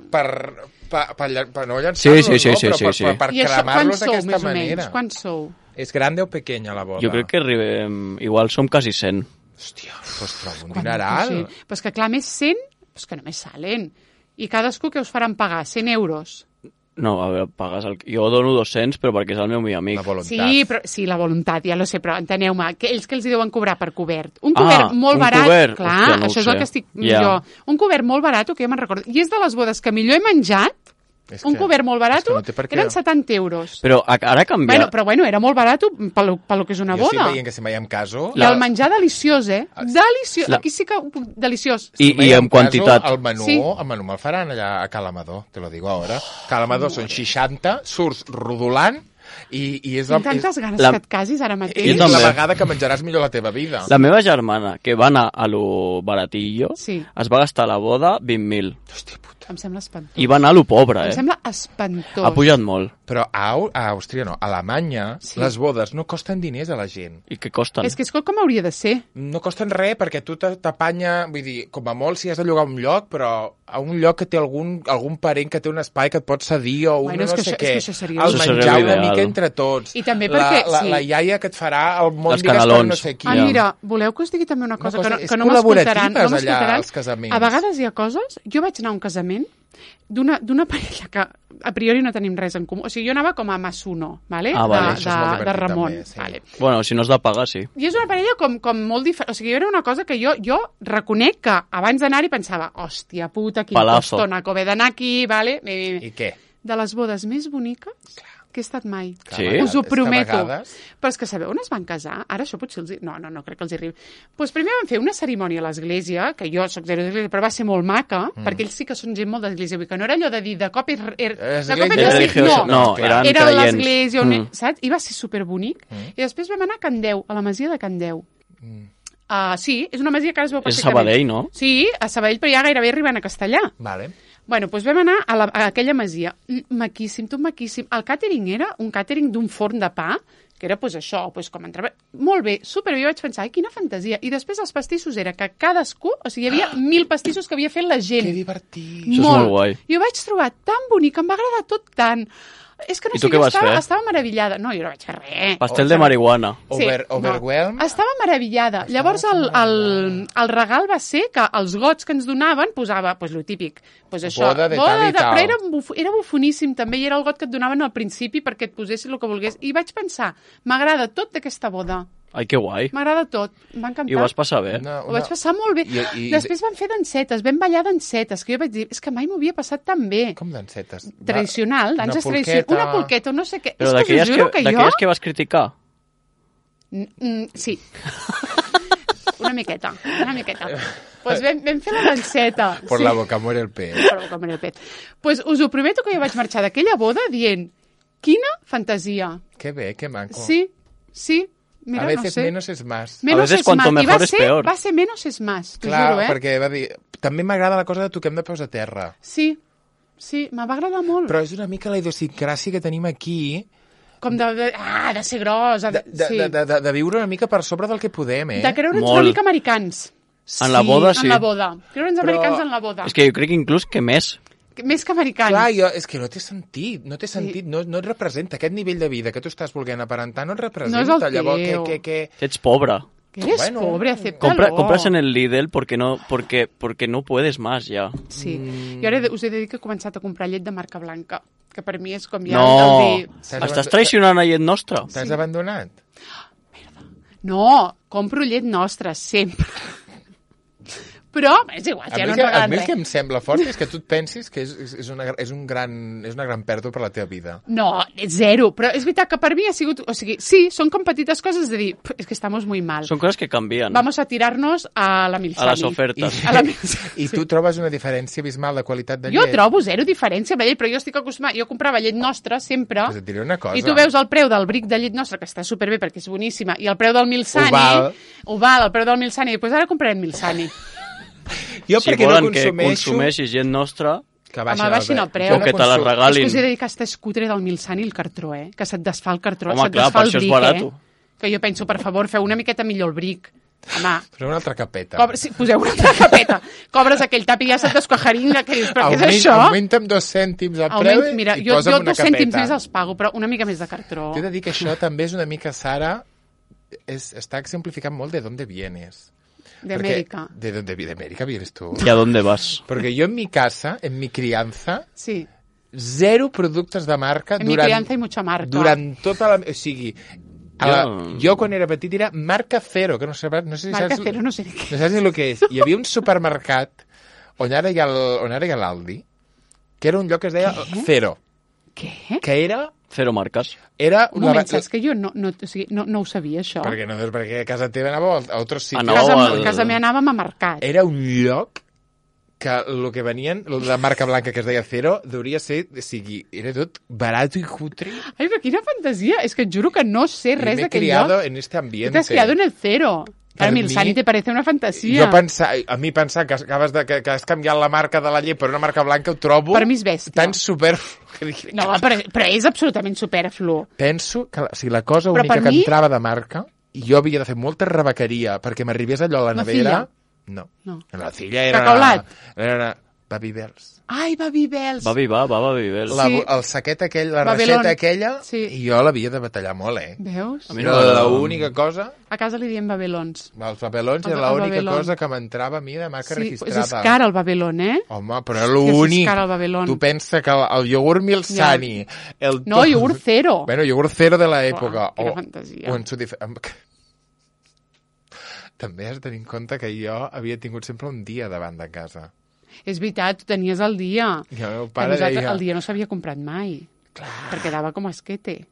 no llançar-los, Sí, no? Però sí. per I això, quants cremar-los sou, d'aquesta més o menys? manera. Quants sou? És grande o pequeña la boda? Jo crec que arribem... Igual som quasi 100. Hòstia, doncs trobo un dineral. Sí. Però és que clar, més 100, pues que només salen. I cadascú que us faran pagar? 100 euros. No, a veure, pagues el... Jo dono 200, però perquè és el meu millor amic. La voluntat. Sí, la voluntat, ja lo sé, però enteneu-me, que ells que els hi deuen cobrar per cobert. Un cobert molt un barat, cobert? clar, Hòstia, no ho això és sé. el que estic Ja. jo. Un cobert molt barat, que jo me'n recordo. I és de les bodes que millor he menjat, un cobert molt barat, és que no té per què. eren 70 euros. Però ara ha canviat. Bueno, era molt barat pel que és una Jo boda. sí veient que si mai em caso... I el menjar deliciós, deliciós. Aquí sí que... Deliciós. I en quantitat. El menú, Sí. el menú me'l faran allà a Calamador, te lo digo ahora. Calamador són 60, surts rodolant i és Tinc tantes ganes la- que et casis ara mateix. és Jo també. la vegada que menjaràs millor la teva vida. La meva germana, que va anar a lo baratillo, Sí. es va gastar a la boda 20.000. Hòstia puta. Em sembla espantós. I va anar a lo pobre, Em sembla espantós. Ha pujat molt. Però a Àustria no, a Alemanya Sí. les bodes no costen diners a la gent. I què costen? És que és com hauria de ser. No costen res perquè tu t'apanya, vull dir, com a molt si has de llogar un lloc, però a un lloc que té algun parent que té un espai que et pot cedir o Bueno, és no que sé això- què. és que això seria- El Això seria menjar una l'ideal. mica entre tots. I també perquè, sí. La iaia que et farà el món, Les digues, per canelons. no sé qui. Ah, Ja. mira, voleu que us digui també una cosa, cosa- que és no m'escoltaran? col·laboratives No allà, m'escoltaran. als casaments. A vegades hi ha coses... Jo vaig anar a un casament d'una parella que a priori no tenim res en comú. O sigui, jo anava com a Masuno, ¿vale? Ah, vale. Això és molt de divertit, Ramon. també, sí. Vale. Bueno, si no has de pagar, sí. I és una parella com molt diferent. O sigui, era una cosa que jo reconec que abans d'anar-hi pensava, hòstia puta, quin Palazo. postona, que he d'anar aquí, vale? I què? De les bodes més boniques que he estat mai. Sí? Us ho És que a prometo. vegades- Però és que sabeu on es van casar? Ara això potser els... No crec que els hi arribi. Pues primer van fer una cerimònia a l'església, que jo soc zero d'església, però va ser molt maca, perquè ells sí que són gent molt d'església. Vull dir que no era allò de dir de cop de cop Església religiosa, no, eren era creients. l'església, Mm. saps? I va ser superbonic. I després vam anar a Can Deu, a la masia de Can Deu. Sí, és una masia que ara es veu És perfectament. Sabadell, no? Sí, a Sabadell, però ja gairebé arribant a Castellà. Vale. Bueno, doncs vam anar a aquella masia. Maquíssim, tot maquíssim. El càtering era un càtering d'un forn de pa, que era pues, això, pues, com entrava... Molt bé, superbé, jo vaig pensar, ai, quina fantasia. I després els pastissos era que cadascú, o sigui, hi havia 1.000 pastissos que havia fet la gent. Que divertit. Això és molt guai. I ho vaig trobar tan bonic, em va agradar tot tant. És que no I sé, tu què vas fer? estava meravillada. No, jo no vaig fer res. Pastel de marihuana. Overwhelm. No. Estava meravillada. Llavors el regal va ser que els gots que ens donaven posava, pues, lo típic, pues això, Boda de tal i tal. però era bufoníssim també, i era el got que et donaven al principi perquè et posessis el que volgués. I vaig pensar, m'agrada tot d'aquesta boda. Ai, que guai. M'agrada tot. M'ha encantat. I ho vas passar bé. Ho vaig passar molt bé. Després vam fer dansetes, vam ballar dansetes, que jo vaig dir, és que mai m'ho havia passat tan bé. Com dansetes? Tradicional, Una danses polqueta. tradicionals. Una polqueta, no sé què. Però És que us juro que jo... d'aquelles que vas criticar. Sí. Una miqueta. Pues vam fer la danseta. Por sí. la boca muere el pez. Por la boca muere el pez. Pues us ho prometo que jo vaig marxar d'aquella boda dient, quina fantasia. Que bé, que maco. Sí. Mira, a veces no sé. menos es más. Menos A veces es cuanto más. I mejor es peor. Va ser menos es más, t'ho Clar, juro, perquè va dir... També m'agrada la cosa de toquem de peus a terra. Sí, me va agradar molt. Però és una mica la idiosincràsia que tenim aquí Com de ser gros. de viure una mica per sobre del que podem, eh? De creure'ns Molt. una mica americans. En la boda, sí. En la boda. Creure'ns americans en la boda. És que jo crec que inclús que més. Més que americans. Clar, és que no té sentit, no té sentit, no et representa aquest nivell de vida que tu estàs volent aparentar, no et representa. No és el Llavors, teu. que... Ets pobre. Que eres Bueno, pobre, acéptalo. Compras en el Lidl porque no puedes más ya. Sí. Jo ara us he de dir que he començat a comprar llet de marca blanca, que per mi és com ja No, el dir... estàs traicionant a llet nostra. T'has abandonat? No, compro llet nostra, sempre. Però és igual, ja no ens A regalen mi el res. que em sembla fort és que tu et pensis que és una gran pèrdua per la teva vida. No, zero, però és veritat que per mi ha sigut... O sigui, sí, són com petites coses de dir, és que estamos muy mal. Són coses que canvien. Vamos a tirarnos a la Milsani. A les ofertes. A la Milsani. I tu trobes una diferència abismal de qualitat de Jo llet? trobo zero diferència amb la llet, però jo estic acostumada... Jo comprava llet nostra sempre, Pues et diré una cosa. i tu veus el preu del bric de llet nostra, que està superbé perquè és boníssima, i el preu del Milsani... Oval. El preu del Milsani, i doncs ara comprarem Milsani. Jo Si perquè volen no que consumeixo... consumeixis gent nostra, Que Home, baixin el preu. o que te la És que regalin. us he de dir que està escutre del Milsani el cartró, que se't desfà el cartró, Home, se't clar, desfà per el això és bric, barato. Que jo penso, per favor, feu una miqueta millor el bric. Home, Però una altra capeta. sí, poseu una altra capeta. Cobres aquell tap i ja se't descojaringa, que dius, però què és això? Augmenta'm 2 cèntims el preu Mira, i jo posa'm una 2 cèntims capeta. més els pago, però una mica més de cartró. T'he de dir que això també és una mica, Sara, està exemplificant molt de dónde vienes. De América. De América vienes tú. ¿Y a dónde vas? Porque yo en mi casa, en mi crianza, Sí, zero productes de marca en mi crianza hay mucha marca. durant tota la... O sigui, jo quan era petit era marca cero, que no sé si Marca saps... cero, no sé ni què. No saps ni el que és. Hi havia un supermercat on ara hi ha l'Aldi, que era un lloc que es deia Cero, Què? que era... Cero marcas. Un moment, saps que jo no ho sabia, això? Perquè a casa teva anava a altres sitios. Anava A casa meva anàvem a mercat. Era un lloc que el que venien, la marca blanca que es deia Cero, deuria ser, o sigui, era tot barat i cutre. Ai, però quina fantasia! És que et juro que no sé res Me he d'aquell criado lloc. en este ambiente. Tu t'has criado en el Cero. Per A mi el mi- Sani te parece una fantasia. A mi pensar que que has canviat la marca de la llet per una marca blanca ho trobo Per mi és bèstia. tan super... No, però és absolutament superflu. Penso que si la cosa Però única per que mi- entrava de marca i jo havia de fer molta rebequeria perquè m'arribés allò a la nevera... No. No. La filla era... Cacaulat. Era Babybels. Ai, Babybels. Va Babybel. Sí. El saquet aquell, la Babylon. reixeta aquella, Sí. i jo l'havia de batallar molt, Veus? A mi Era no m'agrada. l'única cosa... A casa li diem Babylons. Els papelons El era l'única Babylon. cosa que m'entrava a mi de marca Sí, registrada. és car el Babylon, Home, però És l'únic... car el Babylon. Tu pensa que el iogurt Milsani... No, iogurt Cero. Bueno, iogurt Cero de l'època. Uah, quina fantasia. O en su També has de tenir en compte que jo havia tingut sempre un dia davant de casa. És veritat, tu tenies el dia. I el meu Que pare deia... el dia no s'havia comprat mai. Perquè dava com a esquete.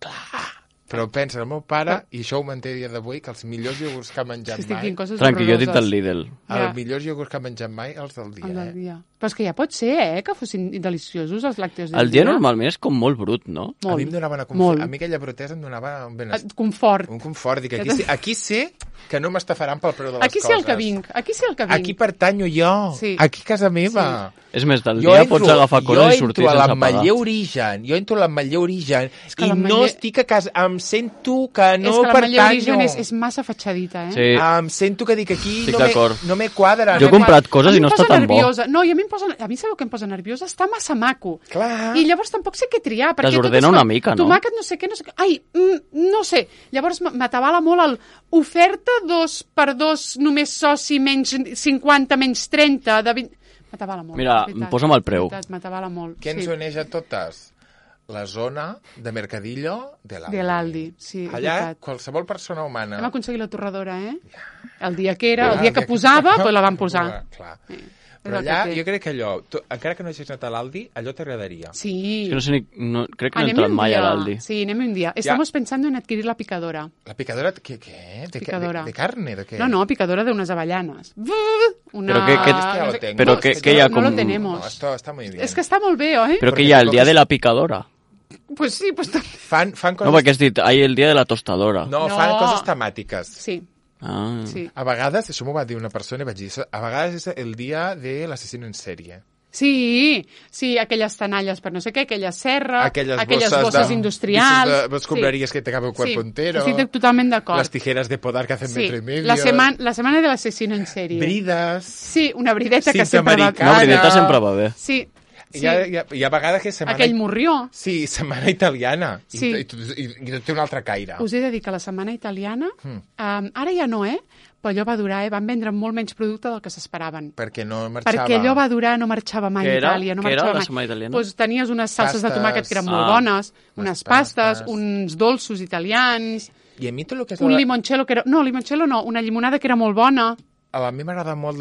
Però pensa, el meu pare, i això ho manté a dia d'avui, que els millors iogurts que ha menjat Estic mai... dient coses Tranqui, jo he dit horroroses. el Lidl. Els Ja. millors iogurts que ha menjat mai, els del dia, El del dia. Però és que ja pot ser, que fossin deliciosos els làcteos del El dia normalment és com molt brut, no? A mi em donava una molt. a mi aquella brutesa em donava un benestar. Confort. Un confort. Dic, aquí sé que no m'estafaran pel preu de les Aquí coses. sí el que vinc. Aquí sí el que vinc. Aquí pertanyo jo. Sí. Aquí casa meva. És més, del dia pots agafar coses i sortir Jo entro a sense pagar. l'Ametller Origen, que i no l'Ametller- estic a casa, em sento que no és que l'Ametller pertanyo. Origen és massa fatxadita, Sí. Em sento que dic aquí Estic d'acord. no me quadra. Jo he comprat coses i no està tan bo. nerviosa. No, i a mi sabeu què em posa nerviosa? Està massa maco. Clar. I llavors tampoc sé què triar. Perquè Desordena tot és com una mica, no? Tomàquet, no sé què, no sé què. Ai, no sé. Llavors m'atabala molt el oferta 2x2, només soci, menys 50, menys 30, de 20... M'atabala molt. Mira, de veritat. posa'm el preu. De veritat, m'atabala molt. Què ens uneix a totes? La zona de Mercadillo de l'Aldi. De l'Aldi, sí, és Allà, veritat. qualsevol persona humana... Hem aconseguit la torradora, El dia que era, el dia que posava, doncs la vam posar. Clar. És Però el allà, que té. jo crec que allò, encara que no hagis anat a l'Aldi, allò t'agradaria. Sí. És que no sé ni... crec que no he Anem entrat un mai dia. a l'Aldi. Sí, anem un dia. Estamos pensando en adquirir la picadora. La picadora, què? Picadora. De carne? De què? No, picadora de unas avellanas. Una... Però què- Ja lo tengo. Però No, què es que hi ha no com... lo tenemos. No, esto está muy bien. És que està molt bé, oi? Però Porque què hi ha, el tampoc dia és- de la picadora? Pues sí, pues també. Fan coses... No, perquè has dit, hay el dia de la tostadora. No, No. fan coses temàtiques. Sí, Ah. sí. A vegades, això m'ho va dir una persona i vaig dir, a vegades és el dia de l'assassino en sèrie. Sí, sí, aquelles tanalles per no sé què, aquella serra, Aquelles bosses industrials. Vos compraries que te cabe un cuerpo entero. Sí, estic totalment d'acord. Las tijeras de podar que hacen Sí, metro y medio. la setmana de l'assassino en sèrie. Brides. Sí, una brideta que Cinta sempre va... americana. Una brideta sempre va bé. Sí, Hi ha vegades que setmana... Aquell morrió. Sí, setmana italiana. Sí. I té un altre caire. Us he de dir que la setmana italiana, ara ja no, però allò va durar, van vendre molt menys producte del que s'esperaven. Perquè no marxava... Perquè allò va durar, no marxava mai a Itàlia. No Què era marxava la mai. setmana italiana? Doncs tenies unes salses de Pastes. tomàquet que eren molt bones, unes pastes, uns dolços italians, I a mi tot el que és... un limoncello que era... No, limoncello no, una llimonada que era molt bona. A mi m'agrada molt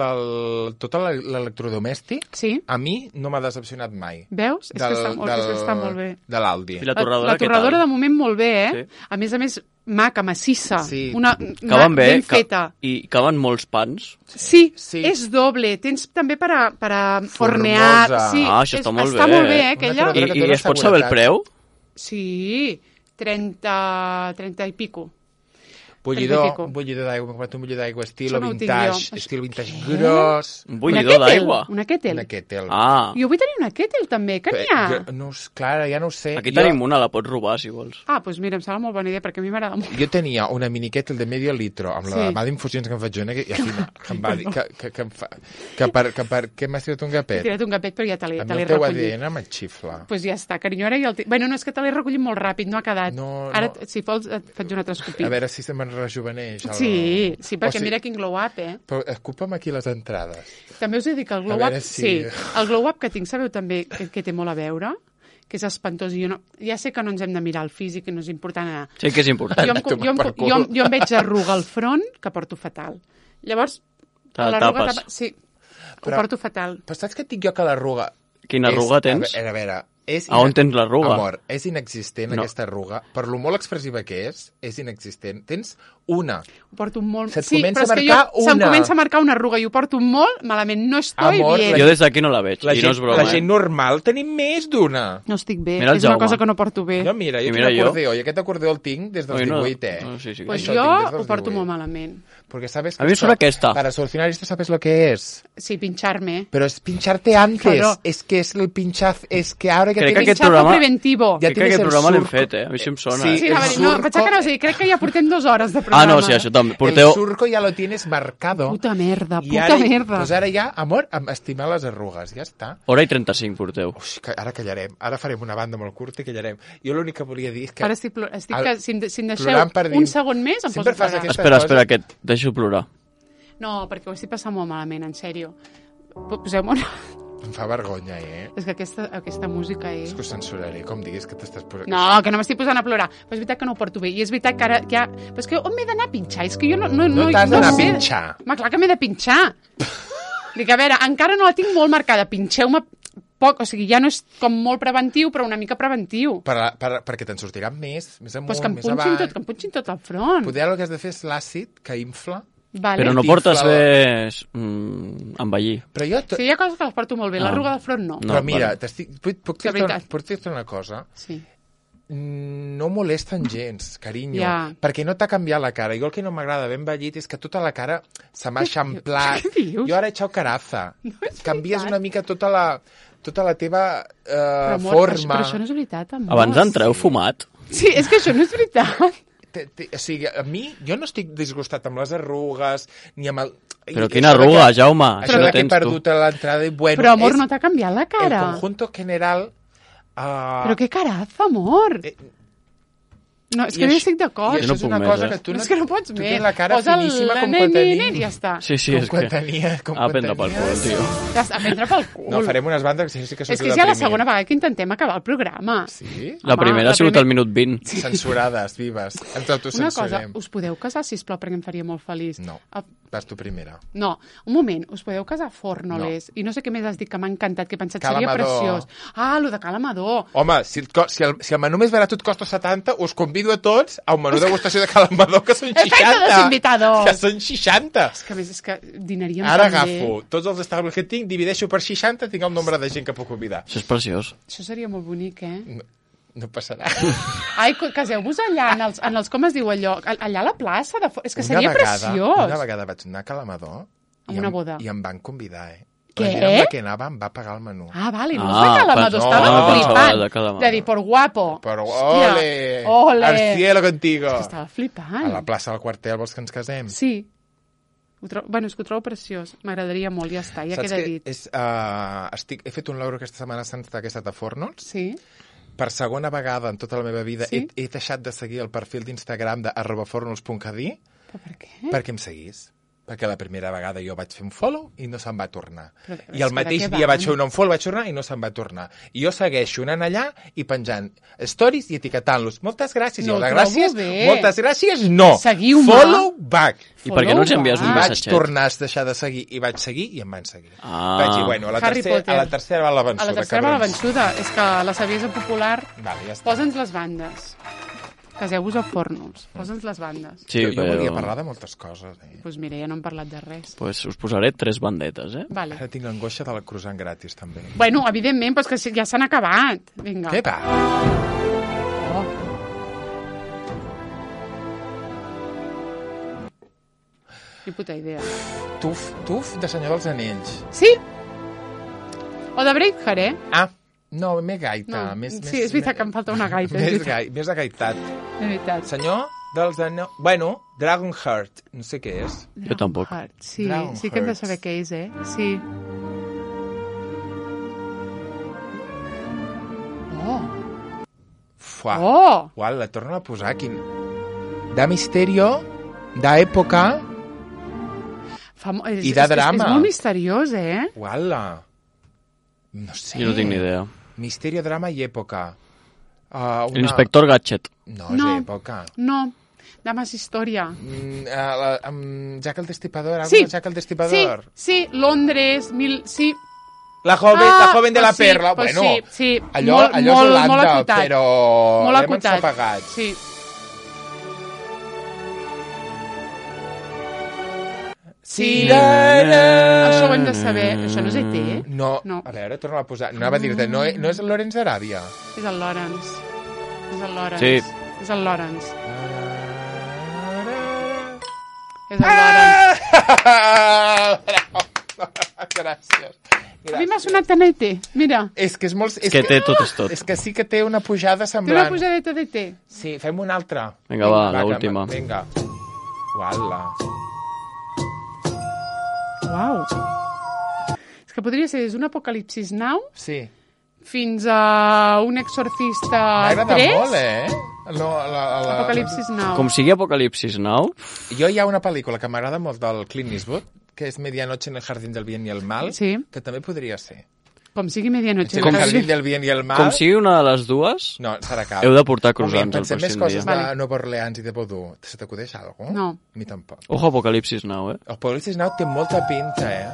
tot l'electrodomèstic. Sí. A mi no m'ha decepcionat mai. Veus? És que està molt bé. De l'Aldi. I la torradora, La torradora què de tal? moment molt bé, Sí. A més, maca, massissa. Sí. Caben bé, ben feta. i caben molts pans. Sí, Sí. és doble. Tens també per a hornear. Formosa. Sí, Això està molt bé. Està molt bé, Una aquella. torradora que I dona es pot saber el seguretat. preu? Sí, 30 i pico. Bullidor d'aigua, m'he comprat un bullidor d'aigua estil Això no ho tinc vintage, jo. estil vintage gros. Un bullidor d'aigua? Una kettle. Una kettle. Ah, Jo vull tenir una kettle també, que n'hi ha? No, clar, ja no ho sé. aquí tenim una, la pots robar, si vols. Ah, doncs mira, em sembla molt bona idea, perquè a mi m'agrada molt. Jo tenia una mini kettle de medio litro, amb la Sí. mà d'infusions que em faig jo, i al final que em va dir que per què m'has tirat un He gapet? tirat un gapet, però ja te l'he A mi el teu recollit. ADN me'n xifla. Doncs pues ja està, carinyo, ara ja el tinc. Bueno, no, és que te l'he recollit molt ràpid, no ha quedat. No, Ara, no. si vols, et faig un altre escopit. A veure si se me'n rejuveneix. Sí, sí, perquè O sigui, mira quin glow-up, Però escupa'm aquí les entrades. També us he dit que el A glow-up... veure si- Sí, el glow-up que tinc, sabeu també que té molt a veure? Que és espantós. I jo no... Ja sé que no ens hem de mirar el físic, que no és important anar. Sí que és important. Jo em veig arruga al front, que porto fatal. Llavors, Te la l'arruga tapes. Sí, Però- ho porto fatal. Però saps què et dic jo que l'arruga... Quina arruga tens? A veure, A on tens l'arruga? Amor, és inexistent No. aquesta arruga. Per lo molt expressiva que és inexistent. Tens una. Ho porto molt... Se't sí, comença però és a que marcar se'm una. comença a marcar una arruga i ho porto molt malament. No estoy Amor, bien. Jo des d'aquí no la veig, La i no és broma. la gent normal tenim més d'una. No estic bé. Mira el És una Jaume. cosa que no porto bé. No, mira, jo I tinc mira jo. acordeó, i aquest acordeó el tinc des dels Oi, no. 18, No, sí, sí. Pues Això jo tinc des dels ho porto 18. molt malament. Porque sabes que A mí me esto- suena que esta. Para solucionar esto, ¿sabes lo que es? Sí, pinchar-me. Pero es pincharte antes. Claro. Es que es el pinchaz. Es que ahora que Crec que tienes... aquest Pinchazo programa- preventivo. Ja Crec que tienes aquest el programa l'hem surco. fet, A mi això em sona. Sí, Sí, el no, surco- pensava que no, o sigui, crec que ja portem 2 hores de Ah, programa. no, sí, això també. El Porteu... surco ya lo tienes marcado. Puta merda, I puta ara, merda. Pues ara ja, amor, estimar les arrugues. Ja està. Hora i 35 porteu. Ui, que ara callarem. Ara farem una banda molt curta i callarem. Jo l'únic que volia dir és que... Ara estic que si em deixeu plorant per un dins. segon més em Sempre poso a fas plorar. aquesta- Espera, que et deixo plorar. No, perquè ho estic passant molt malament, en sèrio. Poseu-me una... Em fa vergonya, És que aquesta música és... És que ho censuraré, com diguis que t'estàs posant... No, que no m'estic posant a plorar. Però és veritat que no ho porto bé. I és veritat que ara ja... Però és que on m'he d'anar a pinxar? És que jo no t'has d'anar a sé. pinxar. Home, clar que m'he de pinxar. Dic, a veure, encara no la tinc molt marcada. Pinxeu-me poc, o sigui, ja no és com molt preventiu, però una mica preventiu. Perquè te'n sortiran més amunt, Pues que em més punxin avall. tot, que em punxin tot al front. Poder el que has de fer és l'àcid, que infla. Vale. Però no T'infla portes la- bé envellir. Però jo... Sí, hi ha coses que les porto molt bé. Ah. L'arruga del front no. No. Però mira, vale. puc De veritat. dir-te una cosa? Sí. No molesten gens, carinyo, Ja. perquè no t'ha canviat la cara. Jo el que no m'agrada ben vellit és que tota la cara se m'ha eixamplat. Què dius? Jo ara he echado caraza. és Canvies veritat. una mica tota la teva Però, amor, forma. Però això no és veritat, amor. Abans d'entrar heu fumat? Sí, és que això no és veritat. O sigui, a mi, jo no estic disgustat amb les arrugues, ni amb el... Però i quina això de arruga, que- Jaume? Això Això de no que he tens tu. perdut a l'entrada i bueno... Però, amor, és no t'ha canviat la cara. el conjunto general... Però què caraza, amor. No, és que I no hi això- estic d'acord. I Jo això no és puc una més, cosa eh? que tu És que no pots tu més. tens la cara Posa finíssima la com quan i ja està. Sí, és com quan que... tenia... Com A quan prendre pel tenies. cul, tio. Ja està, a prendre pel cul. No, farem unes bandes que sí que És s'ho que és ja la segona vegada que intentem acabar el programa. Sí? La Home, primera la ha sigut primer- al minut 20. Censurades, vives. Ens Una cosa, autocensurem. us podeu casar, sisplau, perquè em faria molt feliç. No, Ah, vas tu primera. no, un moment, us podeu casar a Fornoles? I no sé què més has dit que m'ha encantat, que he pensat Cal seria Amador. preciós. Ah, lo de Cal Amador. Home, si el menú més barat et costa 70, us convido a tots a un menú de degustació de Calamador, que són 60. Efecte desinvitado. Que són 60. Que a més és que dinaríem Ara tan bé. agafo tots els estables que tinc, divideixo per 60, tinc el nombre de gent que puc convidar. Això és preciós. Això seria molt bonic, eh? No passarà. Ai, caseu-vos allà, en els com es diu allò, allà a la plaça, és que seria preciós. Una vegada vaig anar a Calamador A una boda. i em van convidar, eh? Què? La gent amb la que anava em va pagar el menú. Ah, vale, no Ah, és de Cal Amador, no, estava no, flipant. de Cal Amador. De dir, por guapo. Però Hòstia, ole! ole. Al cielo contigo! És que estava flipant. A la plaça del quartel vols que ens casem? Sí. Bueno, és que ho trobo preciós. M'agradaria molt, ja està, ja Saps queda que dit. he fet un logro aquesta Setmana Santa que he estat a Fornols. Sí? Per segona vegada en tota la meva vida Sí? he deixat de seguir el perfil d'Instagram de @fornols.cadí Però per què? perquè em seguís. Perquè la primera vegada jo vaig fer un follow i no se'n va tornar. Però I és el que mateix de què dia van? vaig fer un unfollow, vaig tornar i no se'n va tornar. I jo segueixo anant allà i penjant stories i etiquetant-los. Moltes gràcies. No I jo, ho gràcies, trobo bé. moltes gràcies, no. Seguiu-me. Follow back. I per què no ens envies I un vaig missatget? tornar a deixar de seguir i vaig seguir i em van seguir. Ah. Vaig dir, bueno, a Harry Potter. la tercera va la A vençuda. la tercera va la cabrons. vençuda. És que la saviesa popular... Vale, ja està. Posa'ns les bandes. Caseu-vos a Fornols. Posa'ns les bandes. Sí, jo però... volia parlar de moltes coses. Doncs mira, ja no hem parlat de res. Pues us posaré 3 bandetes, Vale. Ara tinc l'angoixa de la croissant gratis, també. Bueno, evidentment, però és que ja s'han acabat. Vinga. Què va? Oh. Ni puta idea. Tuf de Senyor dels Anells. Sí? O de Braveheart, eh? Ah, no, més gaita. No. Sí, és veritat que em falta una gaita. és veritat. Més agaitat. És veritat. Senyor dels Anells... Bueno, Dragonheart. No sé què és. Jo tampoc. Dragonheart, sí, Dragonheart. sí que hem de saber què és, eh? Sí. Oh! Fuà. Oh! Uau, la torno a posar. Quin... De misterio, d'època... I de drama. És molt misteriós, eh? Uala. No sé. Jo no tinc ni idea. Misterio, drama i època. L'inspector Gadget. No, No. és època. No, dames història. Jack el Destripador, Sí. Jack el Destripador. Sí, Londres, sí. La joven de la pues sí, perla. pues Bueno, sí. allò, Molt- allò molt- és Holanda, molt acotat. però Molt l'hem acotat. ensapagat. Sí. Sí. Això ho hem de saber. Això no és ET, eh? No, No. a veure, torna a posar. No anava a dir-te, no és el Lorenz d'Aràbia. És el Lawrence. És el Lawrence. Sí. És el Lawrence. És el Lawrence. Gràcies. A mi m'ha sonat tan ET. Mira, És que és molt... És que té tot és tot. És que sí que té una pujada té semblant. una pujadeta d'ET. Sí, fem una altra. Vinga, va, l'última. Vinga. Uala. Uau. És que podria ser des d'un Apocalipsis Now Sí. fins a un Exorcista M'agrada 3. molt, eh? No, Apocalipsis Now. Com sigui Apocalipsis Now, Jo hi ha una pel·lícula que m'agrada molt del Clint Eastwood, que és Medianoche en el Jardín del Bien y el Mal, Sí. que també podria ser. Com sigui medianoche. En el Jardín del Bien y el Mal... com sigui una de les dues, No, serà cap. heu de portar Home, croissants el pensem més pròxim coses dia. de Vale. Nova Orleans i de Vodou. Se t'acudeix alguna cosa? No. A mi tampoc. Ojo Apocalipsis Now, eh? El Apocalipsis Now té molta pinta, eh?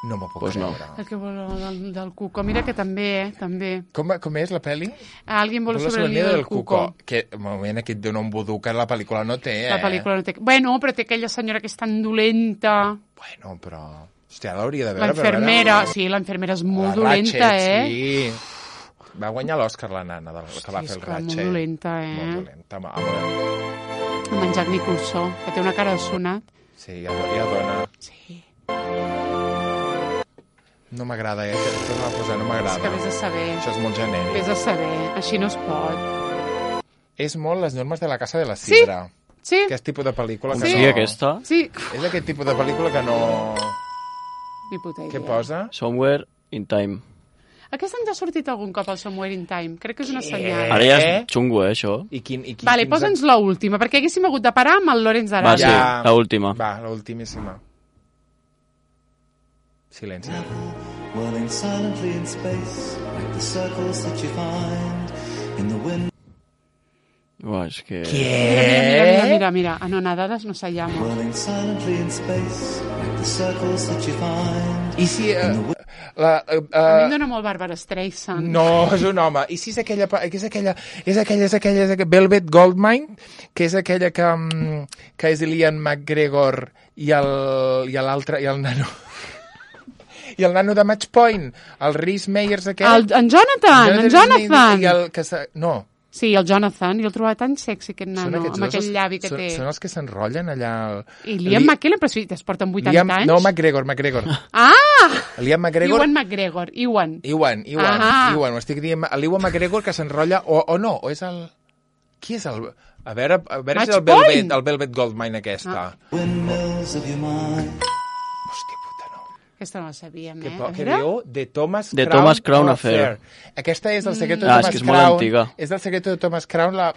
No m'ho puc Pues no. creure. El que vol del Cuco. Mira que també, també. Com és la pel·li? Alguien vol sobre el nido del Cuco. Que, un moment, aquí et dona un vodú que la pel·lícula no té, eh? La pel·lícula no té... Bueno, però té aquella senyora que és tan dolenta. Bueno, però... Hòstia, l'hauria de veure. La infermera, sí, la infermera és molt dolenta, eh? Sí. Va guanyar l'Òscar la nana que va fer és el que molt Ratchet. dolenta, eh? Molt dolenta. Amb en Jack Nicholson, que té una cara de sonat. Sí, ja dona. Sí, No m'agrada, torna a posar, no és que m'agrada. vés a saber. Això és molt genèric. Vés a saber, així no es pot. És molt les normes de la casa de la Sidra. Sí, Aquest tipus de pel·lícula Com que sigui no... aquesta, sí. És aquest tipus de pel·lícula que no... Ni puta idea. Què posa? Somewhere in Time. Aquest any ja ha sortit algun cop el Somewhere in Time. Crec que és una senyal. Ara ja és xungo, això. I quin, Vale, posa'ns l'última, perquè haguéssim hagut de parar amb el Lorenz Va, d'Aràbia. sí, l'última. Va, l'ultimíssima. Silenci. Whirling silently in space, like the circles that you find in the wind. Uah, és que... Mira. Anonadadas no se llama. Whirling silently in space, like the circles that you find. I si... A mi em dóna molt Barbara Streisand. No, és un home. I si és aquella... És aquella Velvet Goldmine, que és aquella que és l'Ian McGregor i l'altre, i el nano... I el nano de Match Point, el Rhys Meyers aquest... En Jonathan! I el que no. Sí, el Jonathan, i el trobava tan sexy, aquest Són nano, aquests amb dos aquell llavi que té. Són els que s'enrotllen allà... I Liam McKellen, però si es porten 80 anys. No, McGregor. Ah! Liam McGregor... Ewan McGregor. Iwan, Ah. ho estic dient. L'Iwan McGregor que s'enrotlla... O no, o és el... Qui és el... A veure Match si Point? el Velvet Goldmine aquesta. Windmills of your mind. Hòstia puta, no. Aquesta no la sabíem, Què diu? The Thomas The Crown, Thomas Crown Affair. Aquesta és del Secreto de Ah, és Thomas que és molt Crown. antiga. És del Secreto de Thomas Crown, la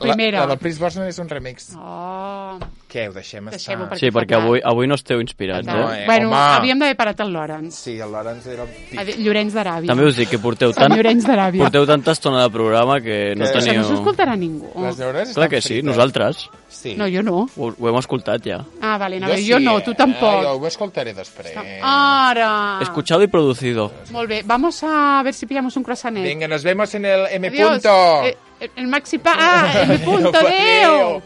primera. La del Pierce Brosnan és un remix. Oh, Què, ho deixem estar? Deixem-ho perquè Sí, perquè fa avui no esteu inspirats, No, eh? bueno, home. havíem d'haver parat el Lawrence. Sí, el Lawrence era... Llorenç d'Aràbia. També us dic que porteu Llorenç d'Aràbia. tanta estona de programa que no Que Això teniu... no s'escoltarà ningú. Les neurones Clar estan que sí, frites. nosaltres. Sí. No, jo no. Ho hem escoltat ja. Ah, vale, jo no, tu tampoc. Jo ho escoltaré després. Ara. Escuchado y producido. Molt bé, vamos a ver si pillamos un croissanet. Venga, nos vemos en el M. Adiós. Punto. El Maxi Pa... Ah, M. Punto, adeu.